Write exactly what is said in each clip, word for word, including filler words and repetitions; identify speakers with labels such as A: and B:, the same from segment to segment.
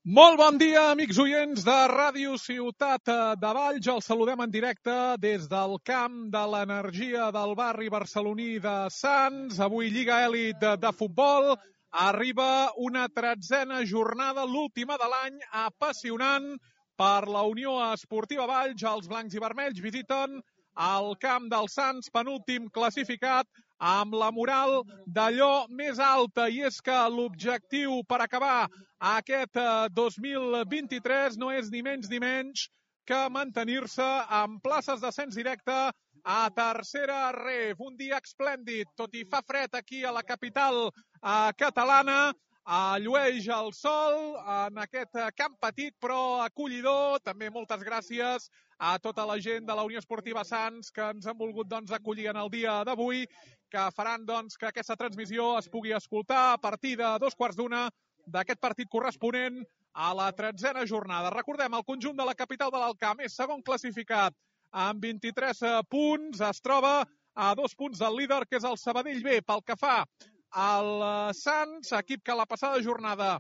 A: Molt bon dia, amics oients de Ràdio Ciutat de Valls. Els saludem en directe des del camp de l'energia del barri barceloní de Sants. Avui Lliga Elit de, de futbol. Arriba una tretzena jornada, l'última de l'any, apassionant per la Unió Esportiva Valls. Els blancs i vermells visiten el camp del Sants, penúltim classificat, amb la moral d'allò més alta, i és que l'objectiu per acabar aquest dos mil vint-i-tres no és ni menys ni menys que mantenir-se en places d'ascens directe a tercera ref. Un dia esplèndid, tot i fa fred aquí a la capital eh, catalana, eh, llueix el sol en aquest camp petit però acollidor. També moltes gràcies a tota la gent de la Unió Esportiva Sants que ens han volgut doncs, acollir en el dia d'avui, que faran doncs, que aquesta transmissió es pugui escoltar a partir de dos quarts d'una d'aquest partit corresponent a la tretzena jornada. Recordem, el conjunt de la capital de l'Alcamp és segon classificat amb vint-i-tres punts. Es troba a dos punts del líder, que és el Sabadell B. Pel que fa al Sants, equip que la passada jornada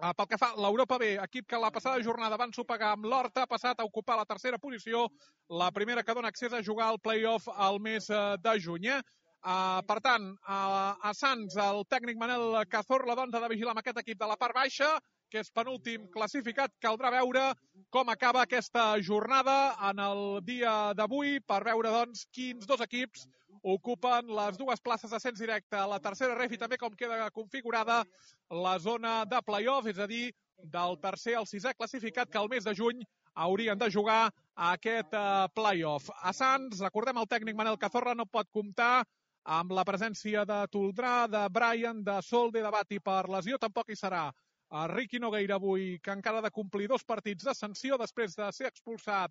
A: pel que fa a l'Europa B, equip que la passada jornada van sopegar amb l'Horta, ha passat a ocupar la tercera posició, la primera que dona accés a jugar al play-off al mes de juny. Eh? Uh, per tant, uh, a Sants, el tècnic Manel Cazorla doncs, ha de vigilar amb aquest equip de la part baixa, que és penúltim classificat. Caldrà veure com acaba aquesta jornada en el dia d'avui per veure doncs, quins dos equips ocupen les dues places d'ascens directe a la tercera ref i també com queda configurada la zona de play-off, és a dir, del tercer al sisè classificat, que al mes de juny haurien de jugar a aquest uh, play-off. A Sants, recordem, el tècnic Manel Cazorla no pot comptar amb la presència de Toldrà, de Brian, de Solde, de Bati per lesió. Tampoc hi serà uh, Riqui Nogueira avui, que encara ha de complir dos partits de sanció després de ser expulsat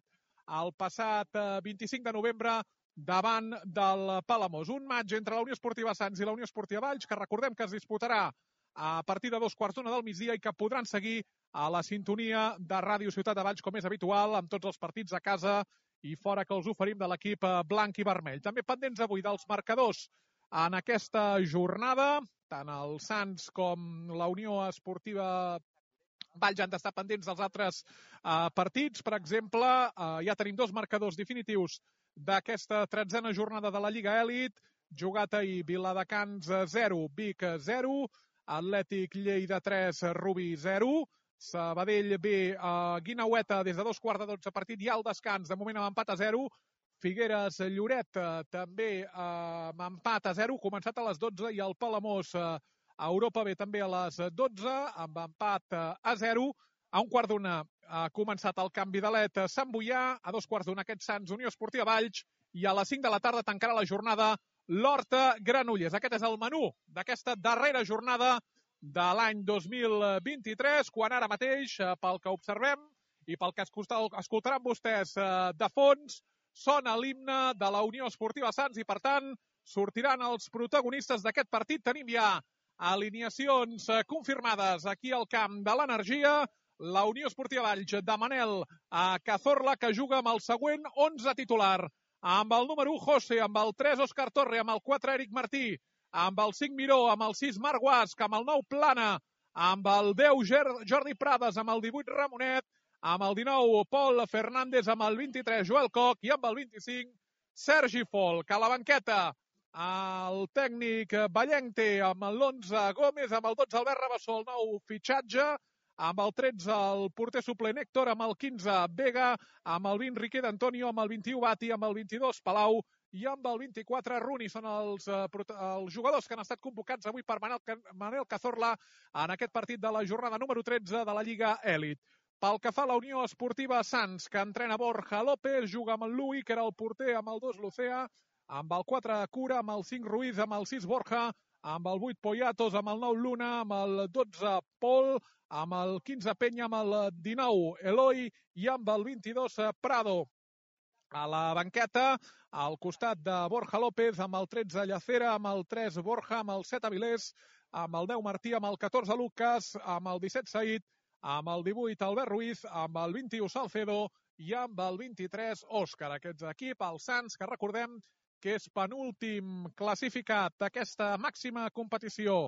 A: el passat uh, vint-i-cinc de novembre davant del Palamós. Un match entre la Unió Esportiva Sants i la Unió Esportiva Valls, que recordem que es disputarà a partir de dos quarts d'una del migdia i que podran seguir a la sintonia de Ràdio Ciutat de Valls, com és habitual, amb tots els partits a casa i fora que els oferim de l'equip blanc i vermell. També pendents avui dels marcadors en aquesta jornada, tant el Sants com la Unió Esportiva Valls han d'estar pendents dels altres uh, partits. Per exemple, uh, ja tenim dos marcadors definitius d'aquesta tretzena jornada de la Lliga Elit. Jugat ahir, Viladecans zero, Vic zero, Atlètic Lleida tres, Rubí zero, Sabadell B, uh, Guinaueta des de dos quarts de dotze partit i al descans, de moment amb empat a zero. Figueres Lloret uh, també uh, amb empat a zero, començat a les dotze, i el Palamós uh, a Europa B també a les dotze, amb empat uh, a zero. A un quart d'una ha començat el canvi d'alet a Sant Boià, a dos quarts d'una aquest Sants Unió Esportiva Valls, i a les cinc de la tarda tancarà la jornada l'Horta Granollers. Aquest és el menú d'aquesta darrera jornada de l'any dos mil vint-i-tres, quan ara mateix, pel que observem i pel que escoltaran vostès de fons, sona l'himne de la Unió Esportiva Sants i, per tant, sortiran els protagonistes d'aquest partit. Tenim ja alineacions confirmades aquí al camp de l'Energia. La Unió Esportiva Valls de Manel Cazorla, que juga amb el següent onze titular. Amb el número u, José, amb el tres, Òscar Torre, amb el quatre, Eric Martí, amb el cinc, Miró, amb el sis, Marc Guasc, amb el nou, Plana, amb el deu, Jordi Prades, amb el divuit, Ramonet, amb el dinou, Pol Fernández, amb el vint-i-tres, Joel Coc, i amb el vint-i-cinc, Sergi Folk. A la banqueta, el tècnic Vallenc té amb l'onze, Gómez, amb el dotze, Albert Rabassó, el nou fitxatge, amb el tretze, el porter suplent Héctor, amb el quinze, Vega, amb el vint, Riquet Antonio, amb el vint-i-u, Bati, amb el vint-i-dos, Palau, i amb el vint-i-quatre, Runi. Són els, els jugadors que han estat convocats avui per Manel Cazorla en aquest partit de la jornada número tretze de la Lliga Elit. Pel que fa a la Unió Esportiva Sants, que entrena Borja López, juga amb el Lui, que era el porter, amb el dos, Lucea, amb el quatre, Cura, amb el cinc, Ruiz, amb el sis, Borja, amb el vuit, Poyatos, amb el nou, Luna, amb el dotze, Pol, amb el quinze, Penya, amb el dinou, Eloi, i amb el vint-i-dos, Prado. A la banqueta, al costat de Borja López, amb el tretze, Llacera, amb el tres, Borja, amb el set, Avilés, amb el deu, Martí, amb el catorze, Lucas, amb el disset, Said, amb el divuit, Albert Ruiz, amb el vint-i-u, Salcedo, i amb el vint-i-tres, Òscar. Aquest equip, el Sants, que recordem que és penúltim classificat d'aquesta màxima competició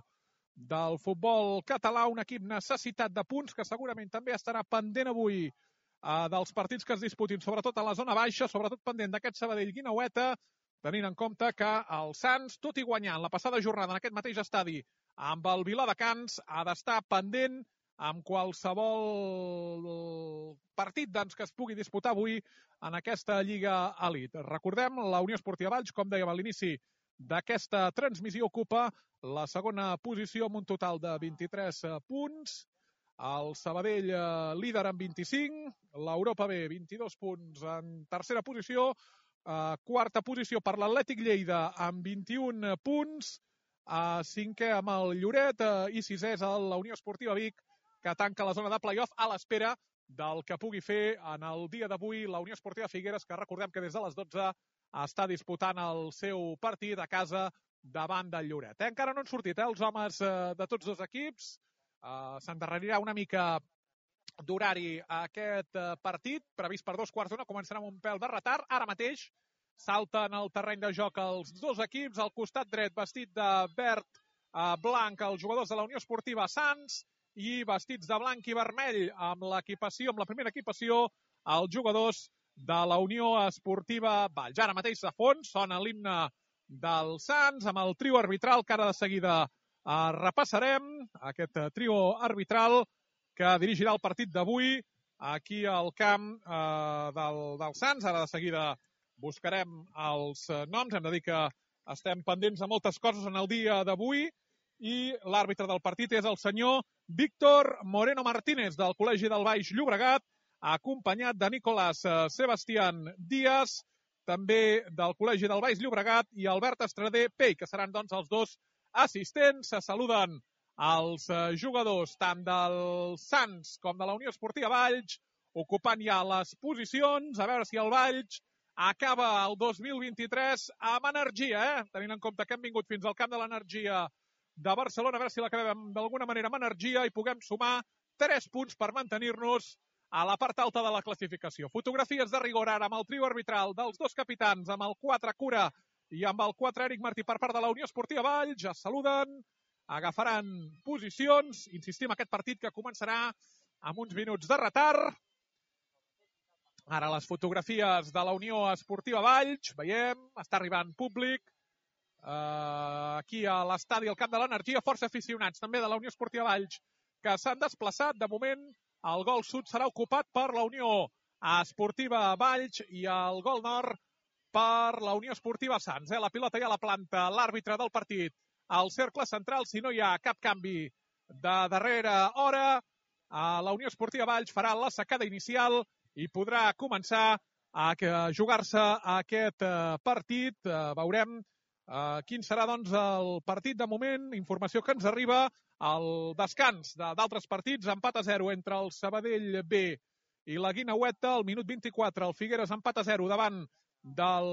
A: del futbol català, un equip necessitat de punts que segurament també estarà pendent avui eh, dels partits que es disputin, sobretot a la zona baixa, sobretot pendent d'aquest Sabadell-Guineueta, tenint en compte que el Sants, tot i guanyant la passada jornada en aquest mateix estadi amb el Viladecans, ha d'estar pendent amb qualsevol partit doncs, que es pugui disputar avui en aquesta Lliga Elit. Recordem, la Unió Esportiva Valls, com dèiem a l'inici d'aquesta transmissió, ocupa la segona posició amb un total de vint-i-tres punts. El Sabadell eh, líder amb vint-i-cinc, l'Europa B vint-i-dos punts en tercera posició, eh, quarta posició per l'Atlètic Lleida amb vint-i-un punts, eh, cinquè amb el Lloret eh, i sisè és la Unió Esportiva Vic, que tanca la zona de play-off a l'espera del que pugui fer en el dia d'avui la Unió Esportiva Figueres, que recordem que des de les dotze està disputant el seu partit a casa davant del Lloret. Eh? Encara no han sortit eh, els homes eh, de tots dos equips. Uh, S'endarrerirà una mica d'horari a aquest uh, partit, previst per dos quarts d'una, començarà amb un pèl de retard. Ara mateix salten al terreny de joc els dos equips, al costat dret vestit de verd uh, blanc els jugadors de la Unió Esportiva Sants i vestits de blanc i vermell amb l'equipació, amb la primera equipació, els jugadors de la Unió Esportiva Valls. Ara mateix de fons sona l'himne del Sants amb el trio arbitral que ara de seguida Uh, repassarem aquest uh, trio arbitral que dirigirà el partit d'avui aquí al camp uh, del, del Sants. Ara de seguida buscarem els uh, noms. Hem de dir que estem pendents de moltes coses en el dia d'avui i l'àrbitre del partit és el senyor Víctor Moreno Martínez del Col·legi del Baix Llobregat, acompanyat de Nicolás uh, Sebastián Díaz, també del Col·legi del Baix Llobregat, i Albert Estrader Pell, que seran doncs els dos assistents. Se saluden els jugadors tant del Sants com de la Unió Esportiva Valls, ocupant ja les posicions, a veure si el Valls acaba el dos mil vint-i-tres amb energia, eh? Tenint en compte que hem vingut fins al camp de l'energia de Barcelona, a veure si l'acabem d'alguna manera amb energia i puguem sumar tres punts per mantenir-nos a la part alta de la classificació. Fotografies de rigor ara amb el trio arbitral dels dos capitans, amb el quatre Cura i amb el quatre Eric Martí per part de la Unió Esportiva Valls. Ja saluden, agafaran posicions. Insistim, aquest partit que començarà amb uns minuts de retard. Ara les fotografies de la Unió Esportiva Valls. Veiem, està arribant públic. Uh, aquí a l'estadi, al camp de l'Energia, força aficionats també de la Unió Esportiva Valls que s'han desplaçat. De moment, el gol sud serà ocupat per la Unió Esportiva Valls i el gol nord per la Unió Esportiva Sants. Eh? La pilota ja la planta l'àrbitre del partit al cercle central. Si no hi ha cap canvi de darrera hora, la Unió Esportiva Valls farà la secada inicial i podrà començar a jugar-se aquest partit. Veurem quin serà doncs, el partit de moment. Informació que ens arriba al descans d'altres partits. Empat a zero entre el Sabadell B i la Guineueta. Al minut vint-i-quatre el Figueres empat a zero davant del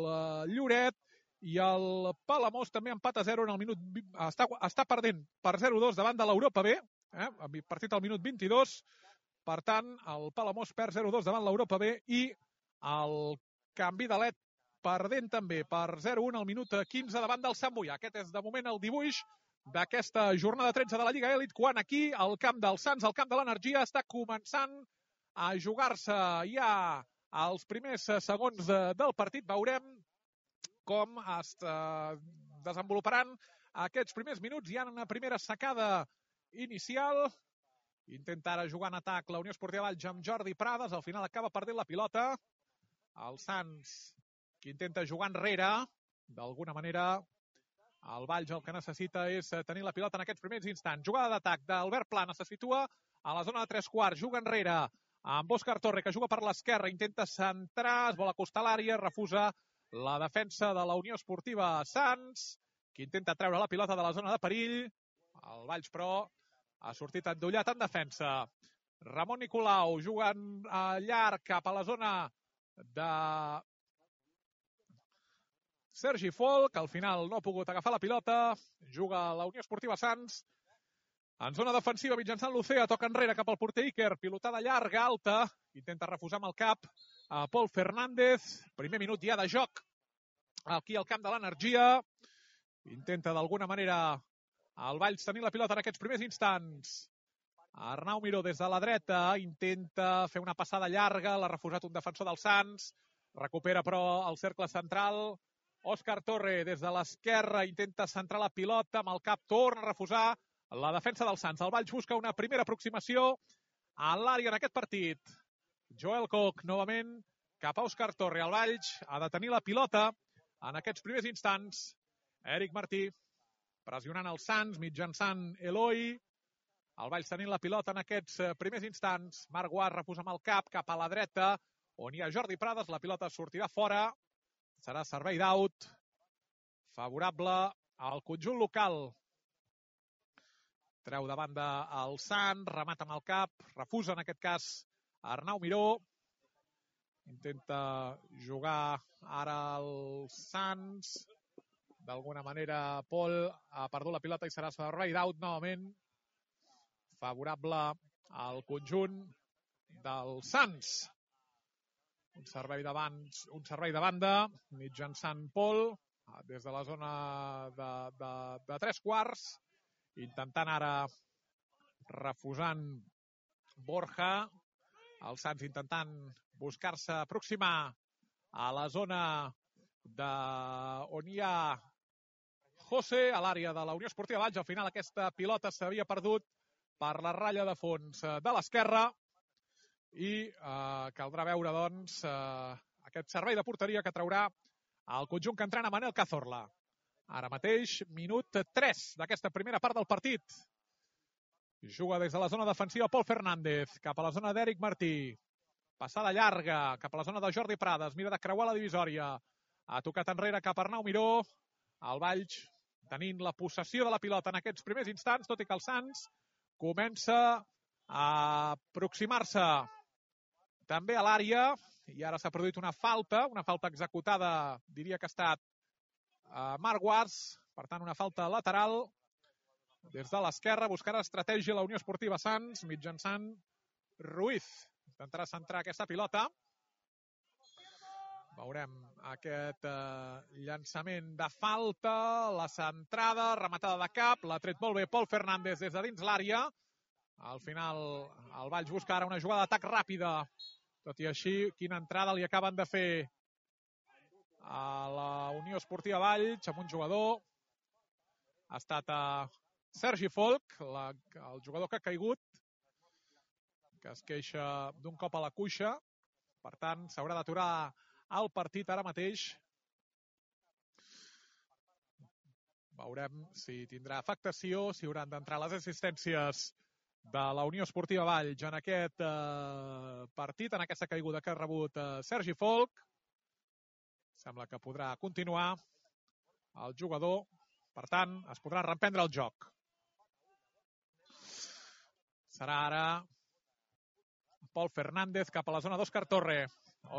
A: uh, Lloret, i el Palamós també empat a zero en el minut, està, està perdent per zero a dos davant de l'Europa B, eh? Partit al minut vint-i-dos, per tant el Palamós perd zero a dos davant l'Europa B i el Canvi de Let perdent també per zero a un al minut quinze davant del Sant Boià. Aquest és de moment el dibuix d'aquesta jornada tretze de la Lliga Elit, quan aquí al camp del Sants, al camp de l'Energia, està començant a jugar-se ja els primers segons de, del partit. Veurem com es eh, desenvoluparan aquests primers minuts. Hi ha una primera secada inicial. Intenta ara jugar en atac la Unió Esportiva Valls amb Jordi Prades. Al final acaba perdent la pilota. El Sants, que intenta jugar enrere. D'alguna manera, el Valls el que necessita és tenir la pilota en aquests primers instants. Jugada d'atac d'Albert Plana. Se situa a la zona de tres quarts. Juga enrere amb Òscar Torre, que juga per l'esquerra, intenta centrar, es vol acostar a l'àrea, refusa la defensa de la Unió Esportiva Sants, que intenta treure la pilota de la zona de perill. El Valls, però, ha sortit endollat en defensa. Ramon Nicolau jugant a llarg cap a la zona de Sergi Folk, que al final no ha pogut agafar la pilota. Juga la Unió Esportiva Sants en zona defensiva mitjançant l'Ocea, toca enrere cap al porter Iker, pilotada llarga, alta, intenta refusar amb el cap a Pol Fernández. Primer minut ja de joc aquí al camp de l'Energia. Intenta d'alguna manera El Valls tenint la pilota en aquests primers instants. Arnau Miró des de la dreta intenta fer una passada llarga, l'ha refusat un defensor del Sants, recupera però el cercle central. Òscar Torre des de l'esquerra intenta centrar la pilota, amb el cap torna a refusar la defensa del Sants. El Valls busca una primera aproximació a l'àrea en aquest partit. Joel Koch novament cap a Òscar Torre. El Valls ha de tenir la pilota en aquests primers instants. Eric Martí pressionant el Sants mitjançant Eloi. El Valls tenint la pilota en aquests primers instants. Marc Guas refusa amb el cap cap a la dreta, on hi ha Jordi Prades. La pilota sortirà fora. Serà servei d'aut favorable al conjunt local. Treu de banda el Sant, remata amb el cap, refusa en aquest cas Arnau Miró. Intenta jugar ara el Sants. D'alguna manera Pol ha perdut la pilota i serà servei d'aut novament favorable al conjunt del Sants. Un servei d'abans, un servei de banda mitjançant Pol des de la zona de, de, de tres quarts, intentant ara refusant Borja. El Sants intentant buscar-se aproximar a la zona de on hi ha José, a l'àrea de la Unió Esportiva Valls. Al final aquesta pilota s'havia perdut per la ratlla de fons de l'esquerra i eh, caldrà veure doncs eh, aquest servei de porteria que traurà el conjunt que entrena Manel Cazorla. Ara mateix, minut tres d'aquesta primera part del partit. Juga des de la zona defensiva Pol Fernández, cap a la zona d'Eric Martí. Passada llarga, cap a la zona de Jordi Prades, mira de creuar la divisòria. Ha tocat enrere cap a Arnau Miró. El Valls tenint la possessió de la pilota en aquests primers instants, tot i que el Sants comença a aproximar-se també a l'àrea, i ara s'ha produït una falta, una falta executada, diria que ha estat a Marc Guas, per tant una falta lateral des de l'esquerra, buscarà estratègia la Unió Esportiva Sants mitjançant Ruiz. Intentarà centrar aquesta pilota. Veurem aquest eh, llançament de falta, la centrada, rematada de cap, l'ha tret molt bé Pol Fernández des de dins l'àrea. Al final el Valls busca ara una jugada d'atac ràpida. Tot i així, quina entrada li acaben de fer a la Unió Esportiva Valls amb un jugador. Ha estat a Sergi Folk, la, el jugador que ha caigut, que es queixa d'un cop a la cuixa. Per tant, s'haurà d'aturar el partit ara mateix. Veurem si tindrà afectació, si hauran d'entrar les assistències de la Unió Esportiva Valls en aquest eh, partit, en aquesta caiguda que ha rebut eh, Sergi Folk. Sembla que podrà continuar el jugador. Per tant, es podrà reprendre el joc. Serà ara Pol Fernández cap a la zona d'Òscar Torre.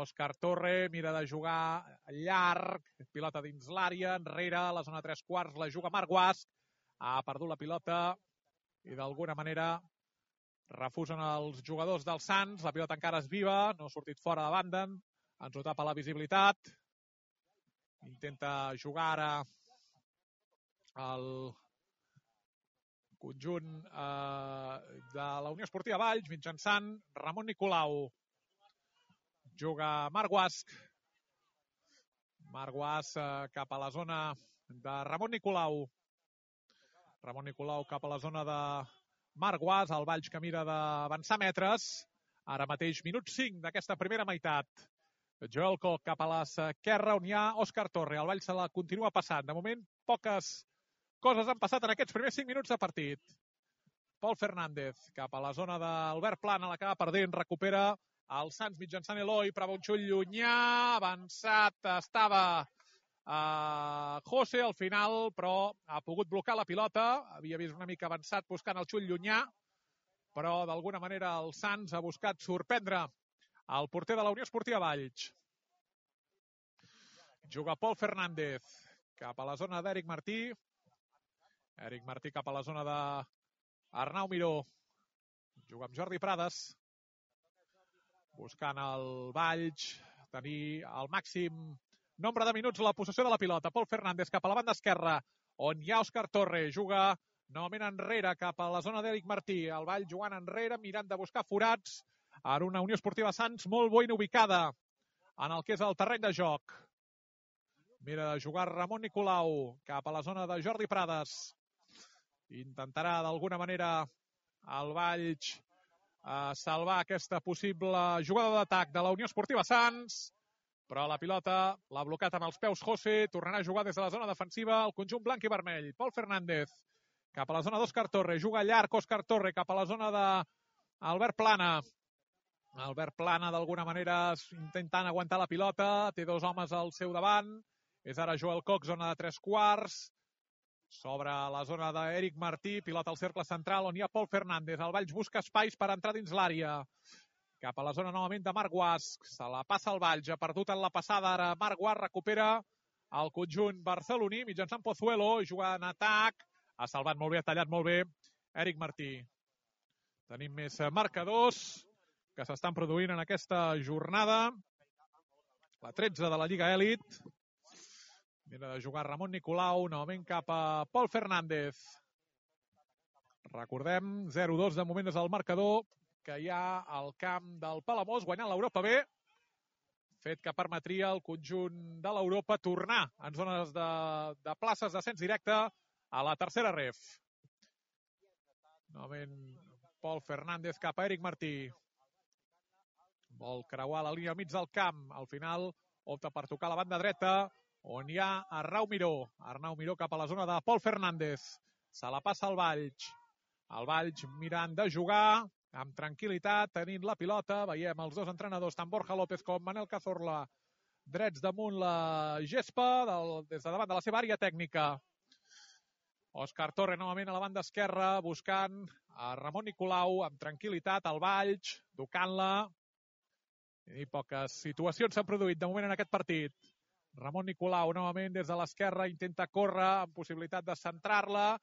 A: Òscar Torre mira de jugar llarg, pilota dins l'àrea, enrere, a la zona tres quarts, la juga Marc Guas. Ha perdut la pilota i d'alguna manera refusen els jugadors del Sants. La pilota encara és viva, no ha sortit fora de banda, ens ho tapa la visibilitat. Intenta jugar ara el conjunt eh, de la Unió Esportiva Valls mitjançant Ramon Nicolau. Juga Marc Guas. Marc Guas eh, cap a la zona de Ramon Nicolau. Ramon Nicolau cap a la zona de Marc Guas. El Valls que mira d'avançar metres. Ara mateix minut cinc d'aquesta primera meitat. Joel Koch cap a l'esquerra on hi ha Òscar Torre. El Valls se la continua passant. De moment, poques coses han passat en aquests primers cinc minuts de partit. Pol Fernández cap a la zona d'Albert Plana, l'acaba perdent, recupera el Sants mitjançant Eloi, prova un xut llunyà, avançat, estava uh, José al final, però ha pogut blocar la pilota, havia vist una mica avançat buscant el xut llunyà, però d'alguna manera el Sants ha buscat sorprendre el porter de la Unió Esportiva Valls. Juga Pol Fernández cap a la zona d'Eric Martí. Eric Martí cap a la zona d'Arnau Miró. Juga amb Jordi Prades. Buscant el Valls tenir el màxim nombre de minuts a la possessió de la pilota. Pol Fernández cap a la banda esquerra, on hi ha Òscar Torre. Juga novament enrere cap a la zona d'Eric Martí. El Vall jugant enrere, mirant de buscar forats en una Unió Esportiva Sants molt ben ubicada en el que és el terreny de joc. Mira de jugar Ramon Nicolau cap a la zona de Jordi Prades. Intentarà d'alguna manera el Valls eh, salvar aquesta possible jugada d'atac de la Unió Esportiva Sants, però la pilota l'ha blocat amb els peus José. Tornarà a jugar des de la zona defensiva el conjunt blanc i vermell. Pol Fernández cap a la zona d'Òscar Torre. Juga llarg Òscar Torre cap a la zona d'Albert Plana. Albert Plana d'alguna manera intentant aguantar la pilota. Té dos homes al seu davant. És ara Joel Cox, zona de tres quarts. S'obre la zona d'Eric Martí. Pilota al cercle central on hi ha Pol Fernández. El Valls busca espais per entrar dins l'àrea. Cap a la zona novament de Marc Guasc. Se la passa el Valls. Ha perdut en la passada ara. Marc Guasc recupera el conjunt barceloní mitjançant Pozuelo. Juga en atac. Ha salvat molt bé, ha tallat molt bé Eric Martí. Tenim més marcadors que s'estan produint en aquesta jornada. La tretze de la Lliga Elit. Mira de jugar Ramon Nicolau, novament cap a Pol Fernández. Recordem, zero dos de moment des del marcador que hi ha al camp del Palamós, guanyant l'Europa B, fet que permetria al conjunt de l'Europa tornar en zones de, de places d'ascens directe a la tercera ref. Novament Pol Fernández cap a Eric Martí. Vol creuar la línia al mig del camp. Al final opta per tocar la banda dreta, on hi ha Arnau Miró. Arnau Miró cap a la zona de Pol Fernández. Se la passa al Valls. El Valls mirant de jugar amb tranquil·litat, tenint la pilota. Veiem els dos entrenadors, tant Borja López com Manel Cazorla, drets damunt la gespa, del, des de davant de la seva àrea tècnica. Òscar Torre novament a la banda esquerra, buscant a Ramon Nicolau amb tranquil·litat, al Valls, tocant-la. I poques situacions s'han produït de moment en aquest partit. Ramon Nicolau novament des de l'esquerra intenta córrer amb possibilitat de centrar-la.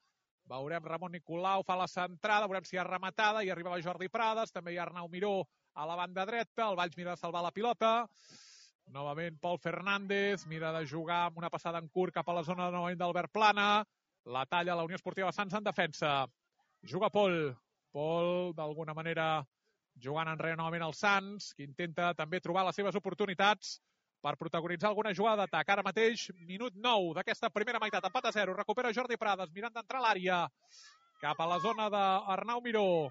A: Veurem Ramon Nicolau, fa la centrada, veurem si hi ha rematada, i arribava Jordi Prades, també hi ha Arnau Miró a la banda dreta, el Valls mira de salvar la pilota. Novament Pol Fernández, mira de jugar amb una passada en curt cap a la zona novament d'Albert Plana. La talla la Unió Esportiva Sants en defensa. Juga Pol. Pol, d'alguna manera, jugant enrere novament el Sants, que intenta també trobar les seves oportunitats per protagonitzar alguna jugada d'atac. Ara mateix, minut nou d'aquesta primera meitat, empat a zero. Recupera Jordi Prades, mirant d'entrar a l'àrea. Cap a la zona d'Arnau Miró.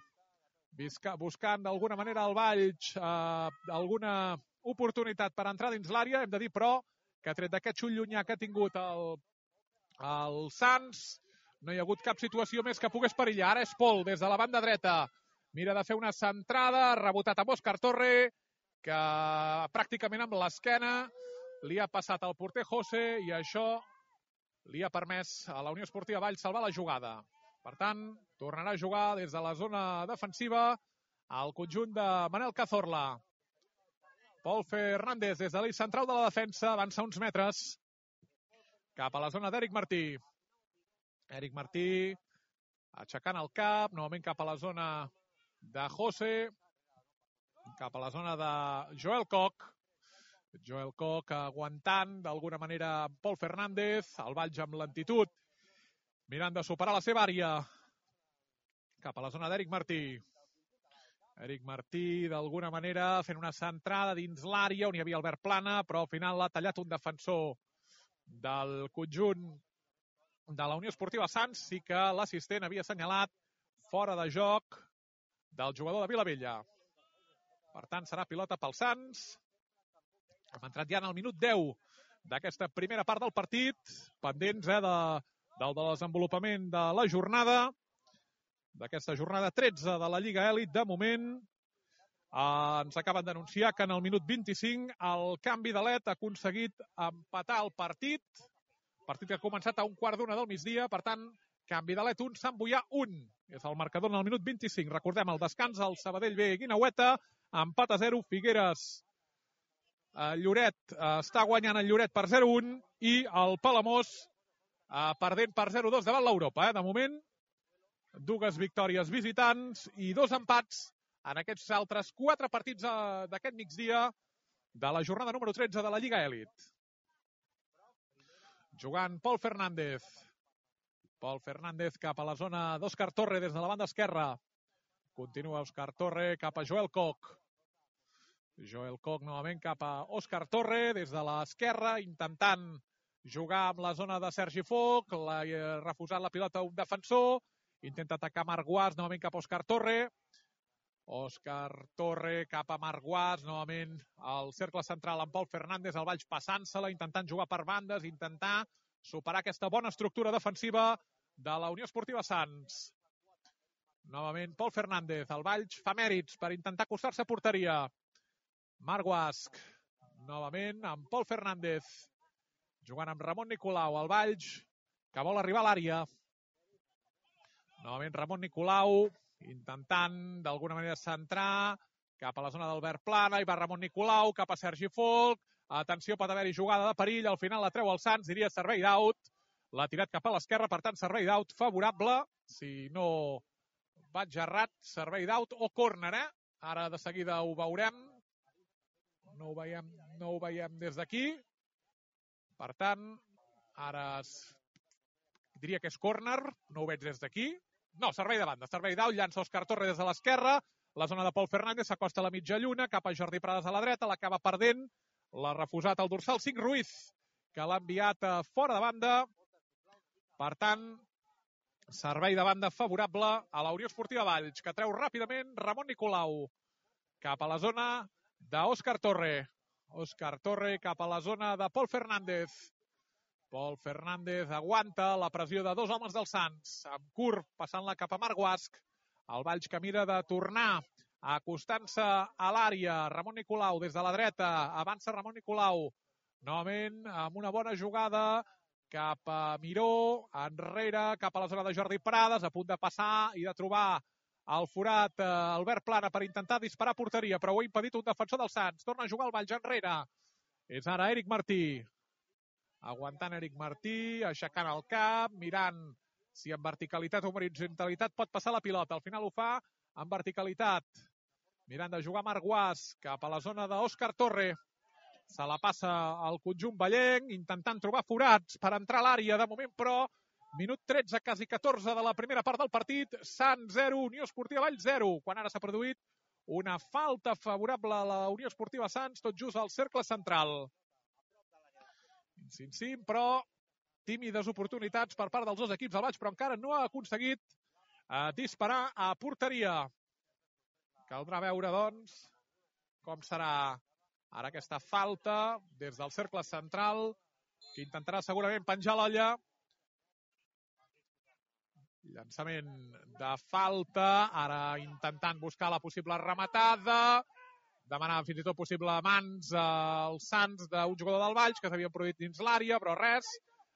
A: Buscant d'alguna manera el Valls eh, alguna oportunitat per entrar dins l'àrea. Hem de dir, però, que tret d'aquest xut llunyà que ha tingut el el Sants, no hi ha hagut cap situació més que pogués perillar. Ara és Pol, des de la banda dreta. Mira de fer una centrada, rebotat amb Òscar Torre, que pràcticament amb l'esquena li ha passat al porter José, i això li ha permès a la Unió Esportiva Valls salvar la jugada. Per tant, tornarà a jugar des de la zona defensiva al conjunt de Manel Cazorla. Pol Fernández, des de l'eix central de la defensa, avança uns metres cap a la zona d'Eric Martí. Eric Martí aixecant el cap, novament cap a la zona de José, cap a la zona de Joel Coc. Joel Coc aguantant d'alguna manera Pol Fernández, el Valls amb lentitud, mirant de superar la seva àrea. Cap a la zona d'Eric Martí. Eric Martí, d'alguna manera, fent una centrada dins l'àrea on hi havia Albert Plana, però al final l'ha tallat un defensor del conjunt de la Unió Esportiva Sants. Sí que l'assistent havia assenyalat fora de joc del jugador de Vilavella. Per tant, serà pilota pel Sants. Hem entrat ja en el minut deu d'aquesta primera part del partit, pendents eh, de, del desenvolupament de la jornada, d'aquesta jornada tretze de la Lliga Elit. De moment, eh, ens acaben d'anunciar que en el minut vint-i-cinc el canvi de L E D ha aconseguit empatar el partit, partit que ha començat a un quart d'una del migdia. Per tant, canvi de L E D un, Sant Boià un. És el marcador en el minut vint-i-cinc. Recordem el descans, el Sabadell B, Guinaueta, empat a zero, Figueres. Eh, Lloret eh, està guanyant el Lloret per zero a un, i el Palamós eh, perdent per zero a dos davant l'Europa. Eh? De moment, dues victòries visitants i dos empats en aquests altres quatre partits eh, d'aquest migdia de la jornada número tretze de la Lliga Elit. Jugant Pol Fernández. Pol Fernández cap a la zona d'Òscar Torre des de la banda esquerra. Continua Òscar Torre cap a Joel Koch. Joel Koch novament cap a Òscar Torre des de l'esquerra, intentant jugar amb la zona de Sergi Foch. L'ha refusat la pilota un defensor. Intenta atacar Marc Guas, novament cap a Òscar Torre. Òscar Torre cap a Marc Guas, novament al cercle central amb Pol Fernández, el Valls passant-se-la, intentant jugar per bandes, intentar superar aquesta bona estructura defensiva de la Unió Esportiva Sants. Novament Pol Fernández, el Valls fa mèrits per intentar acostar-se a porteria. Marc Guas, novament amb Pol Fernández, jugant amb Ramon Nicolau, el Valls que vol arribar a l'àrea. Novament Ramon Nicolau, intentant d'alguna manera centrar cap a la zona d'Albert Plana, i va Ramon Nicolau cap a Sergi Foch. Atenció, pot haver-hi jugada de perill, al final la treu el Sants, diria servei d'aut. L'ha tirat cap a l'esquerra, per tant servei d'aut favorable. Si no vaig errat, servei d'aut o córner, eh? Ara de seguida ho veurem. No ho veiem, no ho veiem des d'aquí. Per tant, ara es... diria que és córner, no ho veig des d'aquí. No, servei de banda, servei d'aut, llança Òscar Torre des de l'esquerra, la zona de Pol Fernández s'acosta a la mitja lluna, cap a Jordi Prades a la dreta, l'acaba perdent, l'ha refusat el dorsal cinc Ruiz, que l'ha enviat a fora de banda. Per tant, servei de banda favorable a la Unió Esportiva Valls, que treu ràpidament Ramon Nicolau cap a la zona d'Òscar Torre. Òscar Torre cap a la zona de Pol Fernández. Pol Fernández aguanta la pressió de dos homes del Sants, amb curt passant-la cap a Marc Guas. El Valls que mira de tornar, acostant-se a l'àrea. Ramon Nicolau des de la dreta, avança Ramon Nicolau, novament amb una bona jugada cap a Miró, enrere, cap a la zona de Jordi Prades, a punt de passar i de trobar el forat eh, Albert Plana per intentar disparar a porteria, però ho ha impedit un defensor del Sants. Torna a jugar el Valls enrere. És ara Eric Martí. Aguantant Eric Martí, aixecant el cap, mirant si en verticalitat o horitzontalitat pot passar la pilota. Al final ho fa en verticalitat. Mirant de jugar Marc Guas cap a la zona d'Òscar Torre. Se la passa al conjunt vallenc, intentant trobar forats per entrar a l'àrea. De moment, però, minut tretze, quasi catorze de la primera part del partit. Sants zero, Unió Esportiva Valls zero. Quan ara s'ha produït una falta favorable a la Unió Esportiva Sants, tot just al cercle central. Sim, sim, però tímides oportunitats per part dels dos equips del Valls, però encara no ha aconseguit eh, disparar a porteria. Caldrà veure, doncs, com serà ara aquesta falta des del cercle central, que intentarà segurament penjar l'olla. Llançament de falta, ara intentant buscar la possible rematada, demanava fins i tot possible mans als Sants d'un jugador del Valls que s'havia produït dins l'àrea, però res.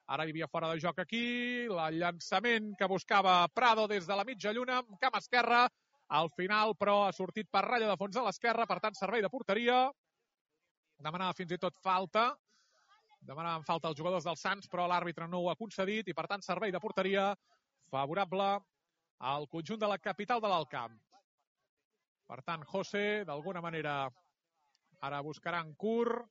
A: Ara hi havia fora de joc aquí. El llançament que buscava Prado des de la mitja lluna, amb camp esquerra. Al final, però, ha sortit per ratlla de fons a l'esquerra, per tant, servei de porteria. Demanava fins i tot falta. Demanaven falta els jugadors del Sants, però l'àrbitre no ho ha concedit i, per tant, servei de porteria favorable al conjunt de la capital de l'Alt Camp. Per tant, José, d'alguna manera, ara buscarà en curt,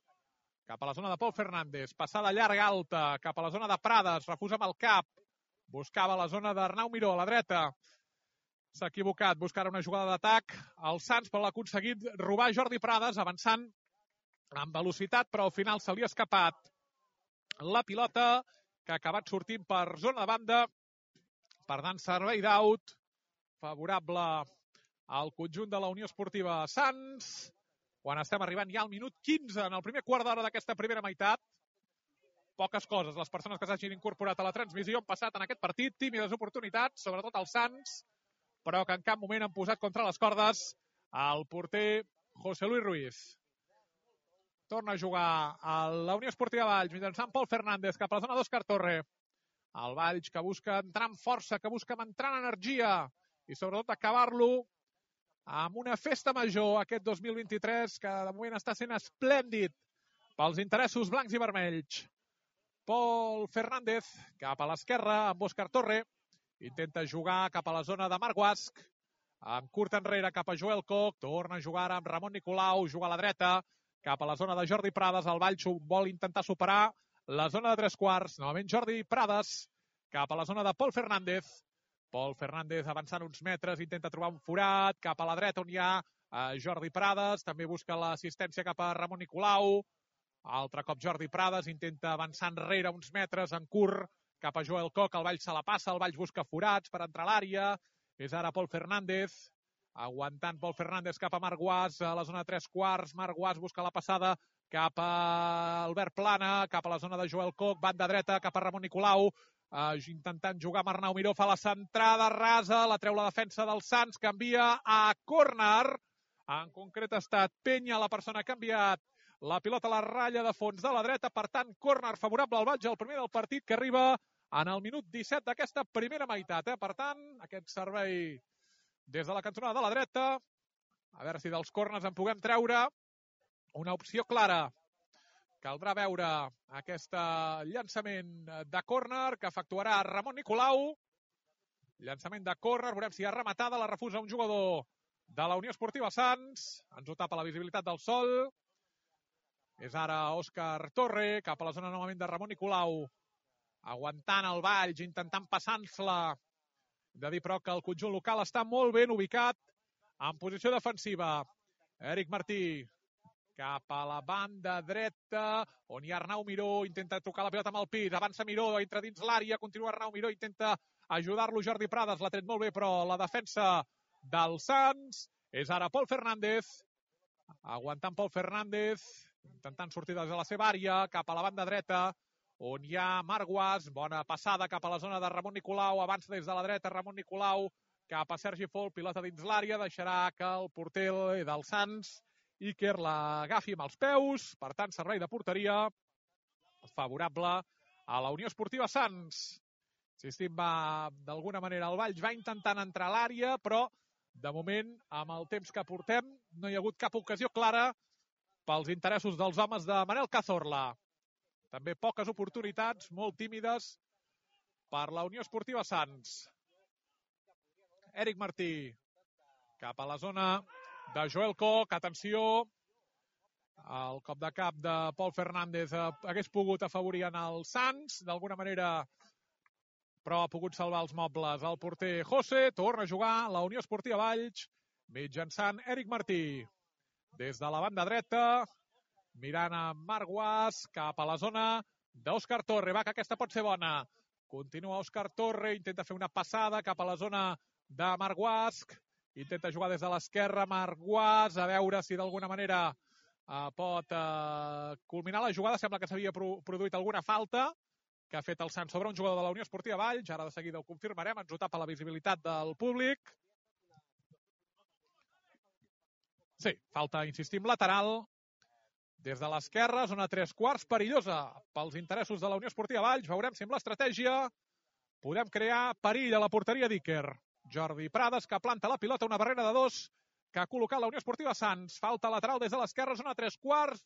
A: cap a la zona de Pol Fernández, passada llarga alta, cap a la zona de Prades, refusa amb el cap, buscava la zona d'Arnau Miró, a la dreta, s'ha equivocat, buscarà una jugada d'atac, el Sants, però l'ha aconseguit robar Jordi Prades, avançant amb velocitat, però al final se li ha escapat la pilota, que ha acabat sortint per zona de banda, per tant, servei d'aut, favorable al conjunt de la Unió Esportiva Sants, quan estem arribant ja al minut quinze en el primer quart d'hora d'aquesta primera meitat. Poques coses, les persones que s'hagin incorporat a la transmissió han passat en aquest partit, tímides oportunitats, sobretot els Sants, però que en cap moment han posat contra les cordes el porter José Luis Ruiz. Torna a jugar a la Unió Esportiva Valls, mitjançant Pol Fernández cap a la zona d'Òscar Torre. El Valls que busca entrar amb força, que busca entrar en energia i sobretot acabar-lo amb una festa major aquest dos mil vint-i-tres que de moment està sent esplèndid pels interessos blancs i vermells. Pol Fernández cap a l'esquerra amb Òscar Torre. Intenta jugar cap a la zona de Marc Guas. Amb curt enrere cap a Joel Koch. Torna a jugar amb Ramon Nicolau. Juga a la dreta cap a la zona de Jordi Prades. El Valls vol intentar superar la zona de tres quarts. Novament Jordi Prades cap a la zona de Pol Fernández. Pol Fernández avançant uns metres, intenta trobar un forat, cap a la dreta on hi ha eh, Jordi Prades, també busca l'assistència cap a Ramon Nicolau. Altre cop Jordi Prades, intenta avançar enrere uns metres, en curt, cap a Joel Coc, el Valls se la passa, el Valls busca forats per entrar a l'àrea. És ara Pol Fernández, aguantant Pol Fernández cap a Marc Guas, a la zona de tres quarts. Marc Guas busca la passada cap a Albert Plana, cap a la zona de Joel Coc, banda dreta cap a Ramon Nicolau, uh, intentant jugar amb Arnau Miró, fa la centrada rasa, la treu la defensa del Sants, canvia a córner. En concret ha estat Penya la persona que ha canviat la pilota a la ratlla de fons de la dreta, per tant, córner favorable al Valls, el primer del partit, que arriba en el minut disset d'aquesta primera meitat. Eh? Per tant, aquest servei des de la cantonada de la dreta, a veure si dels córners en puguem treure una opció clara. Caldrà veure aquest llançament de córner que efectuarà Ramon Nicolau. Llançament de córner, veurem si hi ha rematada, la refusa un jugador de la Unió Esportiva Sants. Ens ho tapa la visibilitat del sol. És ara Òscar Torre, cap a la zona novament de Ramon Nicolau. Aguantant el Valls, intentant passar-se-la. Hem de dir, però, que el conjunt local està molt ben ubicat en posició defensiva. Eric Martí, cap a la banda dreta, on hi ha Arnau Miró, intenta tocar la pilota amb el pit, avança Miró, entra dins l'àrea, continua Arnau Miró, intenta ajudar-lo Jordi Prades, l'ha tret molt bé, però la defensa del Sants és ara Pol Fernández, aguantant Pol Fernández, intentant sortir des de la seva àrea, cap a la banda dreta, on hi ha Marc Guas, bona passada cap a la zona de Ramon Nicolau, avança des de la dreta Ramon Nicolau, cap a Sergi Fol, pilota dins l'àrea, deixarà que el porter del Sants, Iker, l'agafi amb els peus, per tant, servei de porteria favorable a la Unió Esportiva Sants. Insistim, va, d'alguna manera, el Valls va intentant entrar a l'àrea, però, de moment, amb el temps que portem, no hi ha hagut cap ocasió clara pels interessos dels homes de Manel Cazorla. També poques oportunitats, molt tímides, per la Unió Esportiva Sants. Eric Martí, cap a la zona de Joel Coc, atenció, el cop de cap de Pol Fernández hagués pogut afavorir en el Sants, d'alguna manera, però ha pogut salvar els mobles. El porter José torna a jugar la Unió Esportiva Valls, mitjançant Eric Martí. Des de la banda dreta, mirant a Marc Guas, cap a la zona d'Òscar Torre. Va, que aquesta pot ser bona. Continua Òscar Torre, intenta fer una passada cap a la zona de Marc Guas, intenta jugar des de l'esquerra Marc Guas, a veure si d'alguna manera eh, pot eh, culminar la jugada. Sembla que s'havia pro produït alguna falta que ha fet el Sant sobre un jugador de la Unió Esportiva Valls. Ara de seguida ho confirmarem, ens ho tapa la visibilitat del públic. Sí, falta, insistim, lateral. Des de l'esquerra, zona tres quarts, perillosa pels interessos de la Unió Esportiva Valls. Veurem si amb l'estratègia podem crear perill a la porteria d'Iker. Jordi Prades, que planta la pilota, una barrera de dos, que ha col·locat la Unió Esportiva Sants. Falta lateral des de l'esquerra, zona tres quarts.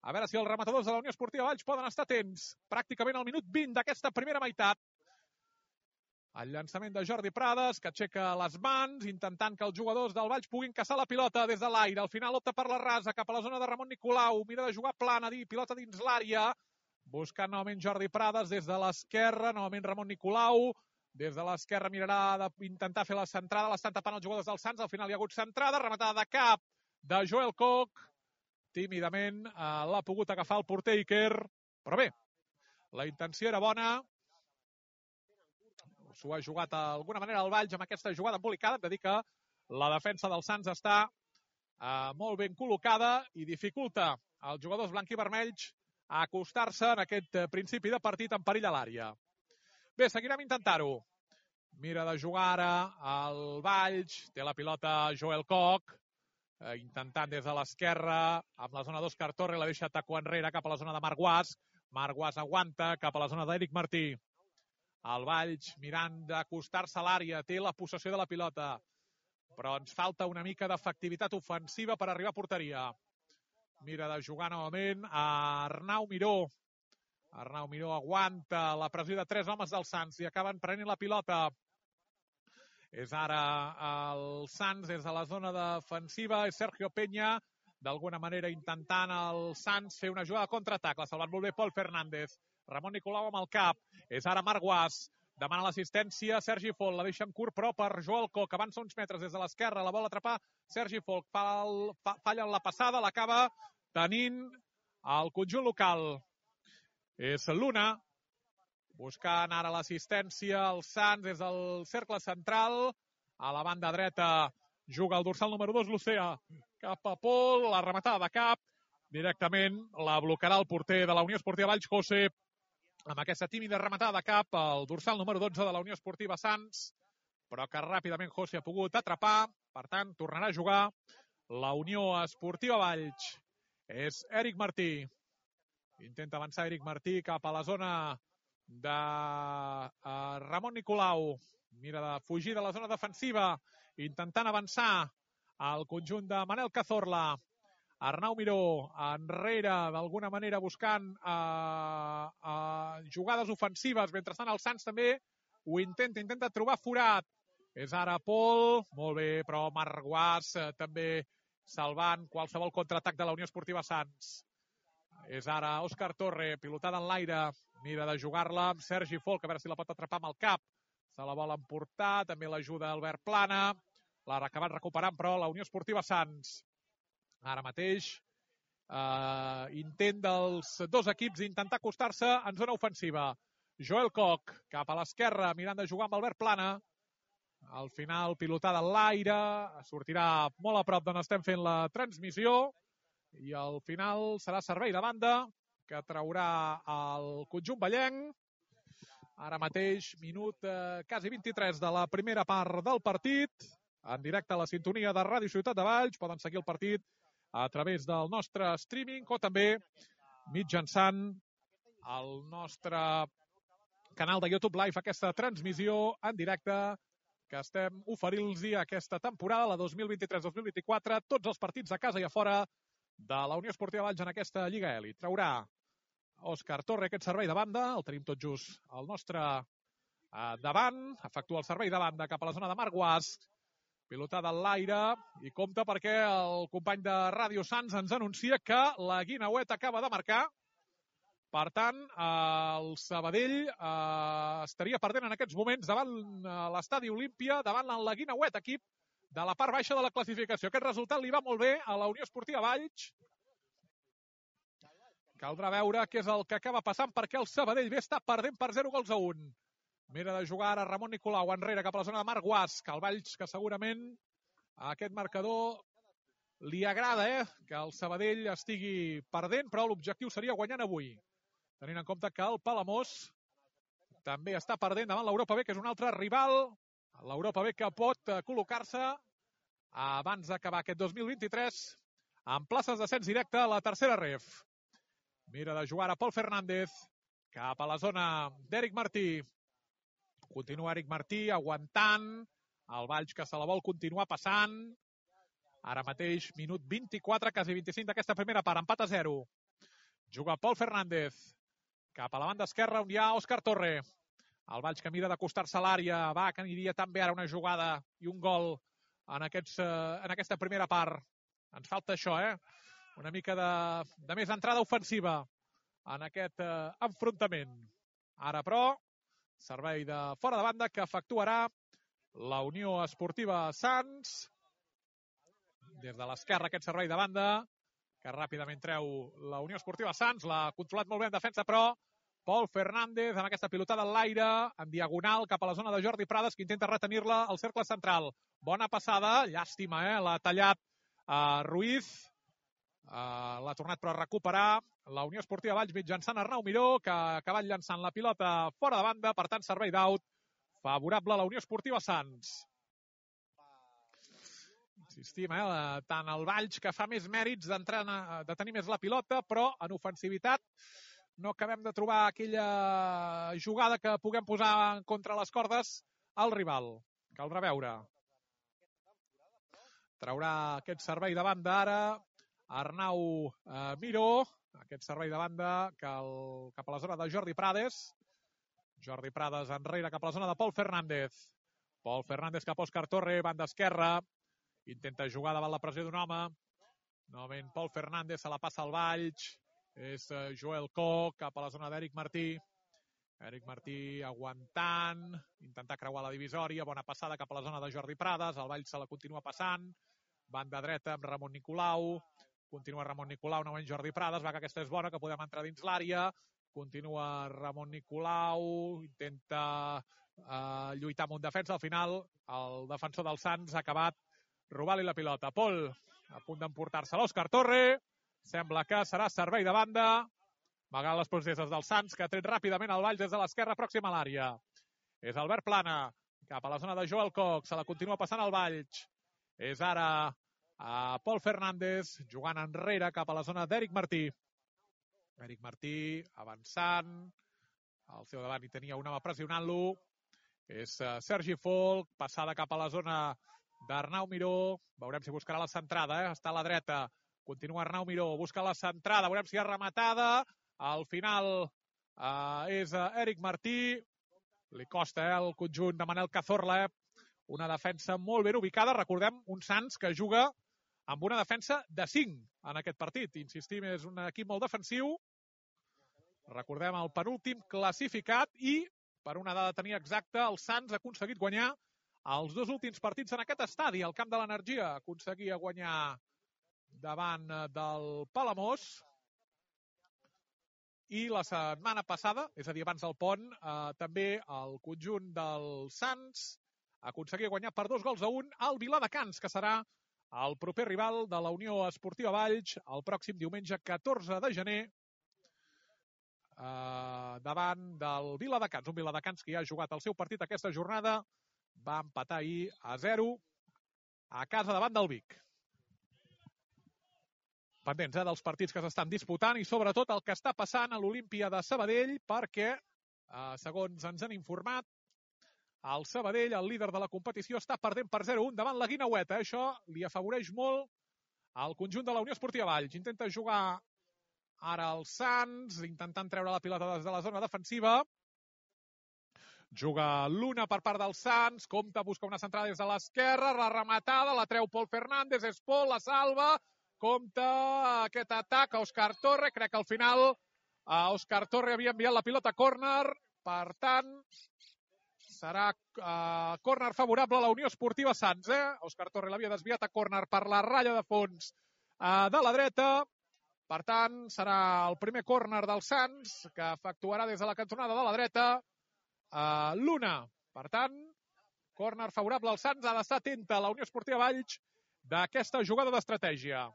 A: A veure si els rematadors de la Unió Esportiva Valls poden estar atents. Pràcticament al minut vint d'aquesta primera meitat. El llançament de Jordi Prades, que aixeca les mans, intentant que els jugadors del Valls puguin caçar la pilota des de l'aire. Al final opta per la rasa, cap a la zona de Ramon Nicolau. Mira de jugar plana, dir, pilota dins l'àrea. Buscant novament Jordi Prades des de l'esquerra, novament Ramon Nicolau. Des de l'esquerra mirarà d'intentar fer la centrada, l'estan tapant els jugadors del Sants. Al final hi ha hagut centrada, rematada de cap de Joel Coc. Tímidament eh, l'ha pogut agafar el porter Iker. Però bé, la intenció era bona. S'ho ha jugat d'alguna manera el Valls amb aquesta jugada embolicada. Hem de dir que la defensa del Sants està eh, molt ben col·locada i dificulta als jugadors blanc i vermells a acostar-se en aquest principi de partit en perill a l'àrea. Bé, seguirem intentar-ho. Mira de jugar ara el Valls, té la pilota Joel Coc, eh, intentant des de l'esquerra, amb la zona d'Òscar Torre, la deixa taco enrere cap a la zona de Marc Guas. Marc Guas aguanta cap a la zona d'Eric Martí. El Valls mirant d'acostar-se a l'àrea, té la possessió de la pilota, però ens falta una mica d'efectivitat ofensiva per arribar a porteria. Mira de jugar novament a Arnau Miró. Arnau Miró aguanta la pressió de tres homes del Sants i acaben prenent la pilota. És ara el Sants des de la zona defensiva, és Sergio Peña, d'alguna manera intentant el Sants fer una jugada de contraatac. L'ha salvat molt bé Pol Fernández. Ramon Nicolau amb el cap. És ara Marc Guas. demana l'assistència Sergi Folk, la deixa en curt però per Joel Koch, avança uns metres des de l'esquerra, la vol atrapar Sergi Folk, fa el, fa, falla en la passada, l'acaba tenint el conjunt local. És l'una, buscant ara l'assistència, el Sants des del cercle central, a la banda dreta juga el dorsal número dos, l'Ocea, cap a Pol, la rematada de cap, directament la blocarà el porter de la Unió Esportiva Valls, José, amb aquesta tímida rematada de cap, el dorsal número dotze de la Unió Esportiva Sants, però que ràpidament José ha pogut atrapar, per tant, tornarà a jugar la Unió Esportiva Valls. És Eric Martí. Intenta avançar Eric Martí cap a la zona de uh, Ramon Nicolau. Mira de fugir de la zona defensiva, intentant avançar al conjunt de Manel Cazorla. Arnau Miró enrere, d'alguna manera buscant uh, uh, jugades ofensives. Mentrestant el Sants també ho intenta, intenta trobar forat. És ara Pol, molt bé, però Marc Guas uh, també salvant qualsevol contraatac de la Unió Esportiva Sants. És ara Òscar Torre, pilotada en l'aire, mira de jugar-la amb Sergi Folk, a veure si la pot atrapar amb el cap. Se la vol emportar, també l'ajuda Albert Plana. L'ha acabat recuperant, però, la Unió Esportiva Sants. Ara mateix, eh, intent dels dos equips d'intentar acostar-se en zona ofensiva. Joel Koch, cap a l'esquerra, mirant de jugar amb Albert Plana. Al final, pilotada en l'aire, sortirà molt a prop d'on estem fent la transmissió. I al final serà servei de banda que traurà el conjunt vallenc. Ara mateix, minut eh, quasi vint-i-tres de la primera part del partit. En directe a la sintonia de Ràdio Ciutat de Valls. Poden seguir el partit a través del nostre streaming o també mitjançant el nostre canal de YouTube Live, aquesta transmissió en directe que estem oferint-los aquesta temporada, la dos mil vint-i-tres dos mil vint-i-quatre, tots els partits a casa i a fora de la Unió Esportiva Valls en aquesta Lliga Elit. Traurà Òscar Torre aquest servei de banda, el tenim tot just al nostre eh, davant, efectua el servei de banda cap a la zona de Marc Guas, pilotada en l'aire, i compte perquè el company de Ràdio Sants ens anuncia que la Guinauet acaba de marcar. Per tant, eh, el Sabadell eh, estaria perdent en aquests moments davant eh, l'Estadi Olímpia, davant la Guinauet, equip de la part baixa de la classificació. Aquest resultat li va molt bé a la Unió Esportiva Valls. Caldrà veure què és el que acaba passant perquè el Sabadell bé està perdent per zero gols a un. Mira de jugar ara Ramon Nicolau enrere cap a la zona de Marc Guas, que el Valls, que segurament a aquest marcador li agrada, eh? Que el Sabadell estigui perdent, però l'objectiu seria guanyant avui. Tenint en compte que el Palamós també està perdent davant l'Europa B, que és un altre rival. L'Europa B que pot col·locar-se abans d'acabar aquest dos mil vint-i-tres en places d'ascens directe a la tercera ref. Mira de jugar a Pol Fernández cap a la zona d'Eric Martí. Continua Eric Martí aguantant. El Valls que se la vol continuar passant. Ara mateix, minut vint-i-quatre, quasi vint-i-cinc d'aquesta primera part. Empat a zero. Juga Pol Fernández cap a la banda esquerra on hi ha Òscar Torre. El Valls que mira d'acostar-se a l'àrea. Va, que aniria també ara una jugada i un gol en, aquests, eh, en aquesta primera part. Ens falta això, eh? Una mica de, de més entrada ofensiva en aquest eh, enfrontament. Ara, però, servei de fora de banda que efectuarà la Unió Esportiva Sants. Des de l'esquerra aquest servei de banda que ràpidament treu la Unió Esportiva Sants. L'ha controlat molt bé en defensa, però Pol Fernández amb aquesta pilotada en l'aire, en diagonal cap a la zona de Jordi Prades, que intenta retenir-la al cercle central. Bona passada, llàstima, eh? L'ha tallat uh, Ruiz. Uh, l'ha tornat però a recuperar la Unió Esportiva Valls mitjançant Arnau Miró, que ha acabat llançant la pilota fora de banda, per tant servei d'aut favorable a la Unió Esportiva Sants. Insistim, eh? Tant el Valls, que fa més mèrits d'entrar, de tenir més la pilota, però en ofensivitat no acabem de trobar aquella jugada que puguem posar contra les cordes al rival. Caldrà veure. Traurà aquest servei de banda ara Arnau eh, Miró, aquest servei de banda que el, cap a la zona de Jordi Prades. Jordi Prades enrere cap a la zona de Pol Fernández. Pol Fernández cap a Òscar Torre, banda esquerra. Intenta jugar davant la pressió d'un home. Novament Pol Fernández se la passa al Valls. És Joel Koch cap a la zona d'Eric Martí. Eric Martí aguantant, intentar creuar la divisòria, bona passada cap a la zona de Jordi Prades, el Valls se la continua passant, banda dreta amb Ramon Nicolau, continua Ramon Nicolau, novament Jordi Prades, va que aquesta és bona, que podem entrar dins l'àrea, continua Ramon Nicolau, intenta eh, lluitar amb un defensa, al final el defensor del Sants ha acabat robant-li la pilota. Pol, a punt d'emportar-se l'Òscar Torre, sembla que serà servei de banda, malgrat les processes del Sants, que ha tret ràpidament el Valls des de l'esquerra pròxima a l'àrea. És Albert Plana, cap a la zona de Joel Cox, se la continua passant el Valls. És ara a Pol Fernández, jugant enrere cap a la zona d'Eric Martí. Eric Martí avançant, al seu davant hi tenia un home pressionant-lo. És Sergi Folk, passada cap a la zona d'Arnau Miró. Veurem si buscarà la centrada, eh? Està a la dreta. Continua Arnau Miró, busca la centrada, veurem si hi ha rematada. Al final eh, és Eric Martí. Li costa eh, el conjunt de Manel Cazorla. Una defensa molt ben ubicada. Recordem un Sants que juga amb una defensa de cinc en aquest partit. Insistim, és un equip molt defensiu. Recordem el penúltim classificat i, per una dada tenir exacta, el Sants ha aconseguit guanyar els dos últims partits en aquest estadi, al Camp de l'Energia. Aconseguia guanyar davant del Palamós. I la setmana passada, és a dir, abans del pont, eh, també el conjunt del Sants aconseguia guanyar per dos gols a un al Viladecans, que serà el proper rival de la Unió Esportiva Valls el pròxim diumenge catorze de gener eh, davant del Viladecans. Un Viladecans que ja ha jugat el seu partit aquesta jornada, va empatar ahir a zero a casa davant del Vic. Pendents eh, dels partits que s'estan disputant i sobretot el que està passant a l'Olímpia de Sabadell, perquè, eh, segons ens han informat, el Sabadell, el líder de la competició, està perdent per zero a un davant la Guineueta. Eh? Això li afavoreix molt al conjunt de la Unió Esportiva Valls. Intenta jugar ara el Sants, intentant treure la pilota des de la zona defensiva. Juga l'una per part del Sants, compta, busca una centrada des de l'esquerra, la rematada, la treu Pol Fernández, és Pol, la salva, compta aquest atac a Òscar Torre, crec que al final a Òscar Torre havia enviat la pilota a córner, per tant serà uh, córner favorable a la Unió Esportiva Sants. Eh? Òscar Torre l'havia desviat a córner per la ratlla de fons uh, de la dreta, per tant serà el primer córner del Sants que efectuarà des de la cantonada de la dreta uh, l'una. Per tant, córner favorable al Sants, ha d'estar atenta a la Unió Esportiva Valls d'aquesta jugada d'estratègia.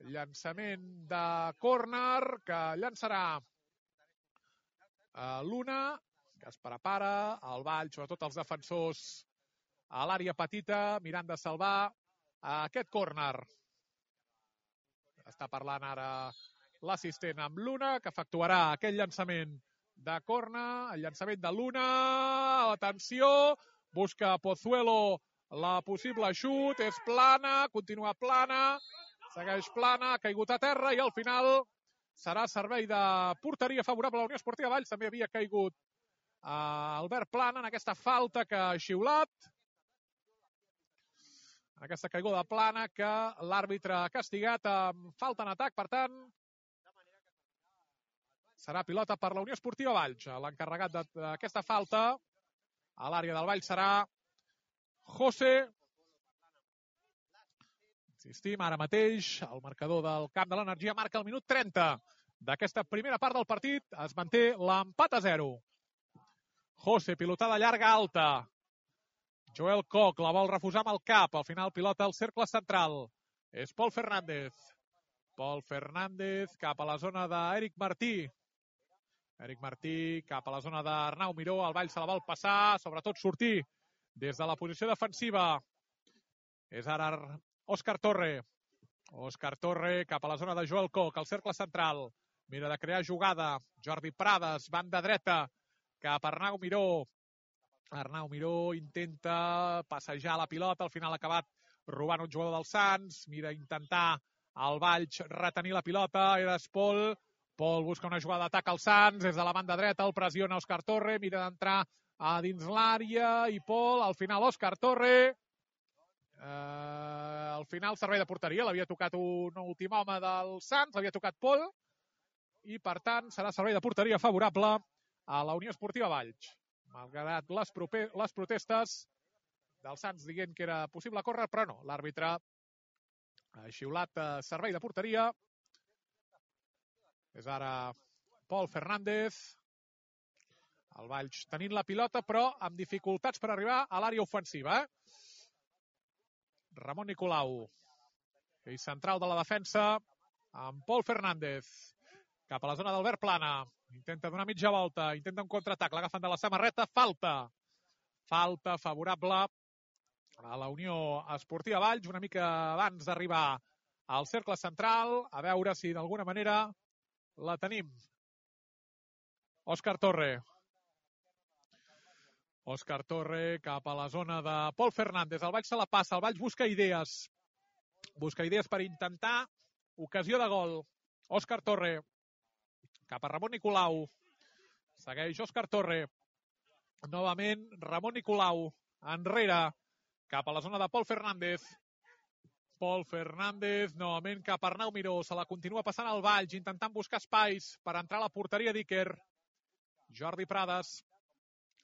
A: Llançament de córner que llançarà uh, l'una, que es prepara el Valls, sobretot els defensors a l'àrea petita, mirant de salvar aquest córner. Està parlant ara l'assistent amb l'una, que efectuarà aquell llançament de córner, el llançament de l'una, atenció, busca Pozuelo la possible xut, és plana, continua plana, segueix plana, ha caigut a terra i al final serà servei de porteria favorable a la Unió Esportiva Valls. També havia caigut uh, Albert Plana en aquesta falta que ha xiulat. Aquesta caiguda de plana que l'àrbitre ha castigat amb falta en atac. Per tant, serà pilota per la Unió Esportiva Valls. L'encarregat d'aquesta falta a l'àrea del Valls serà José. Insistim, ara mateix el marcador del Camp de l'Energia marca el minut trenta d'aquesta primera part del partit. Es manté l'empat a zero. José, pilotada llarga alta. Joel Koch la vol refusar amb el cap. Al final pilota al cercle central. És Pol Fernández. Pol Fernández cap a la zona d'Eric Martí. Eric Martí cap a la zona d'Arnau Miró. El Valls se la vol passar, sobretot sortir des de la posició defensiva. És ara Òscar Torre. Òscar Torre cap a la zona de Joel Koch, al cercle central. Mira de crear jugada. Jordi Prades, banda dreta, cap a Arnau Miró. Arnau Miró intenta passejar la pilota, al final ha acabat robant un jugador del Sants. Mira intentar el Valls retenir la pilota. Era Pol. Pol busca una jugada d'atac al Sants. Des de la banda dreta el pressiona Òscar Torre. Mira d'entrar a dins l'àrea i Pol. Al final Òscar Torre. Uh, al final servei de porteria, l'havia tocat un últim home del Sants, l'havia tocat Pol, i per tant serà servei de porteria favorable a la Unió Esportiva Valls. Malgrat les, proper, les protestes dels Sants dient que era possible córrer, però no. L'àrbitre ha xiulat eh, servei de porteria. És ara Pol Fernández. El Valls tenint la pilota, però amb dificultats per arribar a l'àrea ofensiva. Eh? Ramon Nicolau. Ell central de la defensa amb Pol Fernández. Cap a la zona d'Albert Plana. Intenta donar mitja volta. Intenta un contraatac. L'agafen de la samarreta. Falta. Falta favorable a la Unió Esportiva Valls, una mica abans d'arribar al cercle central, a veure si d'alguna manera la tenim. Òscar Torre. Òscar Torre cap a la zona de Pol Fernández. El Valls se la passa, el Valls busca idees. Busca idees per intentar ocasió de gol. Òscar Torre cap a Ramon Nicolau. Segueix Òscar Torre. Novament Ramon Nicolau. Enrere. Cap a la zona de Pol Fernández. Pol Fernández, novament cap a Arnau Miró. Se la continua passant al Valls, intentant buscar espais per entrar a la porteria d'Iker. Jordi Prades,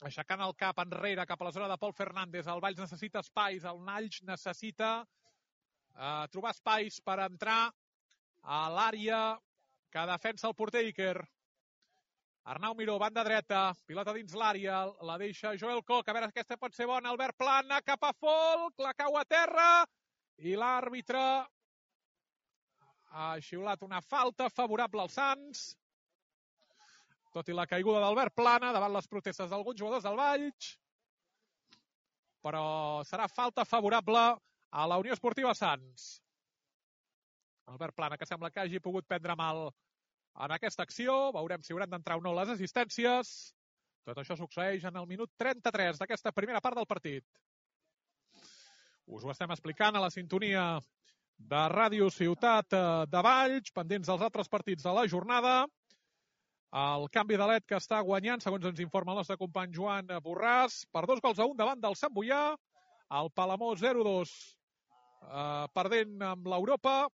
A: aixecant el cap enrere cap a la zona de Pol Fernández. El Valls necessita espais, el Valls necessita eh, trobar espais per entrar a l'àrea que defensa el porter Iker. Arnau Miró, banda dreta, pilota dins l'àrea, la deixa Joel Koch, a veure si aquesta pot ser bona, Albert Plana, cap a Folk, la cau a terra, i l'àrbitre ha xiulat una falta favorable als Sants, tot i la caiguda d'Albert Plana davant les protestes d'alguns jugadors del Valls, però serà falta favorable a la Unió Esportiva Sants. Albert Plana, que sembla que hagi pogut prendre mal en aquesta acció, veurem si hauran d'entrar o no les assistències. Tot això succeeix en el minut trenta-tres d'aquesta primera part del partit. Us ho estem explicant a la sintonia de Ràdio Ciutat de Valls, pendents dels altres partits de la jornada. El canvi de L E D que està guanyant, segons ens informa el nostre company Joan Borràs, per dos gols a un davant del Sant Boià. El Palamós zero dos eh, perdent amb l'Europa.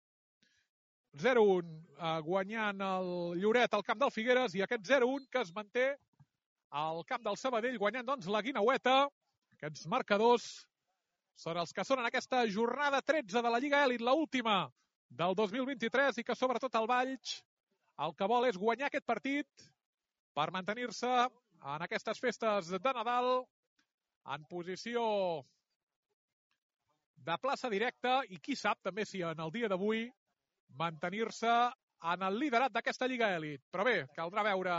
A: zero un eh, guanyant el Lloret al camp del Figueres i aquest zero un que es manté al camp del Sabadell guanyant doncs la Guinaueta. Aquests marcadors són els que són en aquesta jornada tretze de la Lliga Elit, l'última del dos mil vint-i-tres, i que sobretot el Valls el que vol és guanyar aquest partit per mantenir-se en aquestes festes de Nadal en posició de plaça directa i qui sap també si en el dia d'avui mantenir-se en el liderat d'aquesta Lliga Elit. Però bé, caldrà veure,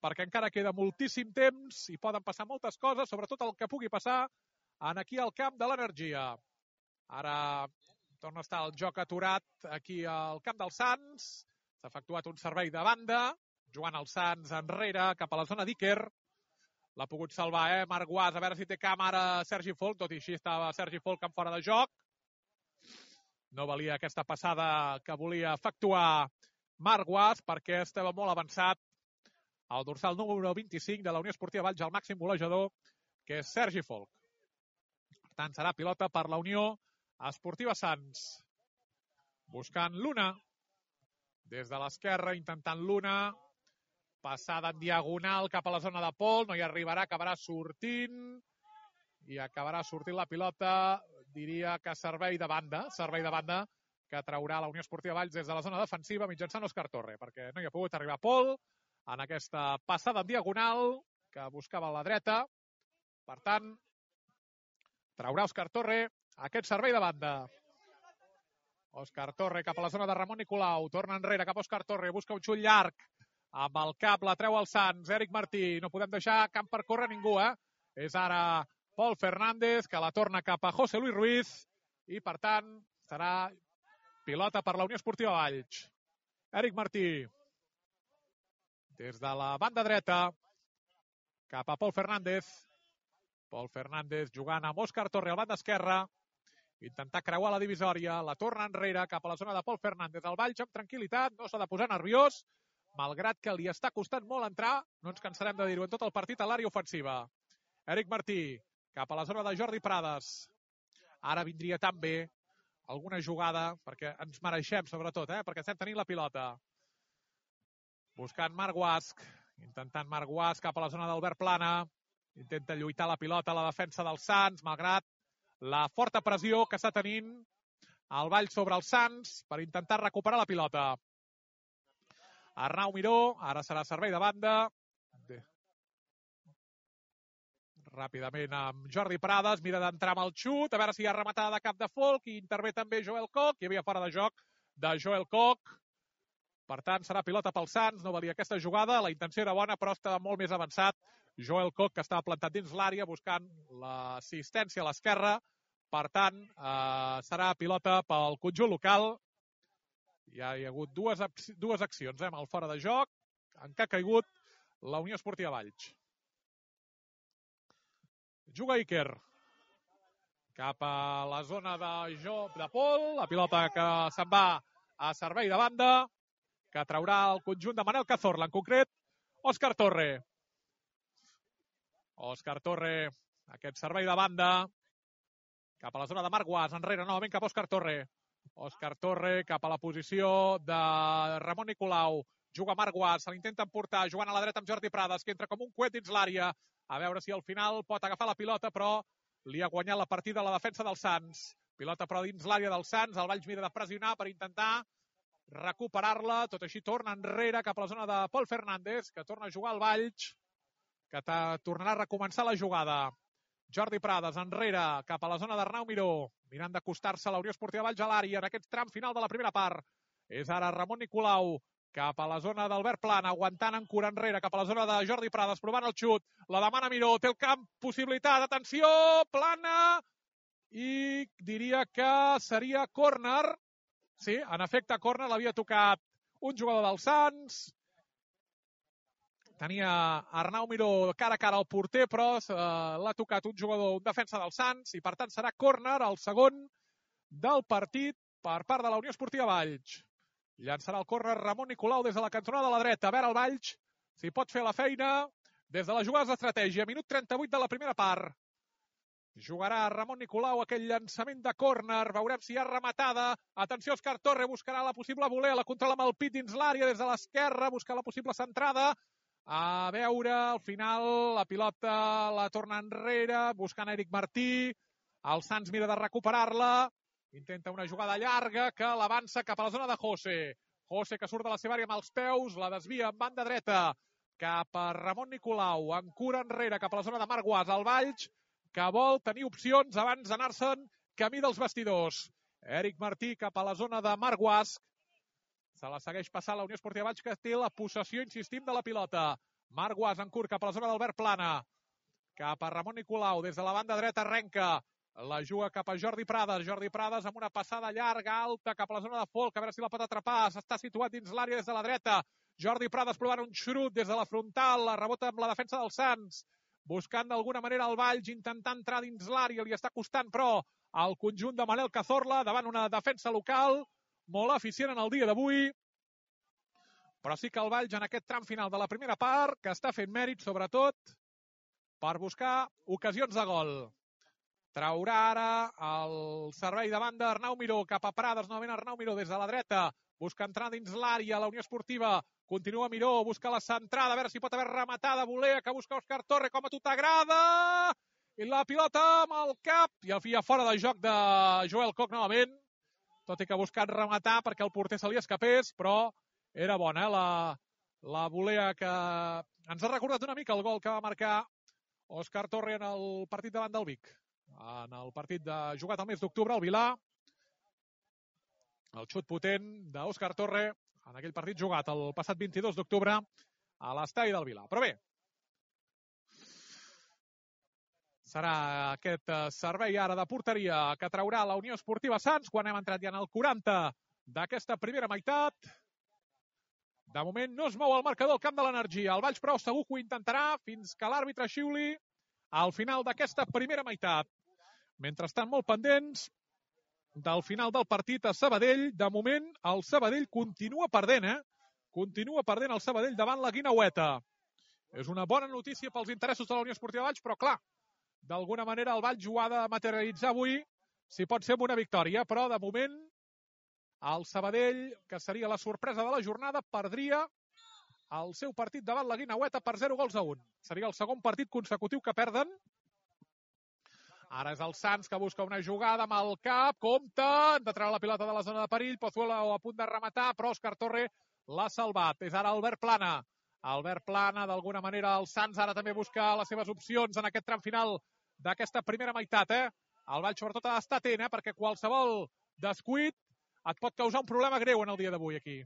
A: perquè encara queda moltíssim temps i poden passar moltes coses, sobretot el que pugui passar en aquí al camp de l'Energia. Ara torna a estar el joc aturat aquí al camp dels Sants. S'ha efectuat un servei de banda, jugant els Sants enrere cap a la zona d'Iker. L'ha pogut salvar, eh? Marc Guas, a veure si té càmera Sergi Folk, tot i així estava Sergi Folk en fora de joc. No valia aquesta passada que volia efectuar Marc Guas perquè estava molt avançat el dorsal número vint-i-cinc de la Unió Esportiva Valls, el màxim golejador, que és Sergi Folk. Per tant, serà pilota per la Unió Esportiva Sants. Buscant l'una. Des de l'esquerra, intentant l'una. Passada en diagonal cap a la zona de Pol. No hi arribarà, acabarà sortint. I acabarà sortint la pilota, diria que servei de banda, servei de banda que traurà la Unió Esportiva Valls des de la zona defensiva mitjançant Òscar Torre, perquè no hi ha pogut arribar Pol en aquesta passada en diagonal que buscava a la dreta. Per tant, traurà Òscar Torre aquest servei de banda. Òscar Torre cap a la zona de Ramon Nicolau, torna enrere cap a Òscar Torre, busca un xut llarg, amb el cap la treu el Sants, Eric Martí, no podem deixar camp per córrer ningú, eh? És ara Pol Fernández, que la torna cap a José Luis Ruiz, i per tant serà pilota per la Unió Esportiva Valls. Eric Martí, des de la banda dreta, cap a Pol Fernández. Pol Fernández jugant amb Òscar Torre al banda esquerra, intentar creuar la divisòria, la torna enrere cap a la zona de Pol Fernández. El Valls amb tranquil·litat, no s'ha de posar nerviós, malgrat que li està costant molt entrar, no ens cansarem de dir-ho en tot el partit, a l'àrea ofensiva. Eric Martí, cap a la zona de Jordi Prades. Ara vindria tan bé alguna jugada, perquè ens mereixem sobretot, eh? perquè estem tenint la pilota. Buscant Marc Guasc, intentant Marc Guas cap a la zona d'Albert Plana. Intenta lluitar la pilota a la defensa dels Sants, malgrat la forta pressió que està tenint el Vall sobre els Sants per intentar recuperar la pilota. Arnau Miró, ara serà servei de banda. Ràpidament amb Jordi Prades, mira d'entrar amb el xut, a veure si hi ha rematada de cap de Folk, i intervé també Joel Koch, hi havia fora de joc de Joel Koch. Per tant, serà pilota pels Sants, no valia aquesta jugada, la intenció era bona, però estava molt més avançat Joel Koch, que estava plantat dins l'àrea buscant l'assistència a l'esquerra. Per tant, eh, serà pilota pel conjunt local. Ja hi ha hagut dues, dues accions, eh, amb el fora de joc, en què ha caigut la Unió Esportiva Valls. Juga Iker cap a la zona de joc de Pol, la pilota que se'n va a servei de banda, que traurà el conjunt de Manel Cazorla, en concret Òscar Torre. Òscar Torre, aquest servei de banda, cap a la zona de Marc Guas, enrere novament cap a Òscar Torre. Òscar Torre cap a la posició de Ramon Nicolau. Juga Marc Guas, se l'intenta emportar, jugant a la dreta amb Jordi Prades, que entra com un coet dins l'àrea. A veure si al final pot agafar la pilota, però li ha guanyat la partida a la defensa dels Sants. Pilota però dins l'àrea dels Sants, el Valls mira de pressionar per intentar recuperar-la, tot així torna enrere cap a la zona de Pol Fernández, que torna a jugar al Valls, que tornarà a recomençar la jugada. Jordi Prades enrere cap a la zona d'Arnau Miró, mirant d'acostar-se a la Unió Esportiva Valls a l'àrea en aquest tram final de la primera part. És ara Ramon Nicolau cap a la zona d'Albert Plana, aguantant en cura enrere cap a la zona de Jordi Prades, provant el xut, la demana Miró, té el camp, possibilitat, atenció, Plana, i diria que seria córner. Sí, en efecte, córner, l'havia tocat un jugador dels Sants. Tenia Arnau Miró cara a cara al porter, però eh, l'ha tocat un jugador, un defensa dels Sants, i per tant serà córner, el segon del partit per part de la Unió Esportiva Valls. Llançarà el córner Ramon Nicolau des de la cantonada de la dreta. A veure el Valls si pot fer la feina des de les jugades d'estratègia. Minut trenta-vuit de la primera part. Jugarà Ramon Nicolau aquell llançament de córner. Veurem si hi ha rematada. Atenció, Òscar Torre buscarà la possible voler. La controla amb el pit dins l'àrea des de l'esquerra. Busca la possible centrada. A veure, al final la pilota la torna enrere, buscant Eric Martí. El Sants mira de recuperar-la. Intenta una jugada llarga que l'avança cap a la zona de José. José que surt de la seva àrea amb els peus, la desvia en banda dreta cap a Ramon Nicolau. En cura enrere cap a la zona de Marc Guas. El Valls que vol tenir opcions abans d'anar-se'n camí dels vestidors. Eric Martí cap a la zona de Marc Guas. Se la segueix passant la Unió Esportiva Valls, que té la possessió, insistim, de la pilota. Marc Guas en curt cap a la zona d'Albert Plana. Cap a Ramon Nicolau, des de la banda dreta arrenca. La juga cap a Jordi Prades. Jordi Prades amb una passada llarga, alta, cap a la zona de Folk. A veure si la pot atrapar. S'està situat dins l'àrea des de la dreta. Jordi Prades provant un xurut des de la frontal. La rebota amb la defensa dels Sants. Buscant d'alguna manera el Valls, intentant entrar dins l'àrea. Li està costant, però, el conjunt de Manel Cazorla davant una defensa local molt eficient en el dia d'avui. Però sí que el Valls en aquest tram final de la primera part, que està fent mèrit, sobretot, per buscar ocasions de gol. Traurà ara el servei de banda Arnau Miró cap a Prades, novament Arnau Miró des de la dreta, busca entrar dins l'àrea, la Unió Esportiva, continua Miró, busca la centrada, a veure si pot haver rematada, volea, que busca Òscar Torre, com a tu t'agrada, i la pilota amb el cap, i al fi fora de joc de Joel Koch novament, tot i que ha buscat rematar perquè el porter se li escapés, però era bona, eh? la, la volea que ens ha recordat una mica el gol que va marcar Òscar Torre en el partit davant del Vic. En el partit de jugat al mes d'octubre al Vilà, el xut potent d'Òscar Torre en aquell partit jugat el passat vint-i-dos d'octubre a l'estadi del Vilà. Però bé, serà aquest servei ara de porteria que traurà la Unió Esportiva Sants quan hem entrat ja en el quaranta d'aquesta primera meitat. De moment no es mou el marcador al camp de l'Energia. El Valls, però, segur que ho intentarà fins que l'àrbitre xiuli al final d'aquesta primera meitat. Mentrestant, molt pendents del final del partit a Sabadell. De moment, el Sabadell continua perdent, eh? Continua perdent el Sabadell davant la Guinaueta. És una bona notícia pels interessos de la Unió Esportiva Valls, però, clar, d'alguna manera el Valls ho ha de materialitzar avui, si pot ser amb una victòria, però, de moment, el Sabadell, que seria la sorpresa de la jornada, perdria el seu partit davant la Guineueta per zero gols a un. Seria el segon partit consecutiu que perden. Ara és el Sants que busca una jugada amb el cap, compta, de treure la pilota de la zona de perill, Pozuelo a punt de rematar, però Òscar Torre l'ha salvat. És ara Albert Plana. Albert Plana, d'alguna manera, el Sants ara també busca les seves opcions en aquest tram final d'aquesta primera meitat, eh? El Valls sobretot ha d'estar atent, eh? Perquè qualsevol descuit et pot causar un problema greu en el dia d'avui aquí.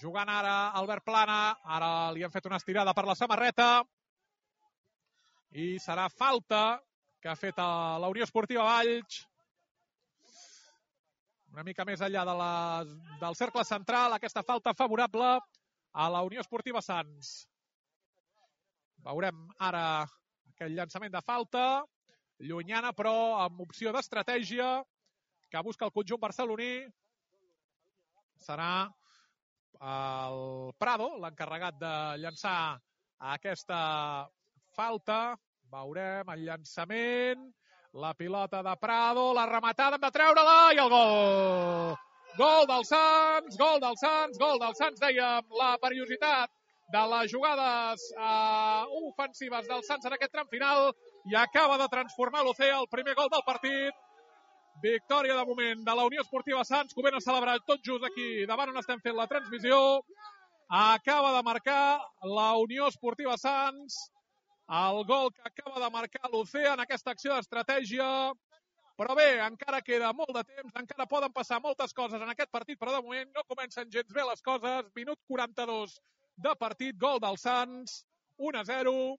A: Jugant ara Albert Plana, ara li han fet una estirada per la samarreta i serà falta que ha fet a la Unió Esportiva Valls. Una mica més enllà de la, del cercle central, aquesta falta favorable a la Unió Esportiva Sants. Veurem ara aquell llançament de falta, llunyana però amb opció d'estratègia que busca el conjunt barceloní. Serà el Prado l'encarregat de llançar aquesta falta. Veurem el llançament, la pilota de Prado, la rematada, hem de treure-la i el gol! Gol del Sants, gol del Sants, gol del Sants, dèiem, la perillositat de les jugades uh, ofensives del Sants en aquest tram final i acaba de transformar l'Ocea el primer gol del partit. Victòria de moment de la Unió Esportiva Sants, que ho ben a celebrar tot just aquí davant on estem fent la transmissió. Acaba de marcar la Unió Esportiva Sants el gol que acaba de marcar l'Ocea en aquesta acció d'estratègia. Però bé, encara queda molt de temps, encara poden passar moltes coses en aquest partit, però de moment no comencen gens bé les coses. Minut quaranta-dos de partit, gol del Sants, un a zero.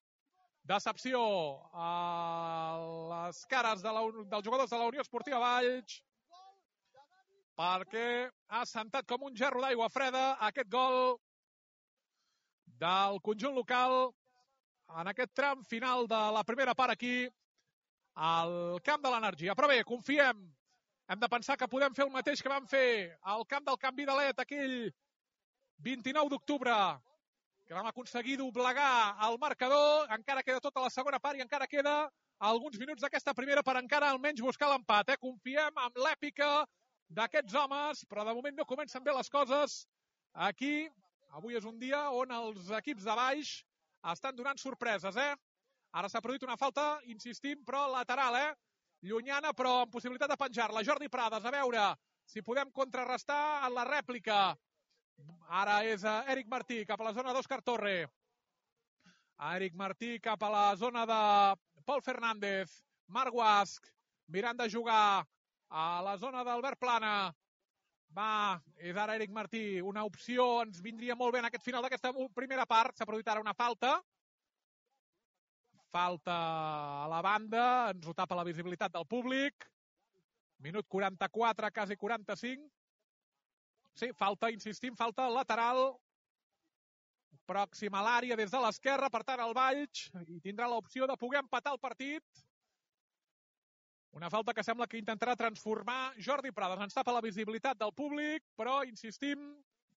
A: Decepció a les cares de la, dels jugadors de la Unió Esportiva Valls, perquè ha sentat com un gerro d'aigua freda aquest gol del conjunt local en aquest tram final de la primera part aquí al camp de l'Energia. Però bé, confiem. Hem de pensar que podem fer el mateix que vam fer al camp del Can Vidalet aquell vint-i-nou d'octubre, que vam aconseguir doblegar el marcador. Encara queda tota la segona part i encara queda alguns minuts d'aquesta primera per encara almenys buscar l'empat. Eh? Confiem en l'èpica d'aquests homes, però de moment no comencen bé les coses. Aquí, avui és un dia on els equips de baix estan donant sorpreses, eh? Ara s'ha produït una falta, insistim, però lateral, eh? Llunyana, però amb possibilitat de penjar-la. Jordi Prades, a veure si podem contrarrestar en la rèplica. Ara és Eric Martí cap a la zona d'Òscar Torre. Eric Martí cap a la zona de Pol Fernández. Marc Guasc mirant de jugar a la zona d'Albert Plana. Va, és ara Eric Martí. Una opció ens vindria molt bé en aquest final d'aquesta primera part. S'ha produït ara una falta. Falta a la banda. Ens ho tapa la visibilitat del públic. Minut quaranta-quatre, quasi quaranta-cinc. Sí, falta, insistim, falta lateral. Pròxim a l'àrea des de l'esquerra. Per tant, el Valls i tindrà l'opció de poder empatar el partit. Una falta que sembla que intentarà transformar Jordi Prades. Ens tapa la visibilitat del públic, però, insistim,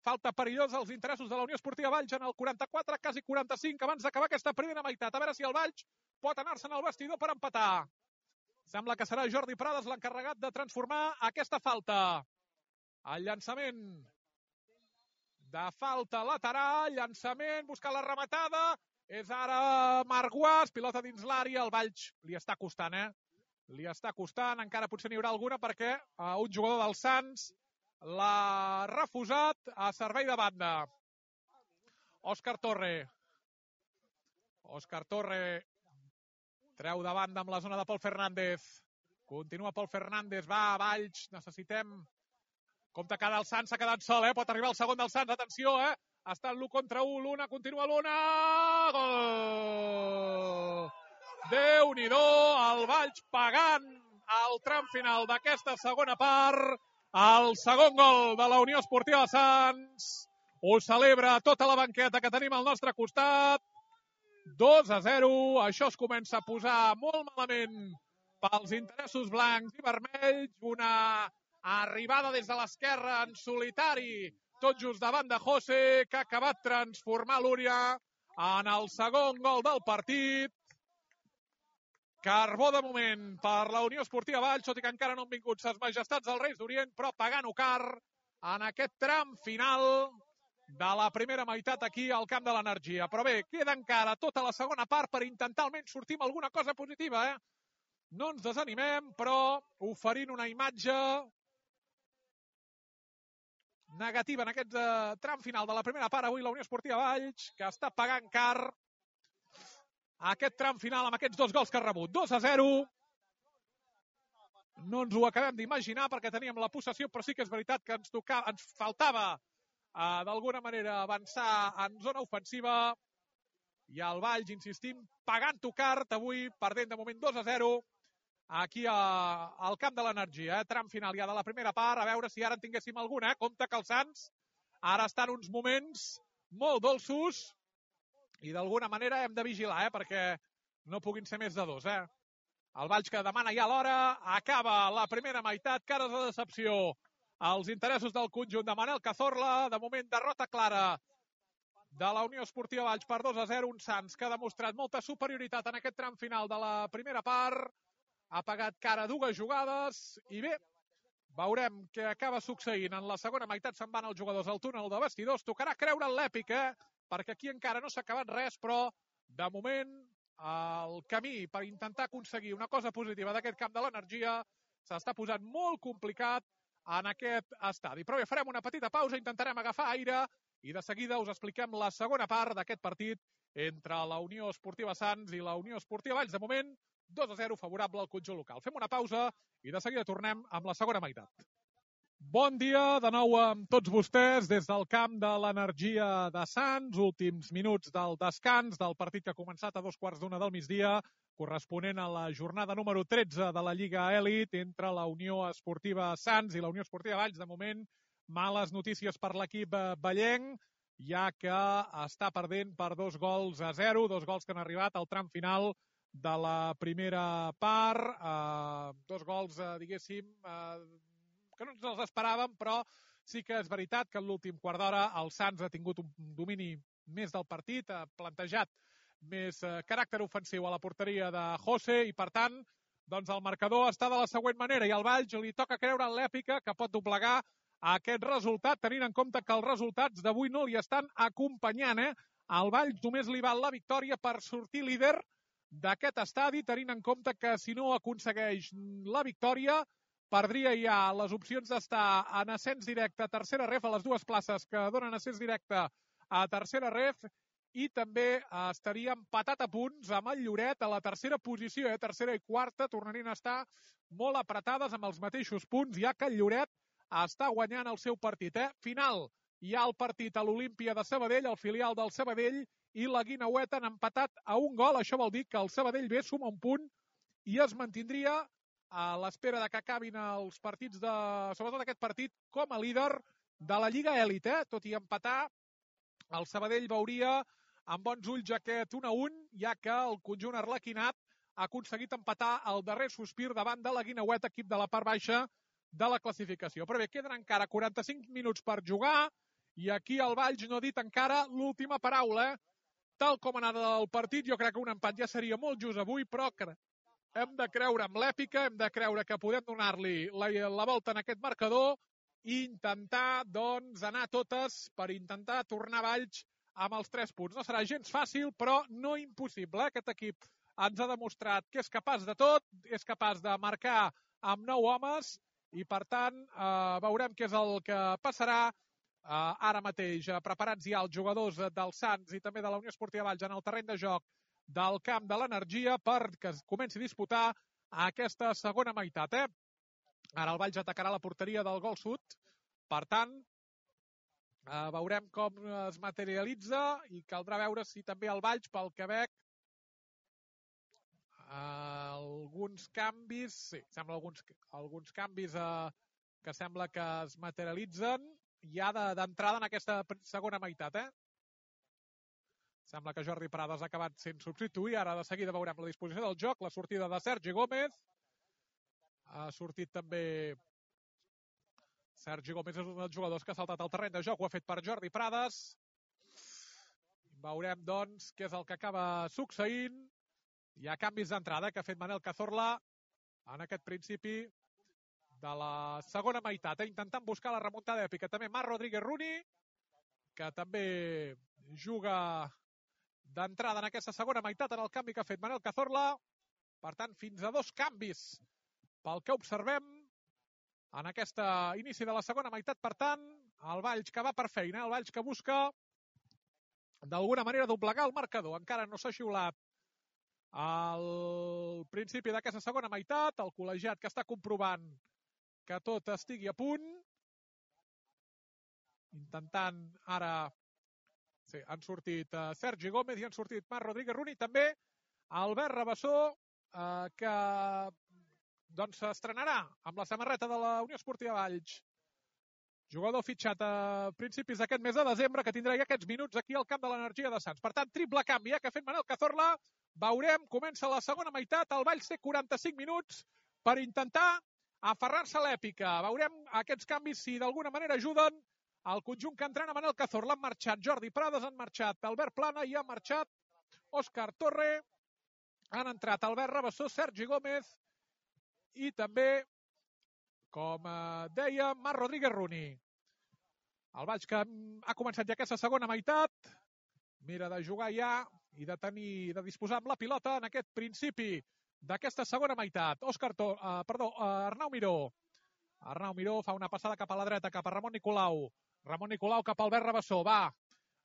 A: falta perillosa als interessos de la Unió Esportiva Valls en el quaranta-quatre, quasi quaranta-cinc, abans d'acabar aquesta primera meitat. A veure si el Valls pot anar-se'n al vestidor per empatar. Sembla que serà Jordi Prades l'encarregat de transformar aquesta falta. El llançament de falta lateral, llançament, buscar la rematada, és ara Marc Guas, pilota dins l'àrea, el Valls li està costant, eh? Li està costant, encara potser n'hi haurà alguna perquè uh, un jugador del Sants l'ha refusat a servei de banda. Òscar Torre. Òscar Torre treu de banda amb la zona de Pol Fernández. Continua Pol Fernández, va, Valls, necessitem... Compte que ara el Sants s'ha quedat sol, eh? Pot arribar el segon del Sants, atenció, eh? Està l'u contra u, l'una, continua l'una... Gol! Déu-n'hi-do, el Valls pagant al tram final d'aquesta segona part. El segon gol de la Unió Esportiva Sants. Ho celebra tota la banqueta que tenim al nostre costat. dos a zero. Això es comença a posar molt malament pels interessos blancs i vermells. Una arribada des de l'esquerra en solitari, tot just davant de José, que ha acabat transformar l'Úria en el segon gol del partit. Carbó de moment per la Unió Esportiva Valls, tot i que encara no han vingut ses majestats dels Reis d'Orient, però pagant-ho car en aquest tram final de la primera meitat aquí al camp de l'Energia. Però bé, queda encara tota la segona part per intentar almenys sortir amb alguna cosa positiva, eh? No ens desanimem, però oferint una imatge negativa en aquest eh, tram final de la primera part. Avui la Unió Esportiva Valls, que està pagant car aquest tram final amb aquests dos gols que ha rebut. dos a zero. No ens ho acabem d'imaginar perquè teníem la possessió, però sí que és veritat que ens, tocava, ens faltava uh, d'alguna manera avançar en zona ofensiva. I el Valls, insistim, pagant-ho car, avui perdent de moment dos a zero aquí a, al camp de l'Energia. Eh? Tram final ja de la primera part, a veure si ara en tinguéssim alguna. Eh? Compte que els Sants ara estan uns moments molt dolços i d'alguna manera hem de vigilar, eh? perquè no puguin ser més de dos. Eh? El Valls que demana ja l'hora, acaba la primera meitat, cares de decepció als interessos del conjunt de Manel Cazorla. De moment, derrota clara de la Unió Esportiva Valls per dos a zero. Un Sants que ha demostrat molta superioritat en aquest tram final de la primera part. Ha pagat cara dues jugades i bé, veurem què acaba succeint. En la segona meitat se'n van els jugadors al túnel de vestidors. Tocarà creure en l'èpic, eh? perquè aquí encara no s'ha acabat res, però de moment el camí per intentar aconseguir una cosa positiva d'aquest camp de l'Energia s'està posant molt complicat en aquest estadi. Però bé, farem una petita pausa, intentarem agafar aire i de seguida us expliquem la segona part d'aquest partit entre la Unió Esportiva Sants i la Unió Esportiva Valls. De moment, dos a zero favorable al conjunt local. Fem una pausa i de seguida tornem amb la segona meitat. Bon dia de nou amb tots vostès des del camp de l'Energia de Sants. Últims minuts del descans del partit que ha començat a dos quarts d'una del migdia, corresponent a la jornada número tretze de la Lliga Elit entre la Unió Esportiva Sants i la Unió Esportiva Valls. De moment, males notícies per l'equip vallenc, ja que està perdent per dos gols a zero, dos gols que han arribat al tram final de la primera part, eh, dos gols, eh, diguéssim, eh, que no ens els esperàvem, però sí que és veritat que en l'últim quart d'hora el Sants ha tingut un domini més del partit, ha plantejat més eh, caràcter ofensiu a la porteria de José i, per tant, doncs el marcador està de la següent manera i al Valls li toca creure en l'èpica que pot doblegar aquest resultat, tenint en compte que els resultats d'avui no li estan acompanyant. Eh? Al Valls només li val la victòria per sortir líder d'aquest estadi, tenint en compte que si no aconsegueix la victòria perdria ja les opcions d'estar en ascens directe a tercera ref, a les dues places que donen ascens directe a tercera ref, i també estaria empatat a punts amb el Lloret a la tercera posició, eh? tercera i quarta tornarien a estar molt apretades amb els mateixos punts, ja que el Lloret està guanyant el seu partit. Eh? Final, hi ha el partit a l'Olímpia de Sabadell, el filial del Sabadell i la Guineueta han empatat a un gol. Això vol dir que el Sabadell B suma un punt i es mantindria a l'espera de que acabin els partits, de, sobretot aquest partit, com a líder de la Lliga Elit. Eh? Tot i empatar, el Sabadell veuria amb bons ulls aquest un a un, ja que el conjunt arlequinat ha aconseguit empatar el darrer sospir davant de la Guineueta, equip de la part baixa de la classificació. Però bé, queden encara quaranta-cinc minuts per jugar i aquí el Valls no ha dit encara l'última paraula. Eh? Tal com ha anat el partit, jo crec que un empat ja seria molt just avui, però hem de creure en l'èpica, hem de creure que podem donar-li la, la volta en aquest marcador i intentar, doncs, anar totes per intentar tornar a Valls amb els tres punts. No serà gens fàcil, però no impossible. Aquest equip ens ha demostrat que és capaç de tot, és capaç de marcar amb nou homes i, per tant, eh, veurem què és el que passarà. Uh, ara mateix uh, preparats ja els jugadors uh, del Sants i també de la Unió Esportiva Valls en el terreny de joc del camp de l'Energia per que es comenci a disputar aquesta segona meitat. Eh? Ara el Valls atacarà la porteria del gol sud, per tant uh, veurem com es materialitza i caldrà veure si també el Valls, pel que veig, uh, alguns canvis, sí, sembla alguns, alguns canvis uh, que sembla que es materialitzen ja d'entrada en aquesta segona meitat. Eh? Sembla que Jordi Prades ha acabat sent substituït. Ara de seguida veurem la disposició del joc, la sortida de Sergi Gómez. Ha sortit també Sergi Gómez, és un dels jugadors que ha saltat al terreny de joc, ho ha fet per Jordi Prades. Veurem, doncs, què és el que acaba succeint. Hi ha canvis d'entrada que ha fet Manel Cazorla en aquest principi de la segona meitat, eh? Intentant buscar la remuntada èpica. També Marc Rodríguez Runi, que també juga d'entrada en aquesta segona meitat en el canvi que ha fet Manel Cazorla. Per tant, fins a dos canvis pel que observem en aquest inici de la segona meitat. Per tant, el Valls que va per feina, el Valls que busca d'alguna manera doblegar el marcador. Encara no s'ha xiulat al principi d'aquesta segona meitat. El col·legiat que està comprovant que tot estigui a punt. Intentant ara... Sí, han sortit uh, Sergi Gómez i han sortit Marc Rodríguez Runi. També Albert Rabassó, uh, que doncs s'estrenarà amb la samarreta de la Unió Esportiva Valls. Jugador fitxat a principis d'aquest mes de desembre, que tindrà ja aquests minuts aquí al camp de l'Energia de Sants. Per tant, triple canvi eh, que ha fet Manel Cazorla. Veurem, comença la segona meitat. El Valls té quaranta-cinc minuts per intentar aferrar-se a l'èpica. Veurem aquests canvis si d'alguna manera ajuden el conjunt que entrena Manel Cazorla. Han marxat Jordi Prades, han marxat Albert Plana i han marxat Òscar Torre. Han entrat Albert Rabassó, Sergi Gómez i també, com deia, Marc Rodríguez Runi. El Valls que ha començat ja aquesta segona meitat. Mira de jugar ja i de tenir, de disposar amb la pilota en aquest principi d'aquesta segona meitat. Òscar Torre, uh, perdó, uh, Arnau Miró. Arnau Miró fa una passada cap a la dreta, cap a Ramon Nicolau. Ramon Nicolau cap a Albert Rabassó, va.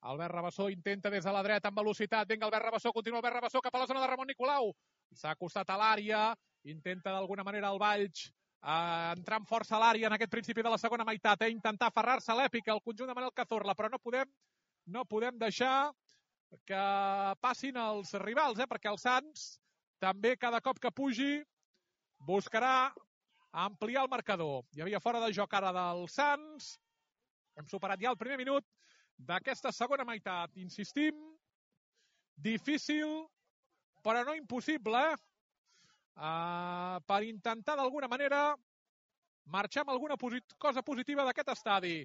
A: Albert Rabassó intenta des de la dreta amb velocitat. Vinga, Albert Rabassó, continua Albert Rabassó cap a la zona de Ramon Nicolau. S'ha acostat a l'àrea, intenta d'alguna manera el Valls eh, entrar amb força a l'àrea en aquest principi de la segona meitat, eh, intentar aferrar-se a l'èpica al conjunt de Manel Cazorla, però no podem, no podem deixar que passin els rivals, eh, perquè el Sants també cada cop que pugi buscarà ampliar el marcador. Hi havia fora de joc ara del Sants. Hem superat ja el primer minut d'aquesta segona meitat. Insistim, difícil, però no impossible, eh? Uh, per intentar d'alguna manera marxar amb alguna posit cosa positiva d'aquest estadi.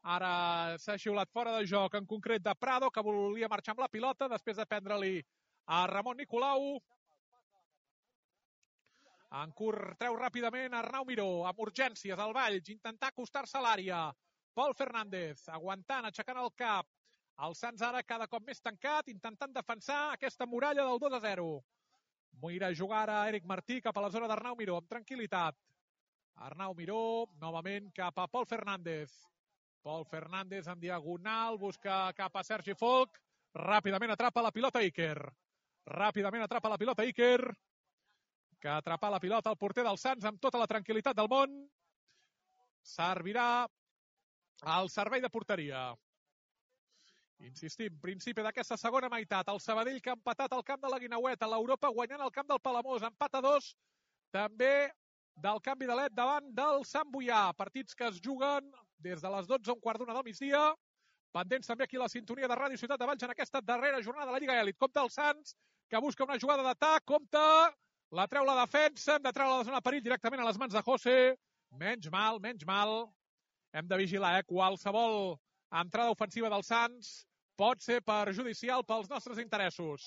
A: Ara s'ha xiulat fora de joc, en concret de Prado, que volia marxar amb la pilota després de prendre-li a Ramon Nicolau. En curt treu ràpidament Arnau Miró, amb urgències al Valls, intentar acostar-se a l'àrea. Pol Fernández, aguantant, aixecant el cap. El Sants ara cada cop més tancat, intentant defensar aquesta muralla del dos a zero. Mira a jugar a Eric Martí cap a la zona d'Arnau Miró, amb tranquil·litat. Arnau Miró, novament cap a Pol Fernández. Pol Fernández en diagonal, busca cap a Sergi Folch. Ràpidament atrapa la pilota Iker. Ràpidament atrapa la pilota Iker, que atrapa la pilota al porter del Sants amb tota la tranquil·litat del món. Servirà al servei de porteria. Insistim, principi d'aquesta segona meitat. El Sabadell que ha empatat al camp de la Guinaueta. L'Europa guanyant al camp del Palamós. Empat a dos. També del canvi de led davant del Sant Boià. Partits que es juguen des de les dotze a un quart d'una del migdia. Pendents també aquí la sintonia de Ràdio Ciutat de Valls en aquesta darrera jornada de la Lliga Elit. Compte el Sants, que busca una jugada d'atac. Compte, la treu la defensa. Hem de treure la zona de perill directament a les mans de José. Menys mal, menys mal. Hem de vigilar, eh? Qualsevol entrada ofensiva del Sants pot ser perjudicial pels nostres interessos.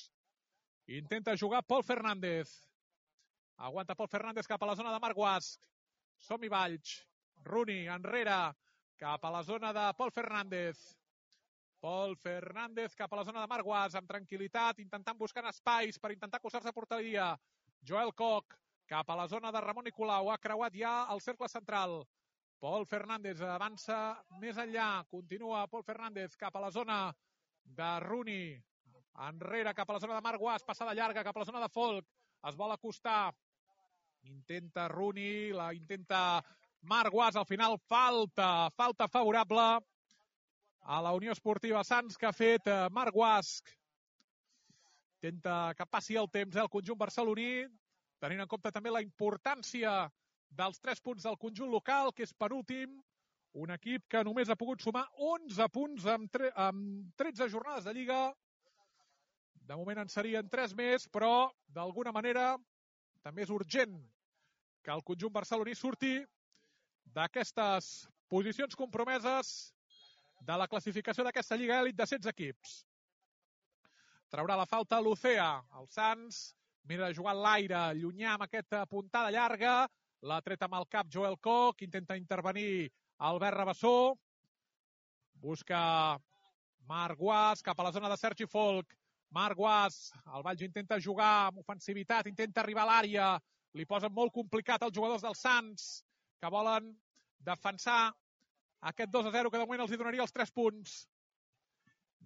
A: Intenta jugar Pol Fernández. Aguanta Pol Fernández cap a la zona de Marc Guasc. Som-hi Valls. Runi enrere cap a la zona de Pol Fernández. Pol Fernández cap a la zona de Marc Guasc amb tranquil·litat, intentant buscar espais per intentar acostar-se a porteria. Joel Koch cap a la zona de Ramon Nicolau. Ha creuat ja el cercle central. Pol Fernández avança més enllà. Continua Pol Fernández cap a la zona de Runi. Enrere cap a la zona de Marc Guasc. Passada llarga cap a la zona de Folch. Es vol acostar. Intenta Runi. La intenta Marc Guasc. Al final falta. Falta favorable a la Unió Esportiva Sants que ha fet Marc Guasc. Intenta que passi el temps el conjunt barceloní. Tenint en compte també la importància dels tres punts del conjunt local, que és penúltim, un equip que només ha pogut sumar onze punts amb, tre amb tretze jornades de Lliga. De moment en serien tres més, però d'alguna manera també és urgent que el conjunt barceloní surti d'aquestes posicions compromeses de la classificació d'aquesta Lliga Elit de setze equips. Traurà la falta l'Ucea. El Sants mira de jugar a l'aire, llunyà amb aquesta puntada llarga. L'ha tret amb el cap Joel Koch, intenta intervenir Albert Rabassó. Busca Marc Guas cap a la zona de Sergi Folk. Marc Guas, el Valls intenta jugar amb ofensivitat, intenta arribar a l'àrea. Li posen molt complicat els jugadors del Sants, que volen defensar aquest dos a zero, que de moment els hi donaria els tres punts.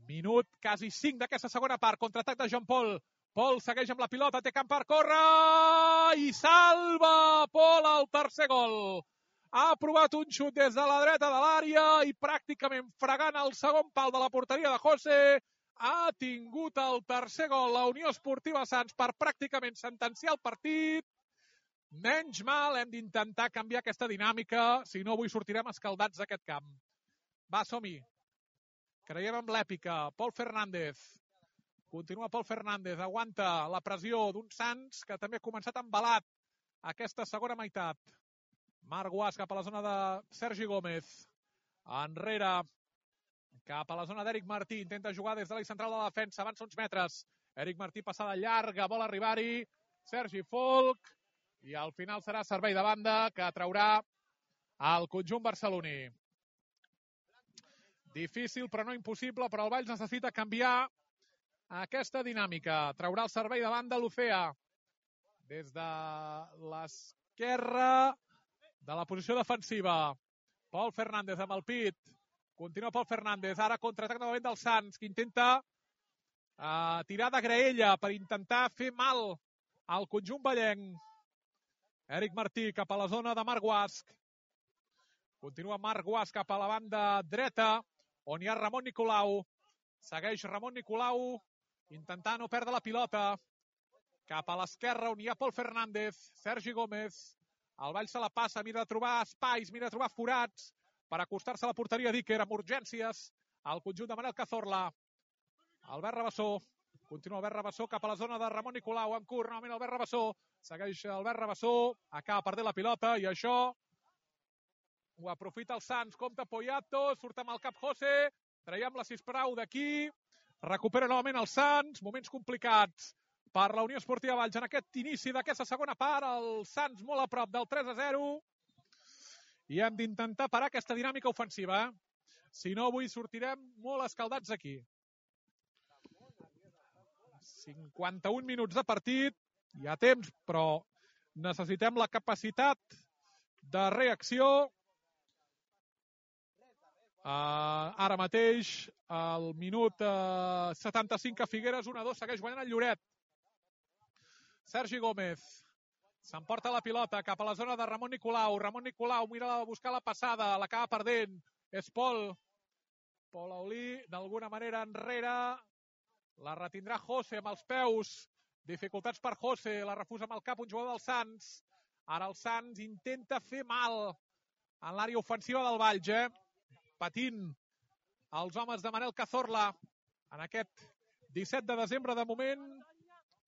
A: Minut, quasi cinc d'aquesta segona part. Contraatac de Jean Paul. Paul segueix amb la pilota, té camp per córrer i salva Paul el tercer gol. Ha provat un xut des de la dreta de l'àrea i pràcticament fregant el segon pal de la porteria de José ha tingut el tercer gol la Unió Esportiva Sants per pràcticament sentenciar el partit. Menys mal, hem d'intentar canviar aquesta dinàmica, si no avui sortirem escaldats d'aquest camp. Va, som-hi. Creiem en l'èpica. Pol Fernández. Continua Pol Fernández, aguanta la pressió d'un Sants que també ha començat embalat aquesta segona meitat. Marc Guas cap a la zona de Sergi Gómez. Enrere, cap a la zona d'Eric Martí. Intenta jugar des de l'eix central de la defensa. Avança uns metres. Eric Martí passada llarga, vol arribar-hi. Sergi Folk. I al final serà servei de banda que traurà el conjunt barceloní. Difícil però no impossible, però el Valls necessita canviar aquesta dinàmica. Traurà el servei de banda l'Ufea. Des de l'esquerra de la posició defensiva. Pol Fernández amb el pit. Continua Pol Fernández. Ara contraatac novament del Sants, que intenta uh, tirar de graella per intentar fer mal al conjunt vallenc. Eric Martí cap a la zona de Marc Guasc. Continua Marc Guasc cap a la banda dreta, on hi ha Ramon Nicolau. Segueix Ramon Nicolau, intentant no perdre la pilota. Cap a l'esquerra, on hi ha Pol Fernández, Sergi Gómez. El Valls se la passa, mira de trobar espais, mira de trobar forats per acostar-se a la porteria d'Iker amb urgències. Al conjunt de Manel Cazorla. Albert Rabassó. Continua Albert Rabassó cap a la zona de Ramon Nicolau. En curt, novament Albert Rabassó. Segueix Albert Rabassó. Acaba perdent la pilota i això ho aprofita el Sants. Compte Poyato. Surt amb el cap José. Traiem la sisplau d'aquí. Recupera novament el Sants. Moments complicats per la Unió Esportiva Valls en aquest inici d'aquesta segona part. El Sants molt a prop del tres a zero. I hem d'intentar parar aquesta dinàmica ofensiva. Si no, avui sortirem molt escaldats aquí. cinquanta-un minuts de partit. Hi ha temps, però necessitem la capacitat de reacció. Uh, ara mateix, al minut uh, setanta-cinc a Figueres, un a dos, segueix guanyant el Lloret. Sergi Gómez s'emporta la pilota cap a la zona de Ramon Nicolau. Ramon Nicolau mira a buscar la passada, l'acaba perdent. És Pol. Pol Aulí, d'alguna manera enrere. La retindrà José amb els peus. Dificultats per José, la refusa amb el cap un jugador del Sants. Ara el Sants intenta fer mal en l'àrea ofensiva del Valls, eh? Patint els homes de Manel Cazorla en aquest disset de desembre. De moment,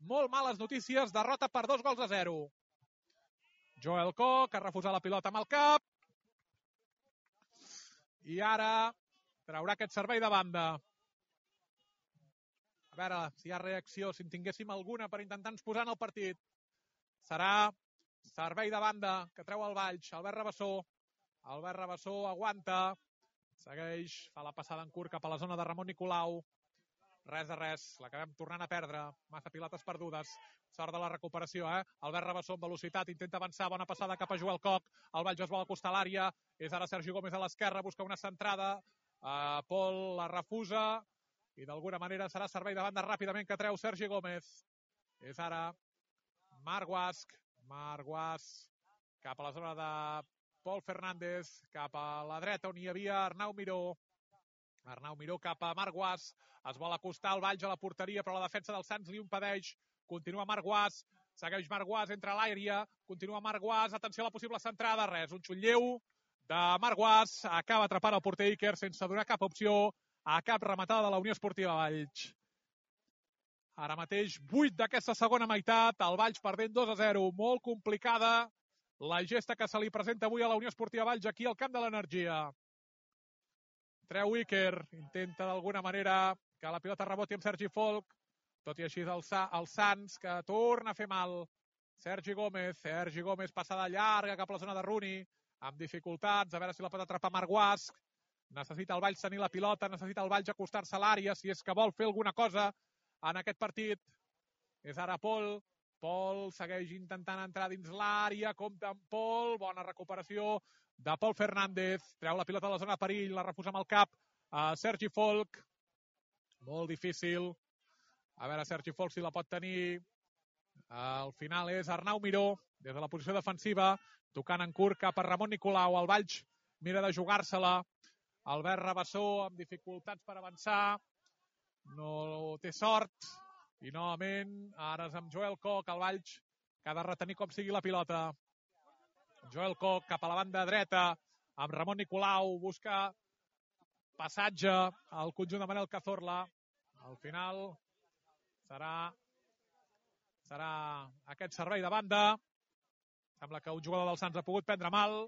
A: molt males notícies, derrota per dos gols a zero. Joel Koch, que ha refusat la pilota amb el cap. I ara traurà aquest servei de banda. A veure si hi ha reacció, si en tinguéssim alguna per intentar ens posar en el partit. Serà servei de banda que treu el Valls. Albert Rabassó. Albert Rabassó aguanta. Segueix, fa la passada en curt cap a la zona de Ramon Nicolau. Res de res, l'acabem tornant a perdre. Massa pilotes perdudes. Sort de la recuperació, eh? Albert Rabassó amb velocitat, intenta avançar, bona passada cap a Joel Koch. El Valls es vol acostar a l'àrea. És ara Sergi Gómez a l'esquerra, busca una centrada. Uh, Pol la refusa. I d'alguna manera serà servei de banda ràpidament que treu Sergi Gómez. És ara Marc Guasc. Marc Guasc cap a la zona de Pol Fernández, cap a la dreta on hi havia Arnau Miró. Arnau Miró cap a Marc Guasc. Es vol acostar el Valls a la porteria, però la defensa del Sants li impedeix. Continua Marc Guasc. Segueix Marc Guasc, entra a l'àrea. Continua Marc Guasc. Atenció a la possible centrada. Res, un xut lleu de Marc Guasc. Acaba atrapant el porter Iker sense donar cap opció a cap rematada de la Unió Esportiva Valls. Ara mateix, vuit d'aquesta segona meitat, el Valls perdent dos a zero. Molt complicada la gesta que se li presenta avui a la Unió Esportiva Valls aquí al camp de l'Energia. Treu Iker, intenta d'alguna manera que la pilota reboti amb Sergi Folk, tot i així el, Sa el Sants, que torna a fer mal. Sergi Gómez, Sergi Gómez passada llarga cap a la zona de Rooney, amb dificultats, a veure si la pot atrapar Marc Guasc. Necessita el Valls tenir la pilota, necessita el Valls acostar-se a l'àrea, si és que vol fer alguna cosa en aquest partit. És ara Pol. Pol segueix intentant entrar dins l'àrea, compta amb Pol, bona recuperació de Pol Fernández, treu la pilota de la zona de perill, la refusa amb el cap a Sergi Folk. Molt difícil. A veure, Sergi Folk si la pot tenir. Al final és Arnau Miró, des de la posició defensiva, tocant en curt cap a Ramon Nicolau. El Valls mira de jugar-se-la. Albert Rabassó amb dificultats per avançar. No té sort. I novament, ara és amb Joel Koch, el Valls, que ha de retenir com sigui la pilota. Joel Koch cap a la banda dreta, amb Ramon Nicolau, busca passatge al conjunt de Manel Cazorla. Al final serà, serà aquest servei de banda. Sembla que un jugador del Sants ha pogut prendre mal.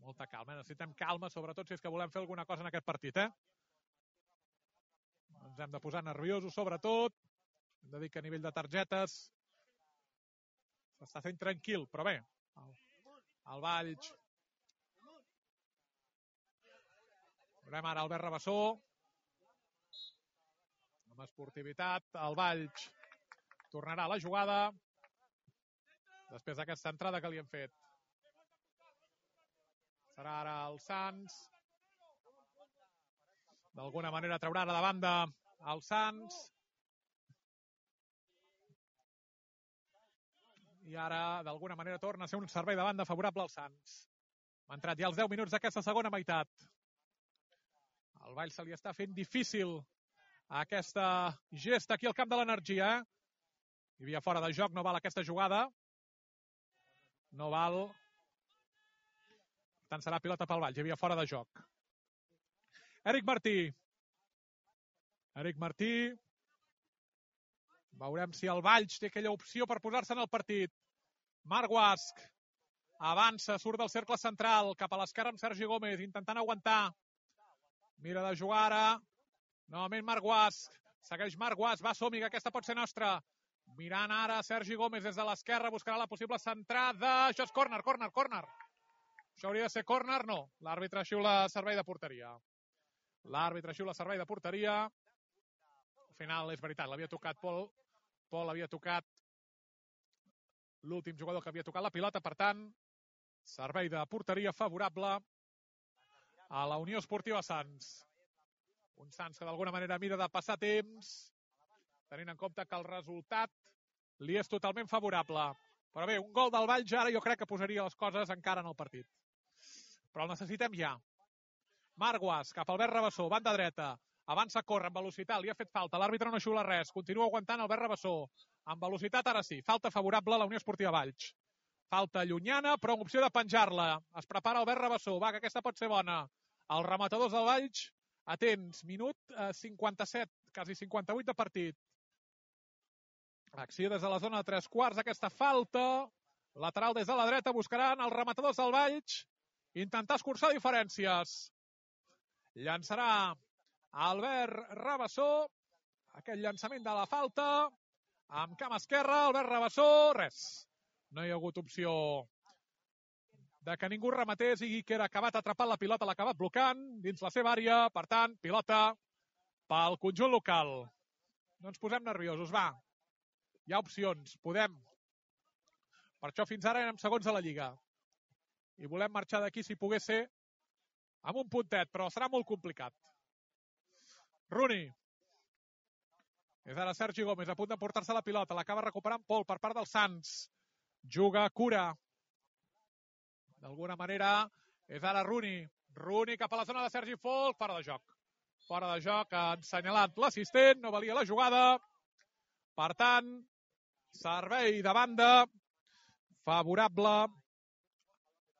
A: Molta calma, necessitem calma, sobretot si és que volem fer alguna cosa en aquest partit, eh? Ens hem de posar nerviosos, sobretot. Hem de dir que a nivell de targetes s'està fent tranquil, però bé, el, el Valls. Veurem ara Albert Rabassó. Amb esportivitat, el Valls tornarà a la jugada després d'aquesta entrada que li hem fet. Serà ara el Sants. D'alguna manera traurà ara de banda el Sants. I ara, d'alguna manera, torna a ser un servei de banda favorable al Sants. Ha entrat ja els deu minuts d'aquesta segona meitat. El Valls se li està fent difícil aquesta gesta aquí al camp de l'Energia. Hi havia fora de joc, no val aquesta jugada. No val. Per tant, serà pilota pel Valls. Hi havia fora de joc. Eric Martí. Eric Martí. Veurem si el Valls té aquella opció per posar-se en el partit. Marc Guasch. Avança, surt del cercle central, cap a l'esquerra amb Sergi Gómez, intentant aguantar. Mira de jugar ara. Novament Marc Guasch. Segueix Marc Guasch. Va, som-hi, que aquesta pot ser nostra. Mirant ara Sergi Gómez des de l'esquerra, buscarà la possible centrada. Això és córner, córner, córner. Això hauria de ser córner, no. L'àrbitre xiula servei de porteria. L'àrbitre xiula servei de porteria. Al final, és veritat, l'havia tocat Pol. Pol havia tocat l'últim jugador que havia tocat la pilota. Per tant, servei de porteria favorable a la Unió Esportiva Sants. Un Sants que d'alguna manera mira de passar temps, tenint en compte que el resultat li és totalment favorable. Però bé, un gol del Valls ara jo crec que posaria les coses encara en el partit. Però el necessitem ja. Marc Guasch, cap al Albert Rabassó, banda dreta. Avança, corre amb velocitat, li ha fet falta. L'àrbitre no xiula res. Continua aguantant Albert Rabassó. Amb velocitat, ara sí. Falta favorable a la Unió Esportiva Valls. Falta llunyana, però amb opció de penjar-la. Es prepara Albert Rabassó. Va, que aquesta pot ser bona. Els rematadors del Valls, atents. Minut eh, cinquanta-set, quasi cinquanta-vuit de partit. Acció des de la zona de tres quarts. Aquesta falta. Lateral des de la dreta. Buscaran els rematadors del Valls. Intentar escurçar diferències. Llançarà Albert Rabassó. Aquest llançament de la falta. Amb cama esquerra, Albert Rabassó. Res. No hi ha hagut opció de que ningú rematés i que era acabat atrapant la pilota, l'ha acabat blocant dins la seva àrea. Per tant, pilota pel conjunt local. No ens posem nerviosos, va. Hi ha opcions, podem. Per això fins ara érem segons a la Lliga. I volem marxar d'aquí, si pogués ser, amb un puntet, però serà molt complicat. Rooney. És ara Sergi Gómez, a punt d'emportar-se la pilota. L'acaba recuperant Pol per part del Sants. Juga Cura. D'alguna manera, és ara Rooney. Rooney cap a la zona de Sergi Folk. Fora de joc. Fora de joc, ha assenyalat l'assistent. No valia la jugada. Per tant, servei de banda favorable.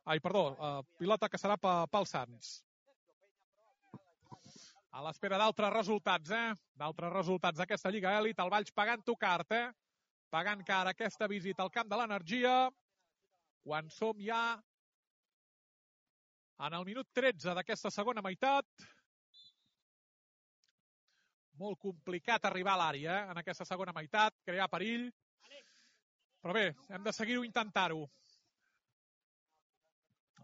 A: Ai, perdó, uh, pilota que serà pel Sants. A l'espera d'altres resultats, eh? D'altres resultats d'aquesta Lliga Elit. El Valls pagant-ho car, eh? Pagant car aquesta visita al camp de l'Energia. Quan som ja en el minut tretze d'aquesta segona meitat. Molt complicat arribar a l'àrea, eh? En aquesta segona meitat, crear perill. Però bé, hem de seguir-ho intentar-ho.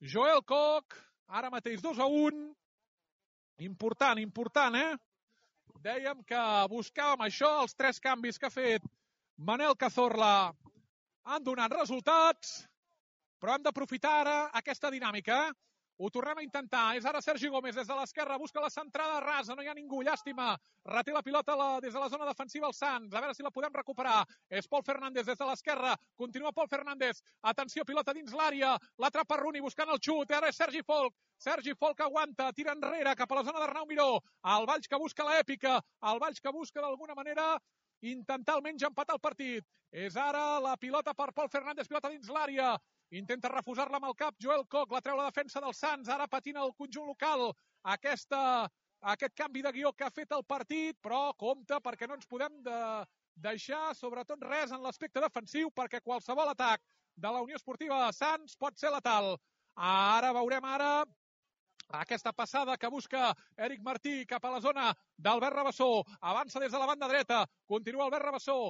A: Joel Koch, ara mateix dos a un. Important, important, eh? Dèiem que buscàvem això, els tres canvis que ha fet Manel Cazorla han donat resultats, però hem d'aprofitar ara aquesta dinàmica. Ho tornem a intentar. És ara Sergi Gómez des de l'esquerra, busca la centrada rasa, no hi ha ningú, llàstima. Reté la pilota la, des de la zona defensiva el Sants, a veure si la podem recuperar. És Pol Fernández des de l'esquerra, continua Pol Fernández. Atenció, pilota dins l'àrea, l'atrapa Rooney buscant el xut, ara és Sergi Folk. Sergi Folk aguanta, tira enrere cap a la zona d'Arnau Miró. El Valls que busca l'èpica, el Valls que busca d'alguna manera intentar almenys empatar el partit. És ara la pilota per Pol Fernández, pilota dins l'àrea. Intenta refusar-la amb el cap Joel Koch, la treu la defensa del Sants, ara patina el conjunt local. Aquesta, aquest canvi de guió que ha fet el partit, però compte perquè no ens podem de deixar sobretot res en l'aspecte defensiu, perquè qualsevol atac de la Unió Esportiva Sants pot ser letal. Ara veurem ara aquesta passada que busca Eric Martí cap a la zona d'Albert Rabassó. Avança des de la banda dreta, continua Albert Rabassó,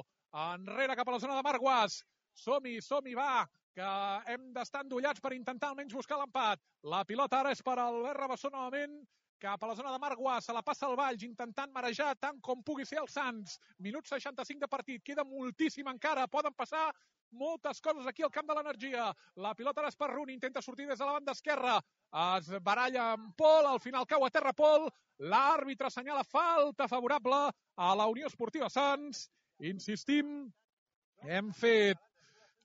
A: enrere cap a la zona de Marc Guas. Som-hi, som-hi, va, que hem d'estar endollats per intentar almenys buscar l'empat. La pilota ara és per Albert Rabassó novament, cap a la zona de Marc Guas, se la passa al Valls, intentant marejar tant com pugui ser el Sants. Minut seixanta-cinc de partit, queda moltíssim encara, poden passar moltes coses aquí al camp de l'Energia. La pilota ara és per Rooney, intenta sortir des de la banda esquerra, es baralla amb Pol, al final cau a terra Pol, l'àrbitre assenyala falta favorable a la Unió Esportiva Sants. Insistim, hem fet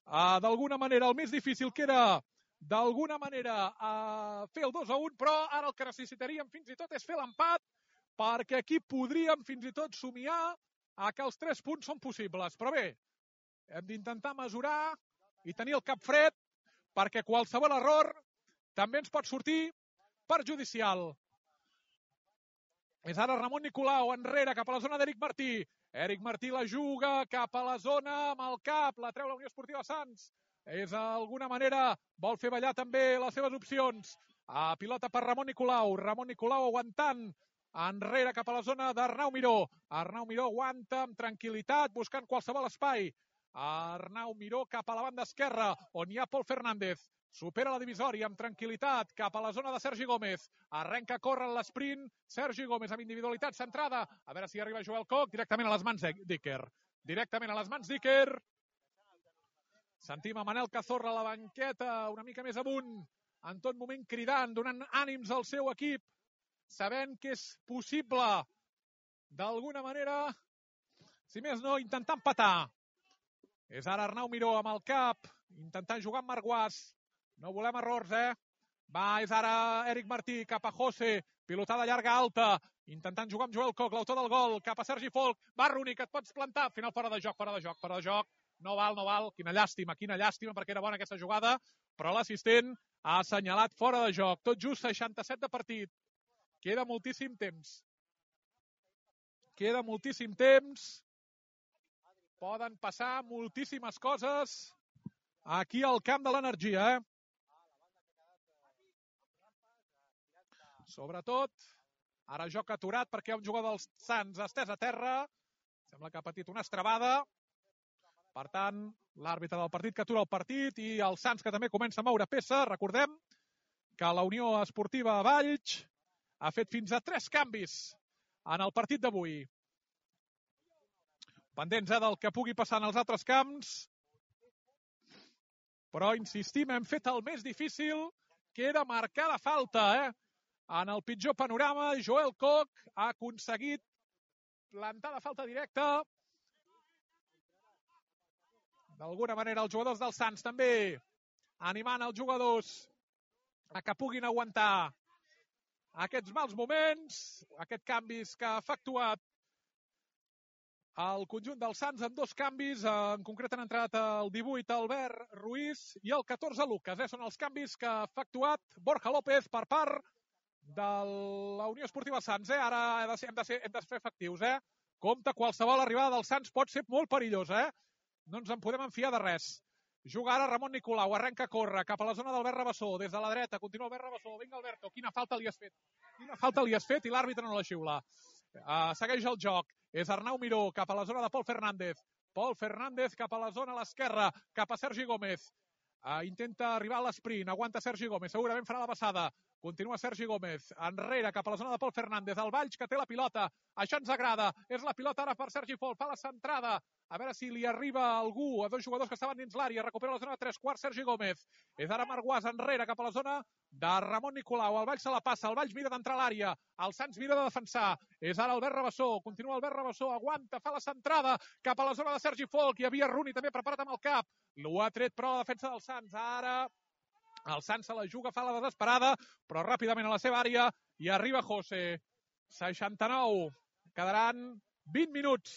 A: Uh, d'alguna manera el més difícil, que era d'alguna manera uh, fer el dos a un, però ara el que necessitaríem fins i tot és fer l'empat, perquè aquí podríem fins i tot somiar a que els tres punts són possibles. Però bé, hem d'intentar mesurar i tenir el cap fred, perquè qualsevol error també ens pot sortir perjudicial. És ara Ramon Nicolau, enrere, cap a la zona d'Eric Martí. Eric Martí la juga cap a la zona amb el cap, la treu la Unió Esportiva Sants. És d'alguna manera, vol fer ballar també les seves opcions. A pilota per Ramon Nicolau, Ramon Nicolau aguantant, enrere cap a la zona d'Arnau Miró. Arnau Miró aguanta amb tranquil·litat, buscant qualsevol espai. Arnau Miró cap a la banda esquerra, on hi ha Pol Fernández. Supera la divisòria amb tranquil·litat cap a la zona de Sergi Gómez. Arrenca a córrer en l'esprint. Sergi Gómez amb individualitat centrada. A veure si arriba Joel Koch directament a les mans d'Iker. Directament a les mans d'Iker. Sentim a Manel Cazorla a la banqueta, una mica més amunt, en tot moment cridant, donant ànims al seu equip, sabent que és possible, d'alguna manera, si més no, intentar empatar. És ara Arnau Miró amb el cap, intentant jugar amb Marc Guas. No volem errors, eh? Va, és ara Eric Martí cap a José, pilotada llarga alta, intentant jugar amb Joel Koch, l'autor del gol, cap a Sergi Folk. Va, Rooney, que et pots plantar. Al final fora de joc, fora de joc, fora de joc. No val, no val. Quina llàstima, quina llàstima, perquè era bona aquesta jugada, però l'assistent ha assenyalat fora de joc. Tot just seixanta-set de partit. Queda moltíssim temps. Queda moltíssim temps. Poden passar moltíssimes coses aquí al camp de l'Energia, eh? Sobretot, ara joc aturat perquè hi ha un jugador dels Sants estès a terra. Sembla que ha patit una estrabada. Per tant, l'àrbitre del partit que atura el partit i el Sants que també comença a moure peça. Recordem que la Unió Esportiva Valls ha fet fins a tres canvis en el partit d'avui. Pendents eh, del que pugui passar en els altres camps. Però, insistim, hem fet el més difícil, que era marcar la falta, eh? En el pitjor panorama, Joel Koch ha aconseguit plantar la falta directa. D'alguna manera, els jugadors del Sants també animant els jugadors a que puguin aguantar aquests mals moments, aquests canvis que ha efectuat el conjunt del Sants amb dos canvis. En concret han entrat el divuit Albert Ruiz i el catorze Lucas. Eh? Són els canvis que ha efectuat Borja López per part de la Unió Esportiva Sants. Eh? Ara hem de, ser, hem, de ser, hem de fer efectius. Eh? Compte, qualsevol arribada del Sants pot ser molt perillosa. Eh? No ens en podem enfiar de res. Juga ara Ramon Nicolau, arrenca a córrer cap a la zona d'Albert Rabassó, des de la dreta, continua Albert Rabassó. Vinga, Alberto, quina falta li has fet? Quina falta li has fet i l'àrbitre no la xiula. Uh, segueix el joc. És Arnau Miró cap a la zona de Pol Fernández. Pol Fernández cap a la zona a l'esquerra, cap a Sergi Gómez. Uh, intenta arribar a l'esprint, aguanta Sergi Gómez, segurament farà la passada. Continua Sergi Gómez, enrere, cap a la zona de Pol Fernández, el Valls que té la pilota, això ens agrada, és la pilota ara per Sergi Folk, fa la centrada, a veure si li arriba algú, a dos jugadors que estaven dins l'àrea, recupera la zona de tres quarts Sergi Gómez, és ara Marguàs enrere, cap a la zona de Ramon Nicolau, el Valls se la passa, el Valls mira d'entrar a l'àrea, el Sants mira de defensar, és ara Albert Rabassó, continua Albert Rabassó, aguanta, fa la centrada, cap a la zona de Sergi Folk, hi havia Rooney també preparat amb el cap, l'ho ha tret però la defensa del Sants, ara el Sants se la juga, fa la desesperada, però ràpidament a la seva àrea i arriba José. seixanta-nou. Quedaran vint minuts.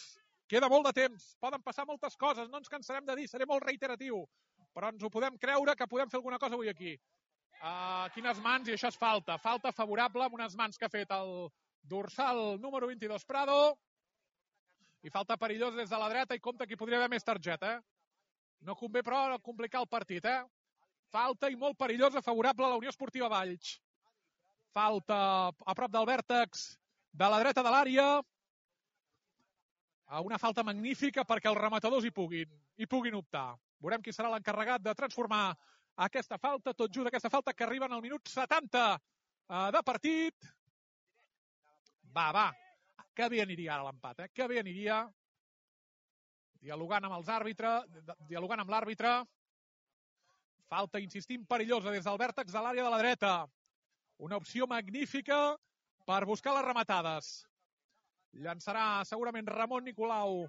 A: Queda molt de temps. Poden passar moltes coses. No ens cansarem de dir. Seré molt reiteratiu. Però ens ho podem creure que podem fer alguna cosa avui aquí. Uh, quines mans, i això és falta. Falta favorable amb unes mans que ha fet el dorsal número vint-i-dos Prado. I falta perillosa des de la dreta i compte que hi podria haver més targeta. Eh? No convé, però, complicar el partit, eh? Falta i molt perillosa, favorable a la Unió Esportiva Valls. Falta a prop del vèrtex de la dreta de l'àrea. Una falta magnífica perquè els rematadors hi puguin, hi puguin optar. Veurem qui serà l'encarregat de transformar aquesta falta, tot just aquesta falta que arriba en el minut setanta de partit. Va, va. Que bé aniria ara l'empat, eh? Que bé aniria. Dialogant amb els àrbitres, dialogant amb l'àrbitre. Falta, insistim, perillosa des del vèrtex de l'àrea de la dreta. Una opció magnífica per buscar les rematades. Llançarà segurament Ramon Nicolau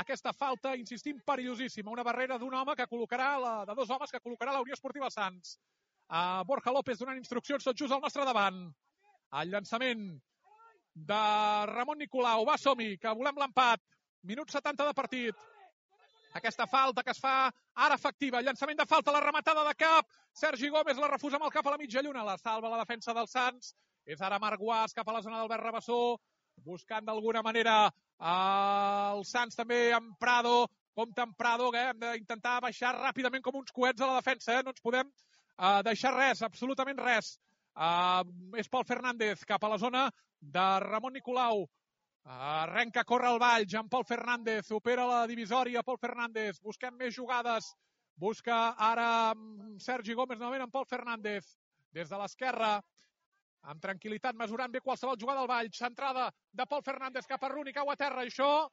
A: aquesta falta, insistim, perillosíssima. Una barrera d'un home que col·locarà, la, de dos homes que col·locarà la Unió Esportiva Sants. Uh, Borja López donant instruccions tot just al nostre davant. El llançament de Ramon Nicolau. Va, som-hi, que volem l'empat. Minut setanta de partit. Aquesta falta que es fa ara efectiva. Llançament de falta, la rematada de cap. Sergi Gómez la refusa amb el cap a la mitja lluna. La salva la defensa del Sants. És ara Marguàs cap a la zona d'Albert Rabassó. Buscant d'alguna manera el Sants també amb Prado. Compte amb Prado, que hem d'intentar baixar ràpidament com uns coets a la defensa. Eh? No ens podem uh, deixar res, absolutament res. Uh, és Pol Fernández cap a la zona de Ramon Nicolau. Arrenca, corre el Valls amb Pol Fernández, opera la divisòria Pol Fernández, busquem més jugades, busca ara Sergi Gómez novament amb Pol Fernández, des de l'esquerra, amb tranquil·litat, mesurant bé qualsevol jugada al Valls, centrada de Pol Fernández cap a Rooney, cau a terra, això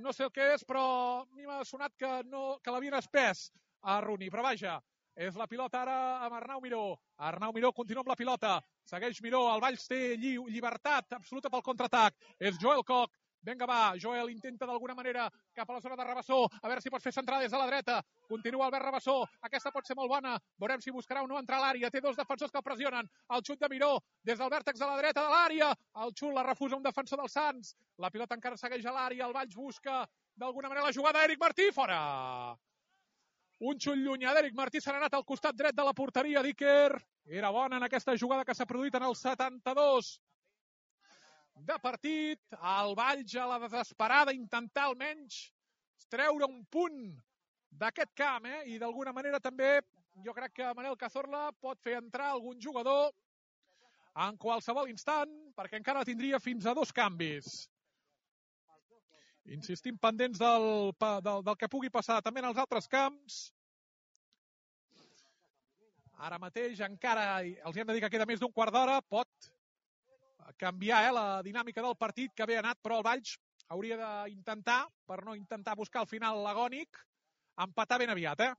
A: no sé el que és, però a mi m'ha sonat que, no, que l'havien espès a Rooney, però vaja, és la pilota ara amb Arnau Miró, Arnau Miró continua amb la pilota, segueix Miró, el Valls té lli llibertat absoluta pel contraatac, és Joel Koch, vinga va, Joel intenta d'alguna manera cap a la zona de Rabassó, a veure si pot fer centrada des de la dreta, continua Albert Rabassó, aquesta pot ser molt bona, veurem si buscarà o no entrar a l'àrea, té dos defensors que el pressionen, el xut de Miró, des del vèrtex de la dreta de l'àrea, el xut la refusa un defensor del Sants, la pilota encara segueix a l'àrea, el Valls busca d'alguna manera la jugada, Eric Martí, fora! Un xut llunyà d'Eric Martí s'ha anat al costat dret de la porteria d'Iker. Era bona en aquesta jugada que s'ha produït en el setanta-dos de partit. El Valls a la desesperada, intentar almenys treure un punt d'aquest camp. Eh? I d'alguna manera també jo crec que Manel Cazorla pot fer entrar algun jugador en qualsevol instant, perquè encara tindria fins a dos canvis. Insistim pendents del, del, del que pugui passar també en els altres camps. Ara mateix encara els hem de dir que queda més d'un quart d'hora. Pot canviar eh, la dinàmica del partit, que bé ha anat, però el Valls hauria d'intentar, per no intentar buscar el final agònic, empatar ben aviat. Eh?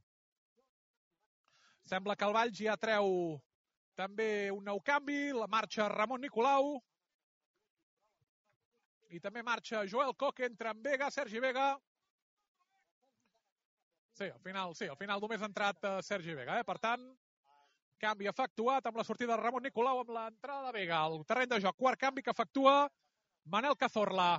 A: Sembla que el Valls ja treu també un nou canvi, la marxa Ramon Nicolau, i també marxa Joel Koch, entra en Vega, Sergi Vega. Sí, al final, sí, al final només ha entrat uh, Sergi Vega. Eh? Per tant, canvi efectuat amb la sortida de Ramon Nicolau, amb l'entrada de Vega. El terreny de joc, quart canvi que efectua Manel Cazorla.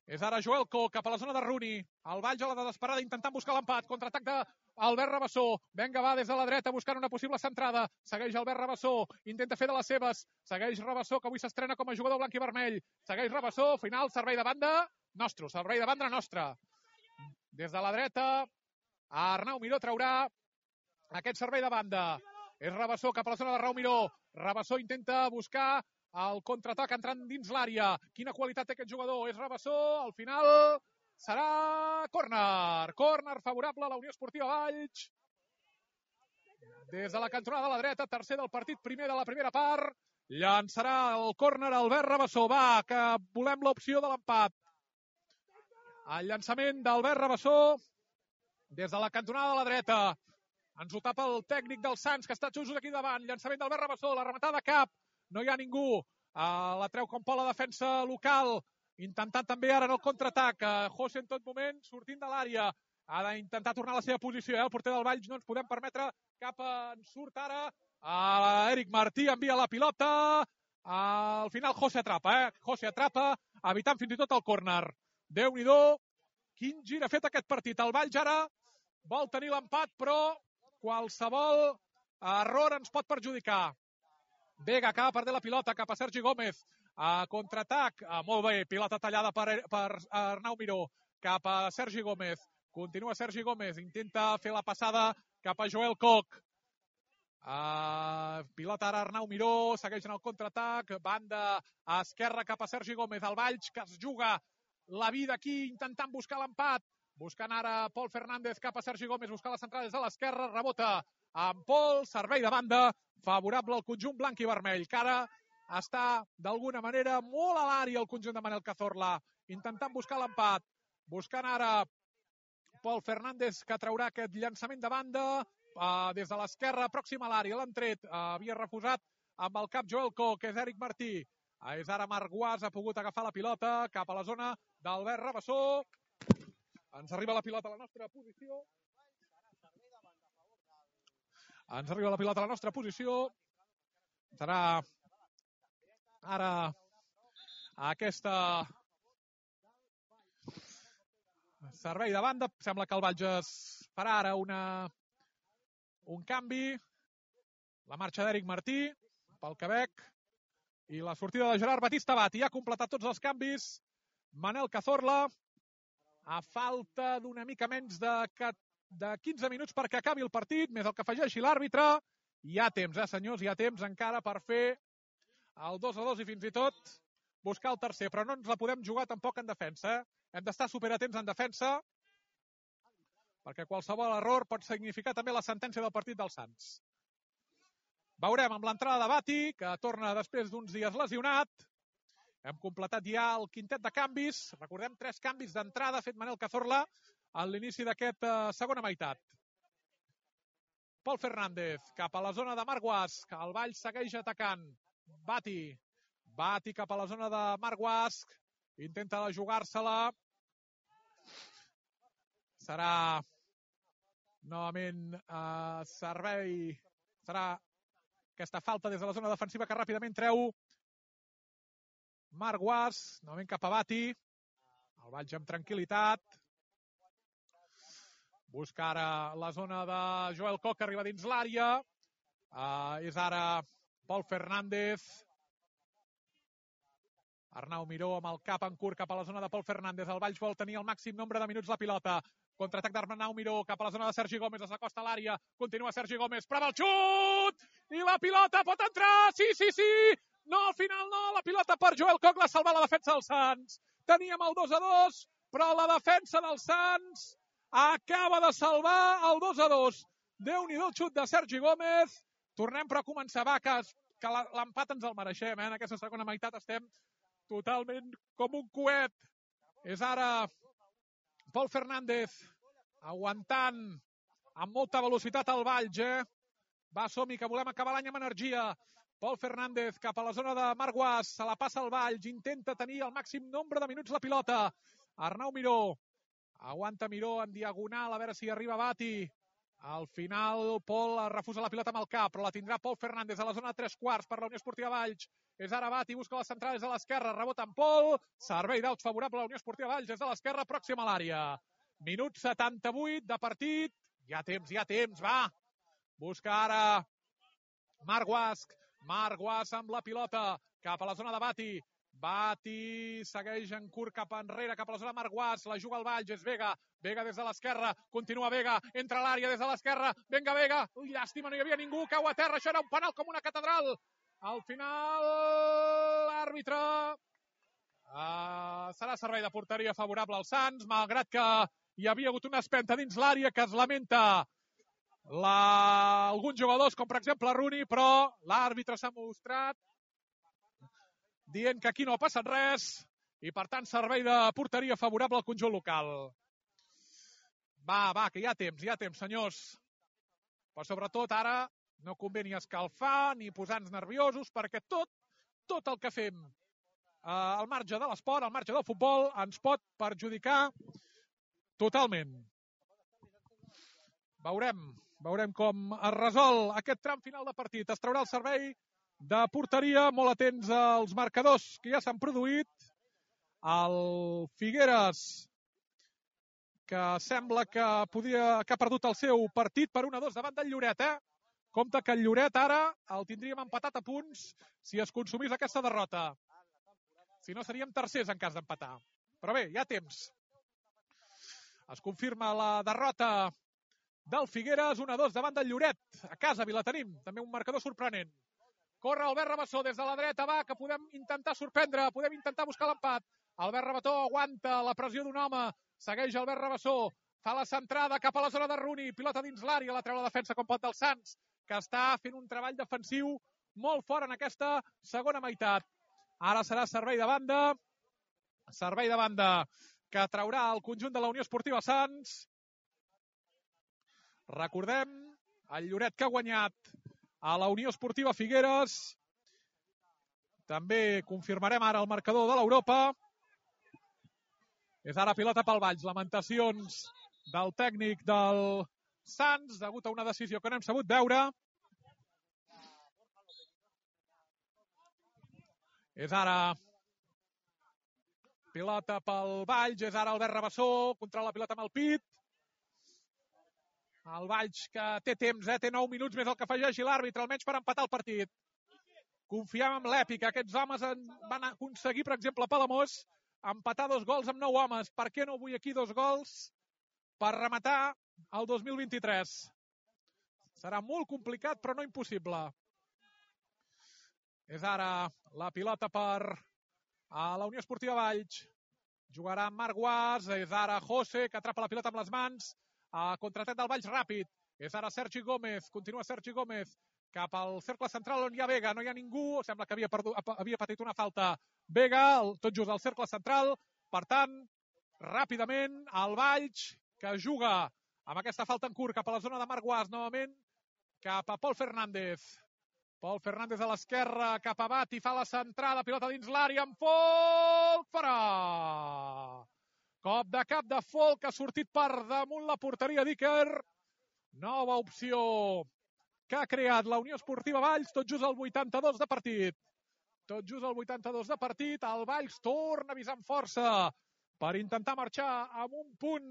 A: És ara Joel Koch cap a la zona de Rooney. El Valls a la desesperada intentant buscar l'empat. Contraatac d'Albert Rabassó. Vinga, va des de la dreta buscant una possible centrada. Segueix Albert Rabassó. Intenta fer de les seves. Segueix Rabassó, que avui s'estrena com a jugador blanc i vermell. Segueix Rabassó. Final, servei de banda nostre. Servei de banda nostre. Des de la dreta, Arnau Miró traurà aquest servei de banda. És Rabassó cap a la zona de Raúl Miró. Rabassó intenta buscar el contraatac entrant dins l'àrea. Quina qualitat té aquest jugador. És Rabassó, al final serà córner. Córner favorable a la Unió Esportiva Valls. Des de la cantonada de la dreta, tercer del partit, primer de la primera part. Llançarà el córner Albert Rabassó. Va, que volem l'opció de l'empat. El llançament d'Albert Rabassó des de la cantonada de la dreta. Ens ho tapa el tècnic del Sants, que està just aquí davant. Llançament d'Albert Rabassó, la rematada cap. No hi ha ningú. Uh, la treu com pot la defensa local. Intentant també ara en el contraatac. Uh, José en tot moment sortint de l'àrea. Ha d'intentar tornar a la seva posició. Eh? El porter del Valls no ens podem permetre cap en surt ara. Uh, Eric Martí envia la pilota. Uh, al final José atrapa. Eh? José atrapa, evitant fins i tot el córner. Déu-n'hi-do. Quin gir ha fet aquest partit. El Valls ara vol tenir l'empat, però qualsevol error ens pot perjudicar. Vega acaba perdent la pilota cap a Sergi Gómez. A contraatac. Ah, molt bé, pilota tallada per, per Arnau Miró. Cap a Sergi Gómez. Continua Sergi Gómez. Intenta fer la passada cap a Joel Koch. Uh, pilota ara Arnau Miró. Segueix en el contraatac. Banda a esquerra cap a Sergi Gómez. El Valls que es juga la vida aquí intentant buscar l'empat. Buscant ara Pol Fernández cap a Sergi Gómez. Buscar la centrada des de l'esquerra. Rebota amb Pol. Servei de banda. Favorable al conjunt blanc i vermell, que ara està d'alguna manera molt a l'àrea el conjunt de Manel Cazorla, intentant buscar l'empat, buscant ara Pol Fernández, que traurà aquest llançament de banda uh, des de l'esquerra, pròxima a l'àrea, l'han tret, uh, havia refusat amb el cap Joel Koch, que és Eric Martí, uh, és ara Marc Guas, ha pogut agafar la pilota cap a la zona d'Albert Rabassó, ens arriba la pilota a la nostra posició, Ens arriba la pilota a la nostra posició. Serà ara aquesta servei de banda. Sembla que el Valls farà ara una, un canvi. La marxa d'Eric Martí pel Quebec i la sortida de Gerard Batista Bati. Ha completat tots els canvis Manel Cazorla a falta d'una mica menys de de quinze minuts perquè acabi el partit, més el que afegeixi l'àrbitre. Hi ha temps, eh, senyors, hi ha temps encara per fer el dos a dos i fins i tot buscar el tercer, però no ens la podem jugar tampoc en defensa. Eh? Hem d'estar superatents en defensa perquè qualsevol error pot significar també la sentència del partit dels Sants. Veurem amb l'entrada de Bati, que torna després d'uns dies lesionat. Hem completat ja el quintet de canvis. Recordem, tres canvis d'entrada ha fet Manel Cazorla a l'inici d'aquesta segona meitat. Pol Fernández cap a la zona de Marc Guas, que el Valls segueix atacant. Bati, Bati cap a la zona de Marc Guas, intenta jugar-se-la. Serà novament eh, servei, serà aquesta falta des de la zona defensiva que ràpidament treu Marc Guas, novament cap a Bati. El Valls amb tranquil·litat. Busca ara la zona de Joel Koch, que arriba dins l'àrea. Uh, és ara Pol Fernández. Arnau Miró amb el cap en curt cap a la zona de Pol Fernández. El Valls vol tenir el màxim nombre de minuts la pilota. Contraatac d'Arnau Miró cap a la zona de Sergi Gómez. S'acosta a l'àrea. Continua Sergi Gómez. Prova el xut! I la pilota pot entrar! Sí, sí, sí! No, al final no. La pilota per Joel Koch l'ha salvat la defensa dels Sants. Teníem el dos a dos, però la defensa dels Sants acaba de salvar el dos a dos. Déu-n'hi-do el xut de Sergi Gómez. Tornem però a començar. Va, que, que l'empat ens el mereixem. Eh? En aquesta segona meitat estem totalment com un coet. És ara Pol Fernández aguantant amb molta velocitat al Valls. Eh? Va, som-hi, que volem acabar l'any amb energia. Pol Fernández cap a la zona de Marc Guas. Se la passa al Valls. Intenta tenir el màxim nombre de minuts la pilota. Arnau Miró. Aguanta Miró en diagonal, a veure si arriba Bati. Al final, Pol refusa la pilota amb el cap, però la tindrà Pol Fernández a la zona de tres quarts per la Unió Esportiva Valls. És ara Bati, busca les centrades a l'esquerra, rebota amb Pol. Servei d'outs favorable a la Unió Esportiva Valls des de l'esquerra, pròxima a l'àrea. Minut setanta-vuit de partit. Hi ha temps, hi ha temps, va. Busca ara Marc Guas. Marc Guas amb la pilota cap a la zona de Bati. Bati segueix en curt cap enrere, cap a la zona de Marc Guas, la juga al Valls, és Vega, Vega des de l'esquerra, continua Vega, entra a l'àrea des de l'esquerra, venga Vega, ui, llàstima, no hi havia ningú, cau a terra, això era un penal com una catedral. Al final, l'àrbitre Uh, serà servei de porteria favorable als Sants, malgrat que hi havia hagut una espenta dins l'àrea que es lamenta la... alguns jugadors, com per exemple Rooney, però l'àrbitre s'ha mostrat dient que aquí no ha passat res i, per tant, servei de porteria favorable al conjunt local. Va, va, que hi ha temps, hi ha temps, senyors. Però sobretot ara no convé ni escalfar ni posar-nos nerviosos, perquè tot, tot el que fem eh, al marge de l'esport, al marge del futbol, ens pot perjudicar totalment. Veurem, veurem com es resol aquest tram final de partit. Es traurà el servei de porteria, molt atents als marcadors que ja s'han produït. El Figueres, que sembla que, podia, que ha perdut el seu partit per un a dos davant del Lloret, eh? Compte que el Lloret ara el tindríem empatat a punts si es consumís aquesta derrota. Si no, seríem tercers en cas d'empatar. Però bé, hi ha temps. Es confirma la derrota del Figueres, un a dos davant del Lloret. A casa, Vilatenim, també un marcador sorprenent. Corre Albert Rabassó des de la dreta, va, que podem intentar sorprendre, podem intentar buscar l'empat. Albert Rabassó aguanta la pressió d'un home, segueix Albert Rabassó, fa la centrada cap a la zona de Rooney, pilota dins l'àrea, la treu la defensa com pot del Sants, que està fent un treball defensiu molt fort en aquesta segona meitat. Ara serà servei de banda, servei de banda que traurà el conjunt de la Unió Esportiva Sants. Recordem, el Lloret que ha guanyat a la Unió Esportiva Figueres. També confirmarem ara el marcador de l'Europa. És ara pilota pel Valls. Lamentacions del tècnic del Sants, degut a una decisió que no hem sabut veure. És ara pilota pel Valls, és ara Albert Rabassó, controla la pilota amb el pit. El Valls que té temps, eh? Té nou minuts més el que afegeixi l'àrbitre, almenys per empatar el partit. Confiem en l'èpica. Aquests homes van aconseguir, per exemple, a Palamós, empatar dos gols amb nou homes. Per què no vull aquí dos gols per rematar el dos mil vint-i-tres? Serà molt complicat, però no impossible. És ara la pilota per a la Unió Esportiva Valls. Jugarà Marc Guas, és ara José, que atrapa la pilota amb les mans. A contratet del Valls ràpid. És ara Sergi Gómez, continua Sergi Gómez cap al cercle central on hi ha Vega, no hi ha ningú, sembla que havia, perdut, havia patit una falta Vega, tot just al cercle central. Per tant, ràpidament el Valls, que juga amb aquesta falta en curt cap a la zona de Marc Guas, novament cap a Pol Fernández. Pol Fernández a l'esquerra, cap a Bati, fa la centrada, pilota dins l'àrea, amb Folk, fora! Cop de cap de Folk, que ha sortit per damunt la porteria d'Iker. Nova opció que ha creat la Unió Esportiva Valls, tot just al vuitanta-dos de partit. Tot just al vuitanta-dos de partit, el Valls torna a avisar amb força per intentar marxar amb un punt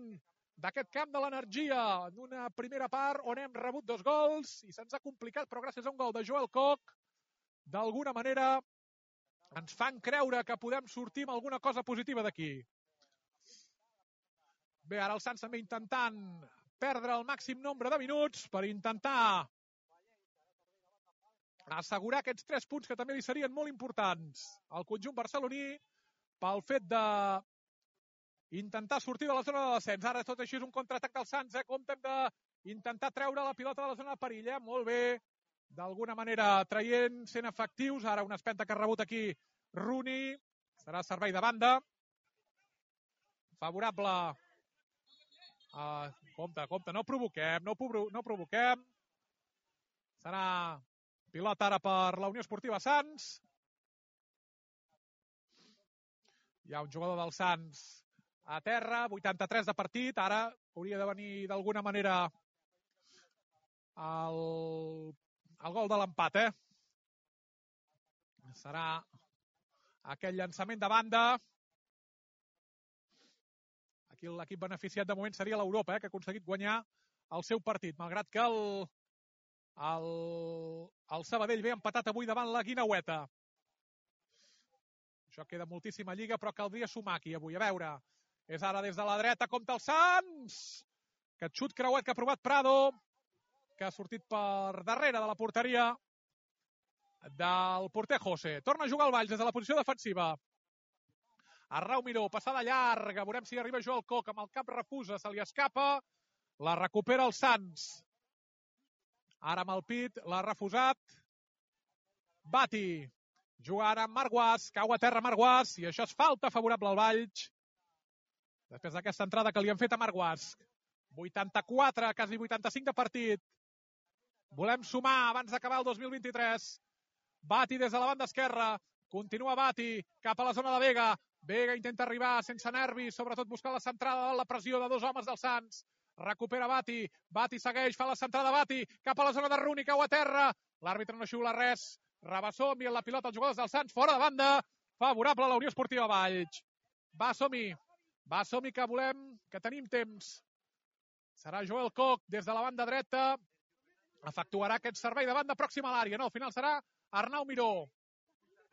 A: d'aquest camp de l'Energia, en una primera part on hem rebut dos gols i se'ns ha complicat, però gràcies a un gol de Joel Koch, d'alguna manera ens fan creure que podem sortir amb alguna cosa positiva d'aquí. Bé, ara el Sants també intentant perdre el màxim nombre de minuts per intentar assegurar aquests tres punts que també li serien molt importants al conjunt barceloní pel fet de intentar sortir de la zona de descens. Ara tot així és un contraatac del Sants, eh? Comptem d'intentar treure la pilota de la zona de perill, eh? Molt bé, d'alguna manera traient, sent efectius. Ara una espenta que ha rebut aquí Rooney, serà servei de banda. Favorable. Uh, compte, compte, no provoquem, no, provo no provoquem. Serà pilota ara per la Unió Esportiva Sants. Hi ha un jugador del Sants a terra, vuitanta-tres de partit. Ara hauria de venir d'alguna manera el, el gol de l'empat, eh? Serà aquell llançament de banda. Aquí l'equip beneficiat de moment seria l'Europa, eh, que ha aconseguit guanyar el seu partit, malgrat que el, el, el Sabadell ve empatat avui davant la Guineueta. Això queda moltíssima lliga, però caldria sumar aquí avui. A veure, és ara des de la dreta, compta el Sants! Aquest xut creuat que ha provat Prado, que ha sortit per darrere de la porteria del porter José. Torna a jugar el Valls des de la posició defensiva. Arnau Miró, passada llarga, veurem si arriba Joel Coc, amb el cap refusa, se li escapa, la recupera el Sants. Ara amb el pit, l'ha refusat. Bati, juga ara amb Marc, cau a terra Marc, i això és falta favorable al Valls. Després d'aquesta entrada que li han fet a Marc. vuitanta-quatre, quasi vuitanta-cinc de partit. Volem sumar abans d'acabar el dos mil vint-i-tres. Bati des de la banda esquerra. Continua Bati cap a la zona de Vega. Vega intenta arribar sense nervis, sobretot buscant la centrada, la pressió de dos homes del Sants. Recupera Bati. Bati segueix, fa la centrada Bati cap a la zona de Runi, cau a terra. L'àrbitre no xiula res. Rabassó envia la pilota als jugadors del Sants, fora de banda. Favorable a la Unió Esportiva Valls. Va, som-hi. Va, som-hi, que volem, que tenim temps. Serà Joel Coc des de la banda dreta. Efectuarà aquest servei de banda pròxima a l'àrea. No, al final serà Arnau Miró.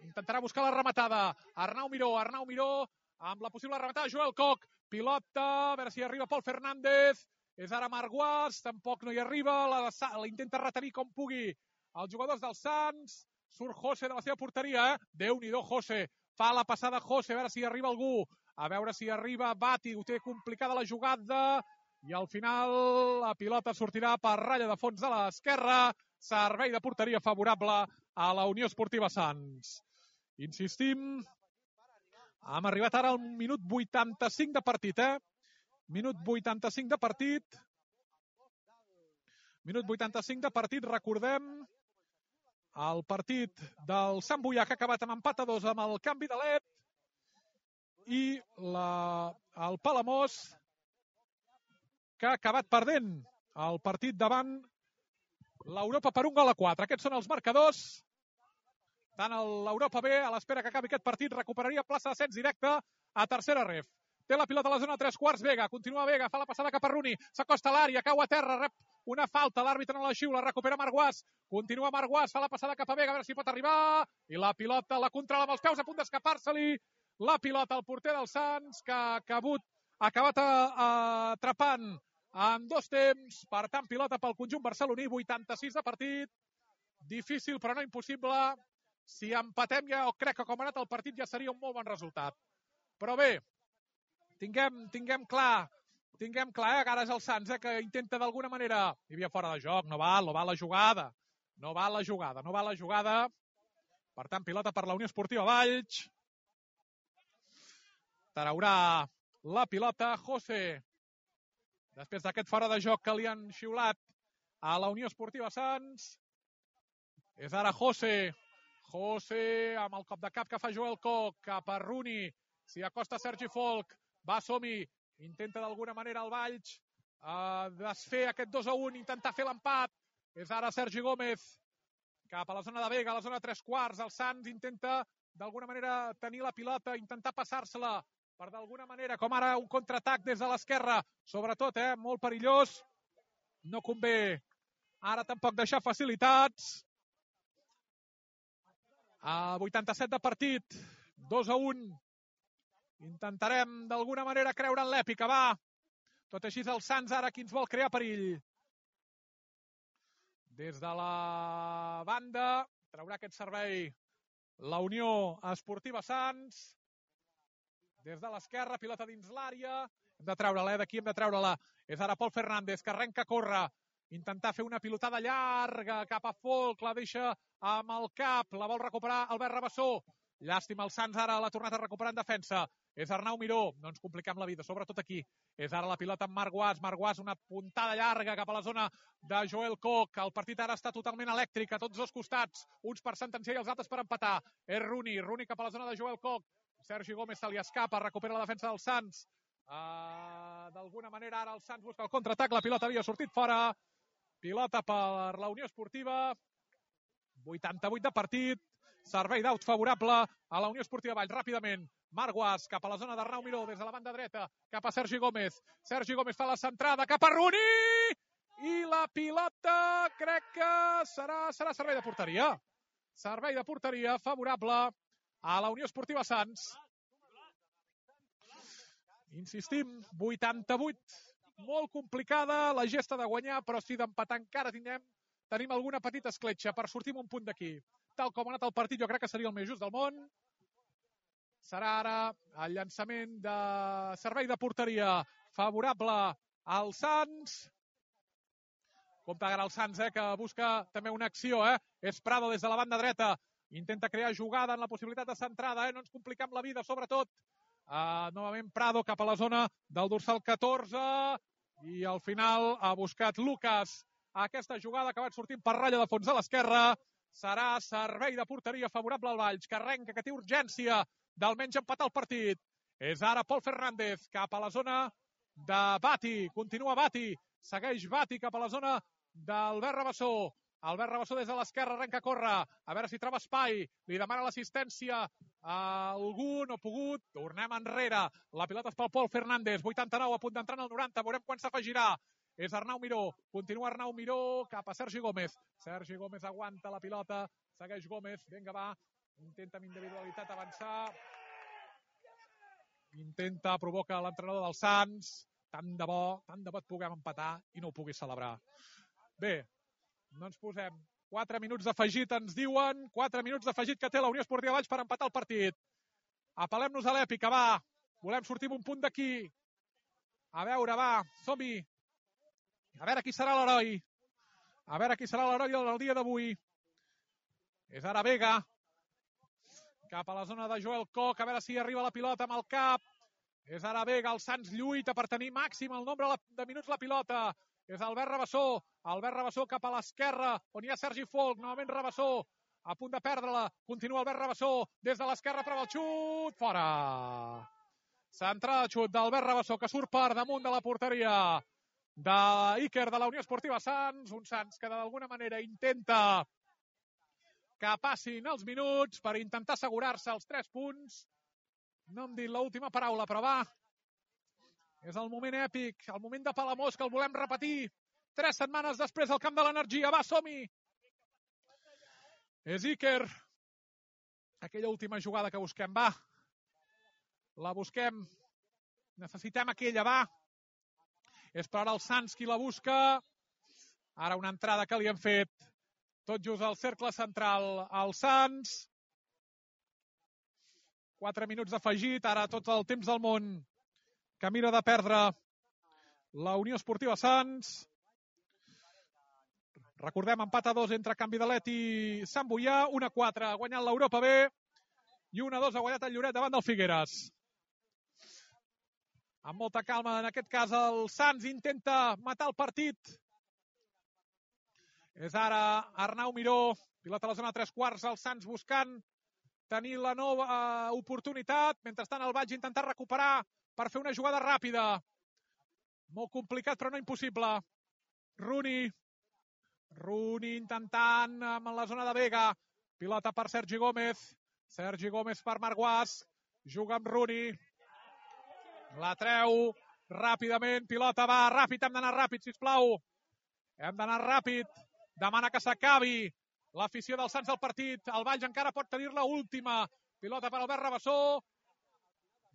A: Intentarà buscar la rematada. Arnau Miró, Arnau Miró, amb la possible rematada. Joel Coc, pilota, a veure si arriba Pol Fernández. És ara Marc Guas, tampoc no hi arriba. La, la intenta retenir com pugui els jugadors del Sants. Surt José de la seva porteria, eh? Déu-n'hi-do, José. Fa la passada José, a veure si hi arriba algú. A veure si arriba Bati, ho té complicada la jugada. I al final la pilota sortirà per ratlla de fons de l'esquerra. Servei de porteria favorable a la Unió Esportiva Sants. Insistim, hem arribat ara al minut vuitanta-cinc de partit, eh? Minut vuitanta-cinc de partit. Minut vuitanta-cinc de partit, recordem el partit del Sant Boià, que ha acabat amb empat a dos amb el canvi de led, i la, el Palamós, que ha acabat perdent el partit davant l'Europa per un gol a quatre. Aquests són els marcadors. Tant l'Europa B, a l'espera que acabi aquest partit, recuperaria plaça d'ascens directe a tercera ref. Té la pilota a la zona tres quarts, Vega. Continua Vega, fa la passada cap a Runi. S'acosta a l'àrea, cau a terra, rep una falta. L'àrbitre no la xiula, recupera Marc. Continua Marc, fa la passada cap a Vega, a veure si pot arribar. I la pilota la controla amb els peus, a punt d'escapar-se-li. La pilota al porter del Sants, que ha acabat, ha acabat atrapant en dos temps. Per tant, pilota pel conjunt barceloní, vuitanta-sis de partit. Difícil, però no impossible. Si empatem, ja crec que com ha anat el partit ja seria un molt bon resultat. Però bé, tinguem, tinguem clar, tinguem clar, eh, que ara és el Sants, eh, que intenta d'alguna manera... Hi havia fora de joc, no val, no val la jugada. No val la jugada, no val la jugada. Per tant, pilota per la Unió Esportiva Valls. Traurà la pilota José. Després d'aquest fora de joc que li han xiulat a la Unió Esportiva Sants. És ara José. José amb el cop de cap que fa Joel Coc cap a Runi. S'hi acosta Sergi Folk. Va, som-hi. Intenta d'alguna manera el Valls uh, desfer aquest dos a un, intentar fer l'empat. És ara Sergi Gómez cap a la zona de Vega, a la zona tres quarts. El Sants intenta d'alguna manera tenir la pilota, intentar passar-se-la per d'alguna manera, com ara un contraatac des de l'esquerra. Sobretot, eh, molt perillós. No convé ara tampoc deixar facilitats. A vuitanta-set de partit, dos a un. Intentarem d'alguna manera creure en l'èpica, va. Tot així el Sants ara qui ens vol crear perill. Des de la banda traurà aquest servei la Unió Esportiva Sants. Des de l'esquerra, pilota dins l'àrea. Hem de treure-la, eh? D'aquí hem de treure-la. És ara Pol Fernández, que arrenca a córrer. Intentar fer una pilotada llarga cap a Folk, la deixa amb el cap, la vol recuperar Albert Rabassó. Llàstima, el Sants ara l'ha tornat a recuperar en defensa. És Arnau Miró, no ens compliquem la vida, sobretot aquí. És ara la pilota amb Marc Guas, Marc Guas, una puntada llarga cap a la zona de Joel Coc. El partit ara està totalment elèctric, a tots dos costats, uns per sentenciar i els altres per empatar. És Runi, Runi cap a la zona de Joel Coc. Sergi Gómez se li escapa, recupera la defensa del Sants. Uh, D'alguna manera ara el Sants busca el contraatac, la pilota havia sortit fora. Pilota per la Unió Esportiva. vuitanta-vuit de partit. Servei d'aut favorable a la Unió Esportiva Valls. Ràpidament, Marc Guas cap a la zona d'Arnau Miró, des de la banda dreta, cap a Sergi Gómez. Sergi Gómez fa la centrada, cap a Runi! I la pilota crec que serà, serà servei de porteria. Servei de porteria favorable a la Unió Esportiva Sants. Insistim, vuitanta-vuit. Molt complicada la gesta de guanyar, però si d'empatar encara tindrem, tenim alguna petita escletxa per sortir un punt d'aquí. Tal com ha anat el partit, jo crec que seria el més just del món. Serà ara el llançament de servei de porteria favorable al Sants. Compte ara el Sants, eh, que busca també una acció. Eh? És Prado des de la banda dreta. Intenta crear jugada en la possibilitat de centrada. Eh? No ens compliquem la vida, sobretot. Uh, novament Prado cap a la zona del dorsal catorze. I al final ha buscat Lucas aquesta jugada que va sortint per ratlla de fons a l'esquerra. Serà servei de porteria favorable al Valls, que arrenca, que té urgència d'almenys empatar el partit. És ara Pol Fernández cap a la zona de Bati. Continua Bati. Segueix Bati cap a la zona d'Albert Rabassó. Albert Rabassó des de l'esquerra arrenca a córrer. A veure si troba espai. Li demana l'assistència a algú. No ha pogut. Tornem enrere. La pilota és pel Pol Fernández. vuitanta-nou, a punt d'entrar en el noranta. Veurem quan s'afegirà. És Arnau Miró. Continua Arnau Miró cap a Sergi Gómez. Sergi Gómez aguanta la pilota. Segueix Gómez. Vinga, va. Intenta amb individualitat avançar. Intenta, provoca l'entrenador del Sants. Tant de bo, tant de bo et puguem empatar i no ho puguis celebrar. Bé, no ens posem. quatre minuts d'afegit, ens diuen. quatre minuts d'afegit que té la Unió Esportiva Valls per empatar el partit. Apel·lem-nos a l'èpica, va. Volem sortir amb un punt d'aquí. A veure, va, som-hi. A veure qui serà l'heroi. A veure qui serà l'heroi del dia d'avui. És ara Vega. Cap a la zona de Joel Koch, a veure si arriba la pilota amb el cap. És ara Vega, el Sants lluita per tenir màxim el nombre de minuts la pilota. És Albert Rabassó, Albert Rabassó cap a l'esquerra, on hi ha Sergi Folch, novament Rabassó, a punt de perdre-la. Continua Albert Rabassó, des de l'esquerra prova el xut, fora. Centrada de xut d'Albert Rabassó, que surt per damunt de la porteria d'Iker de la Unió Esportiva Sants. Un Sants que d'alguna manera intenta que passin els minuts per intentar assegurar-se els tres punts. No hem dit l'última paraula, però va. És el moment èpic, el moment de Palamós, que el volem repetir. Tres setmanes després al Camp de l'Energia. Va, som-hi! És Iker. Aquella última jugada que busquem, va. La busquem. Necessitem aquella, va. És per ara el Sants qui la busca. Ara una entrada que li han fet. Tot just al cercle central, el Sants. Quatre minuts d'afegit, ara tot el temps del món que mira de perdre la Unió Esportiva Sants. Recordem, empat a dos entre Can Vidalet i Sant Boià. un a quatre ha guanyat l'Europa B i un a dos ha guanyat el Lloret davant del Figueres. Amb molta calma, en aquest cas, el Sants intenta matar el partit. És ara Arnau Miró, pilota a la zona tres quarts, el Sants buscant tenir la nova oportunitat. Mentrestant el Valls intentar recuperar per fer una jugada ràpida. Molt complicat, però no impossible. Rooney. Rooney intentant amb la zona de Vega. Pilota per Sergi Gómez. Sergi Gómez per Marguàs. Juga amb Rooney. La treu ràpidament. Pilota va ràpid. Hem d'anar ràpid, sisplau. Hem d'anar ràpid. Demana que s'acabi l'afició del Sants del partit. El Valls encara pot tenir-la última. Pilota per Albert Rabassó.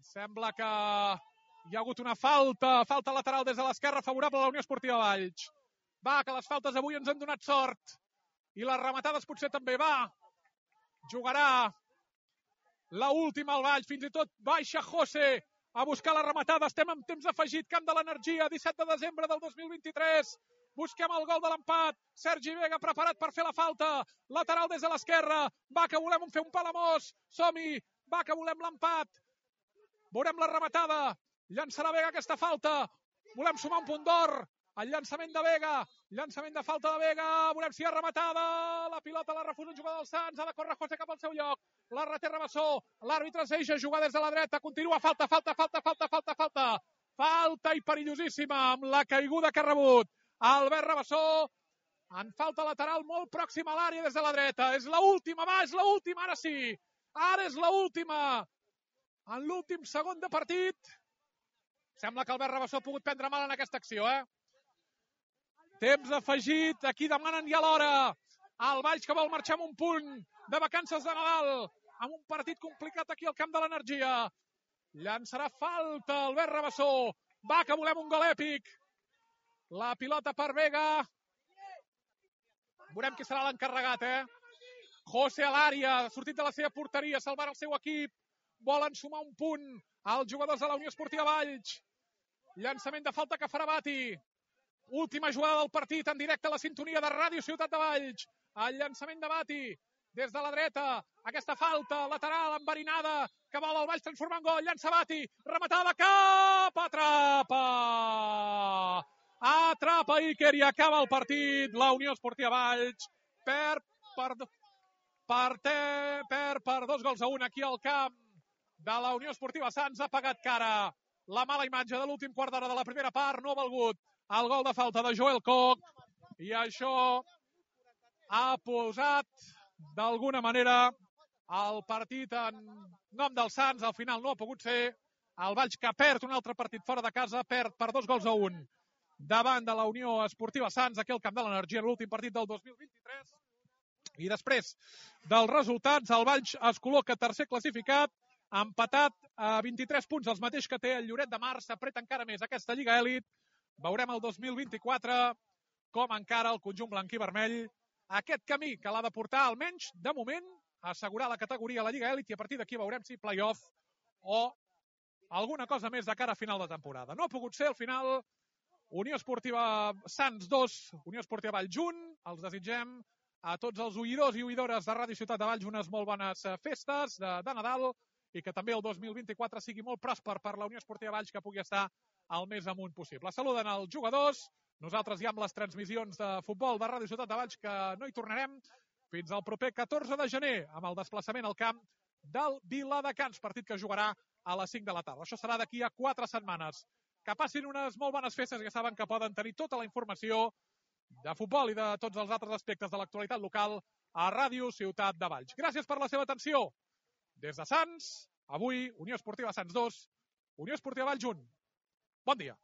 A: Sembla que hi ha hagut una falta. Falta lateral des de l'esquerra favorable a la Unió Esportiva Valls. Va, que les faltes avui ens han donat sort. I les rematades potser també. Va. Jugarà la última al Valls. Fins i tot baixa José a buscar la rematada. Estem en temps afegit. Camp de l'Energia, disset de desembre del dos mil vint-i-tres. Busquem el gol de l'empat. Sergi Vega preparat per fer la falta. Lateral des de l'esquerra. Va, que volem fer un Palamós. Som-hi. Va, que volem l'empat. Veurem la rematada. Llançarà Vega aquesta falta. Volem sumar un punt d'or. El llançament de Vega. Llançament de falta de Vega. Veurem si hi ha rematada. La pilota la refusa un jugador del Sants. Ha de córrer José cap al seu lloc. La reté Rabassó. L'àrbitre es deixa jugar des de la dreta. Continua. Falta, falta, falta, falta, falta, falta. Falta i perillosíssima amb la caiguda que ha rebut Albert Rabassó. En falta lateral molt pròxima a l'àrea des de la dreta. És l'última, va, és l'última, ara sí. Ara és l'última. En l'últim segon de partit. Sembla que Albert Rabassó ha pogut prendre mal en aquesta acció, eh? Temps afegit. Aquí demanen ja l'hora. El Valls que vol marxar amb un punt de vacances de Nadal. Amb un partit complicat aquí al Camp de l'Energia. Llançarà falta Albert Rabassó. Va, que volem un gol èpic. La pilota per Vega. Veurem qui serà l'encarregat, eh? José a l'àrea, sortit de la seva porteria, salvant el seu equip. volen sumar un punt els jugadors de la Unió Esportiva Valls. Llançament de falta que farà Bati. Última jugada del partit en directe a la sintonia de Ràdio Ciutat de Valls. El llançament de Bati des de la dreta. Aquesta falta lateral enverinada que vol el Valls transformar en gol. Llança Bati. Rematada cap. Atrapa. Atrapa Iker i acaba el partit. La Unió Esportiva Valls perd per, per, te, perd per dos gols a un aquí al camp de la Unió Esportiva Sants. Ha pagat cara la mala imatge de l'últim quart d'hora de la primera part. No ha valgut el gol de falta de Joel Koch i això ha posat d'alguna manera el partit en nom dels Sants. Al final no ha pogut ser. El Valls que perd un altre partit fora de casa, perd per dos gols a un davant de la Unió Esportiva Sants, aquí al Camp de l'Energia, en l'últim partit del dos mil vint-i-tres. I després dels resultats, el Valls es col·loca tercer classificat, empatat a vint-i-tres punts, els mateix que té el Lloret de Mar. S'apreta encara més aquesta Lliga Elit. Veurem el dos mil vint-i-quatre com encara el conjunt blanc i vermell aquest camí que l'ha de portar, almenys, de moment, a assegurar la categoria a la Lliga Elit, i a partir d'aquí veurem si play-off o alguna cosa més de cara a final de temporada. No ha pogut ser al final. Unió Esportiva Sants dos, Unió Esportiva Valls un. Els desitgem a tots els oïdors i oïdores de Ràdio Ciutat de Valls unes molt bones festes de, de Nadal i que també el dos mil vint-i-quatre sigui molt pròsper per la Unió Esportiva Valls, que pugui estar el més amunt possible. Saluden els jugadors. Nosaltres ja amb les transmissions de futbol de Ràdio Ciutat de Valls, que no hi tornarem fins al proper catorze de gener amb el desplaçament al camp del Viladecans, partit que jugarà a les cinc de la tarda. Això serà d'aquí a quatre setmanes. Que passin unes molt bones festes, que saben que poden tenir tota la informació de futbol i de tots els altres aspectes de l'actualitat local a Ràdio Ciutat de Valls. Gràcies per la seva atenció. Des de Sants, avui, Unió Esportiva Sants dos, Unió Esportiva Valls un. Bon dia.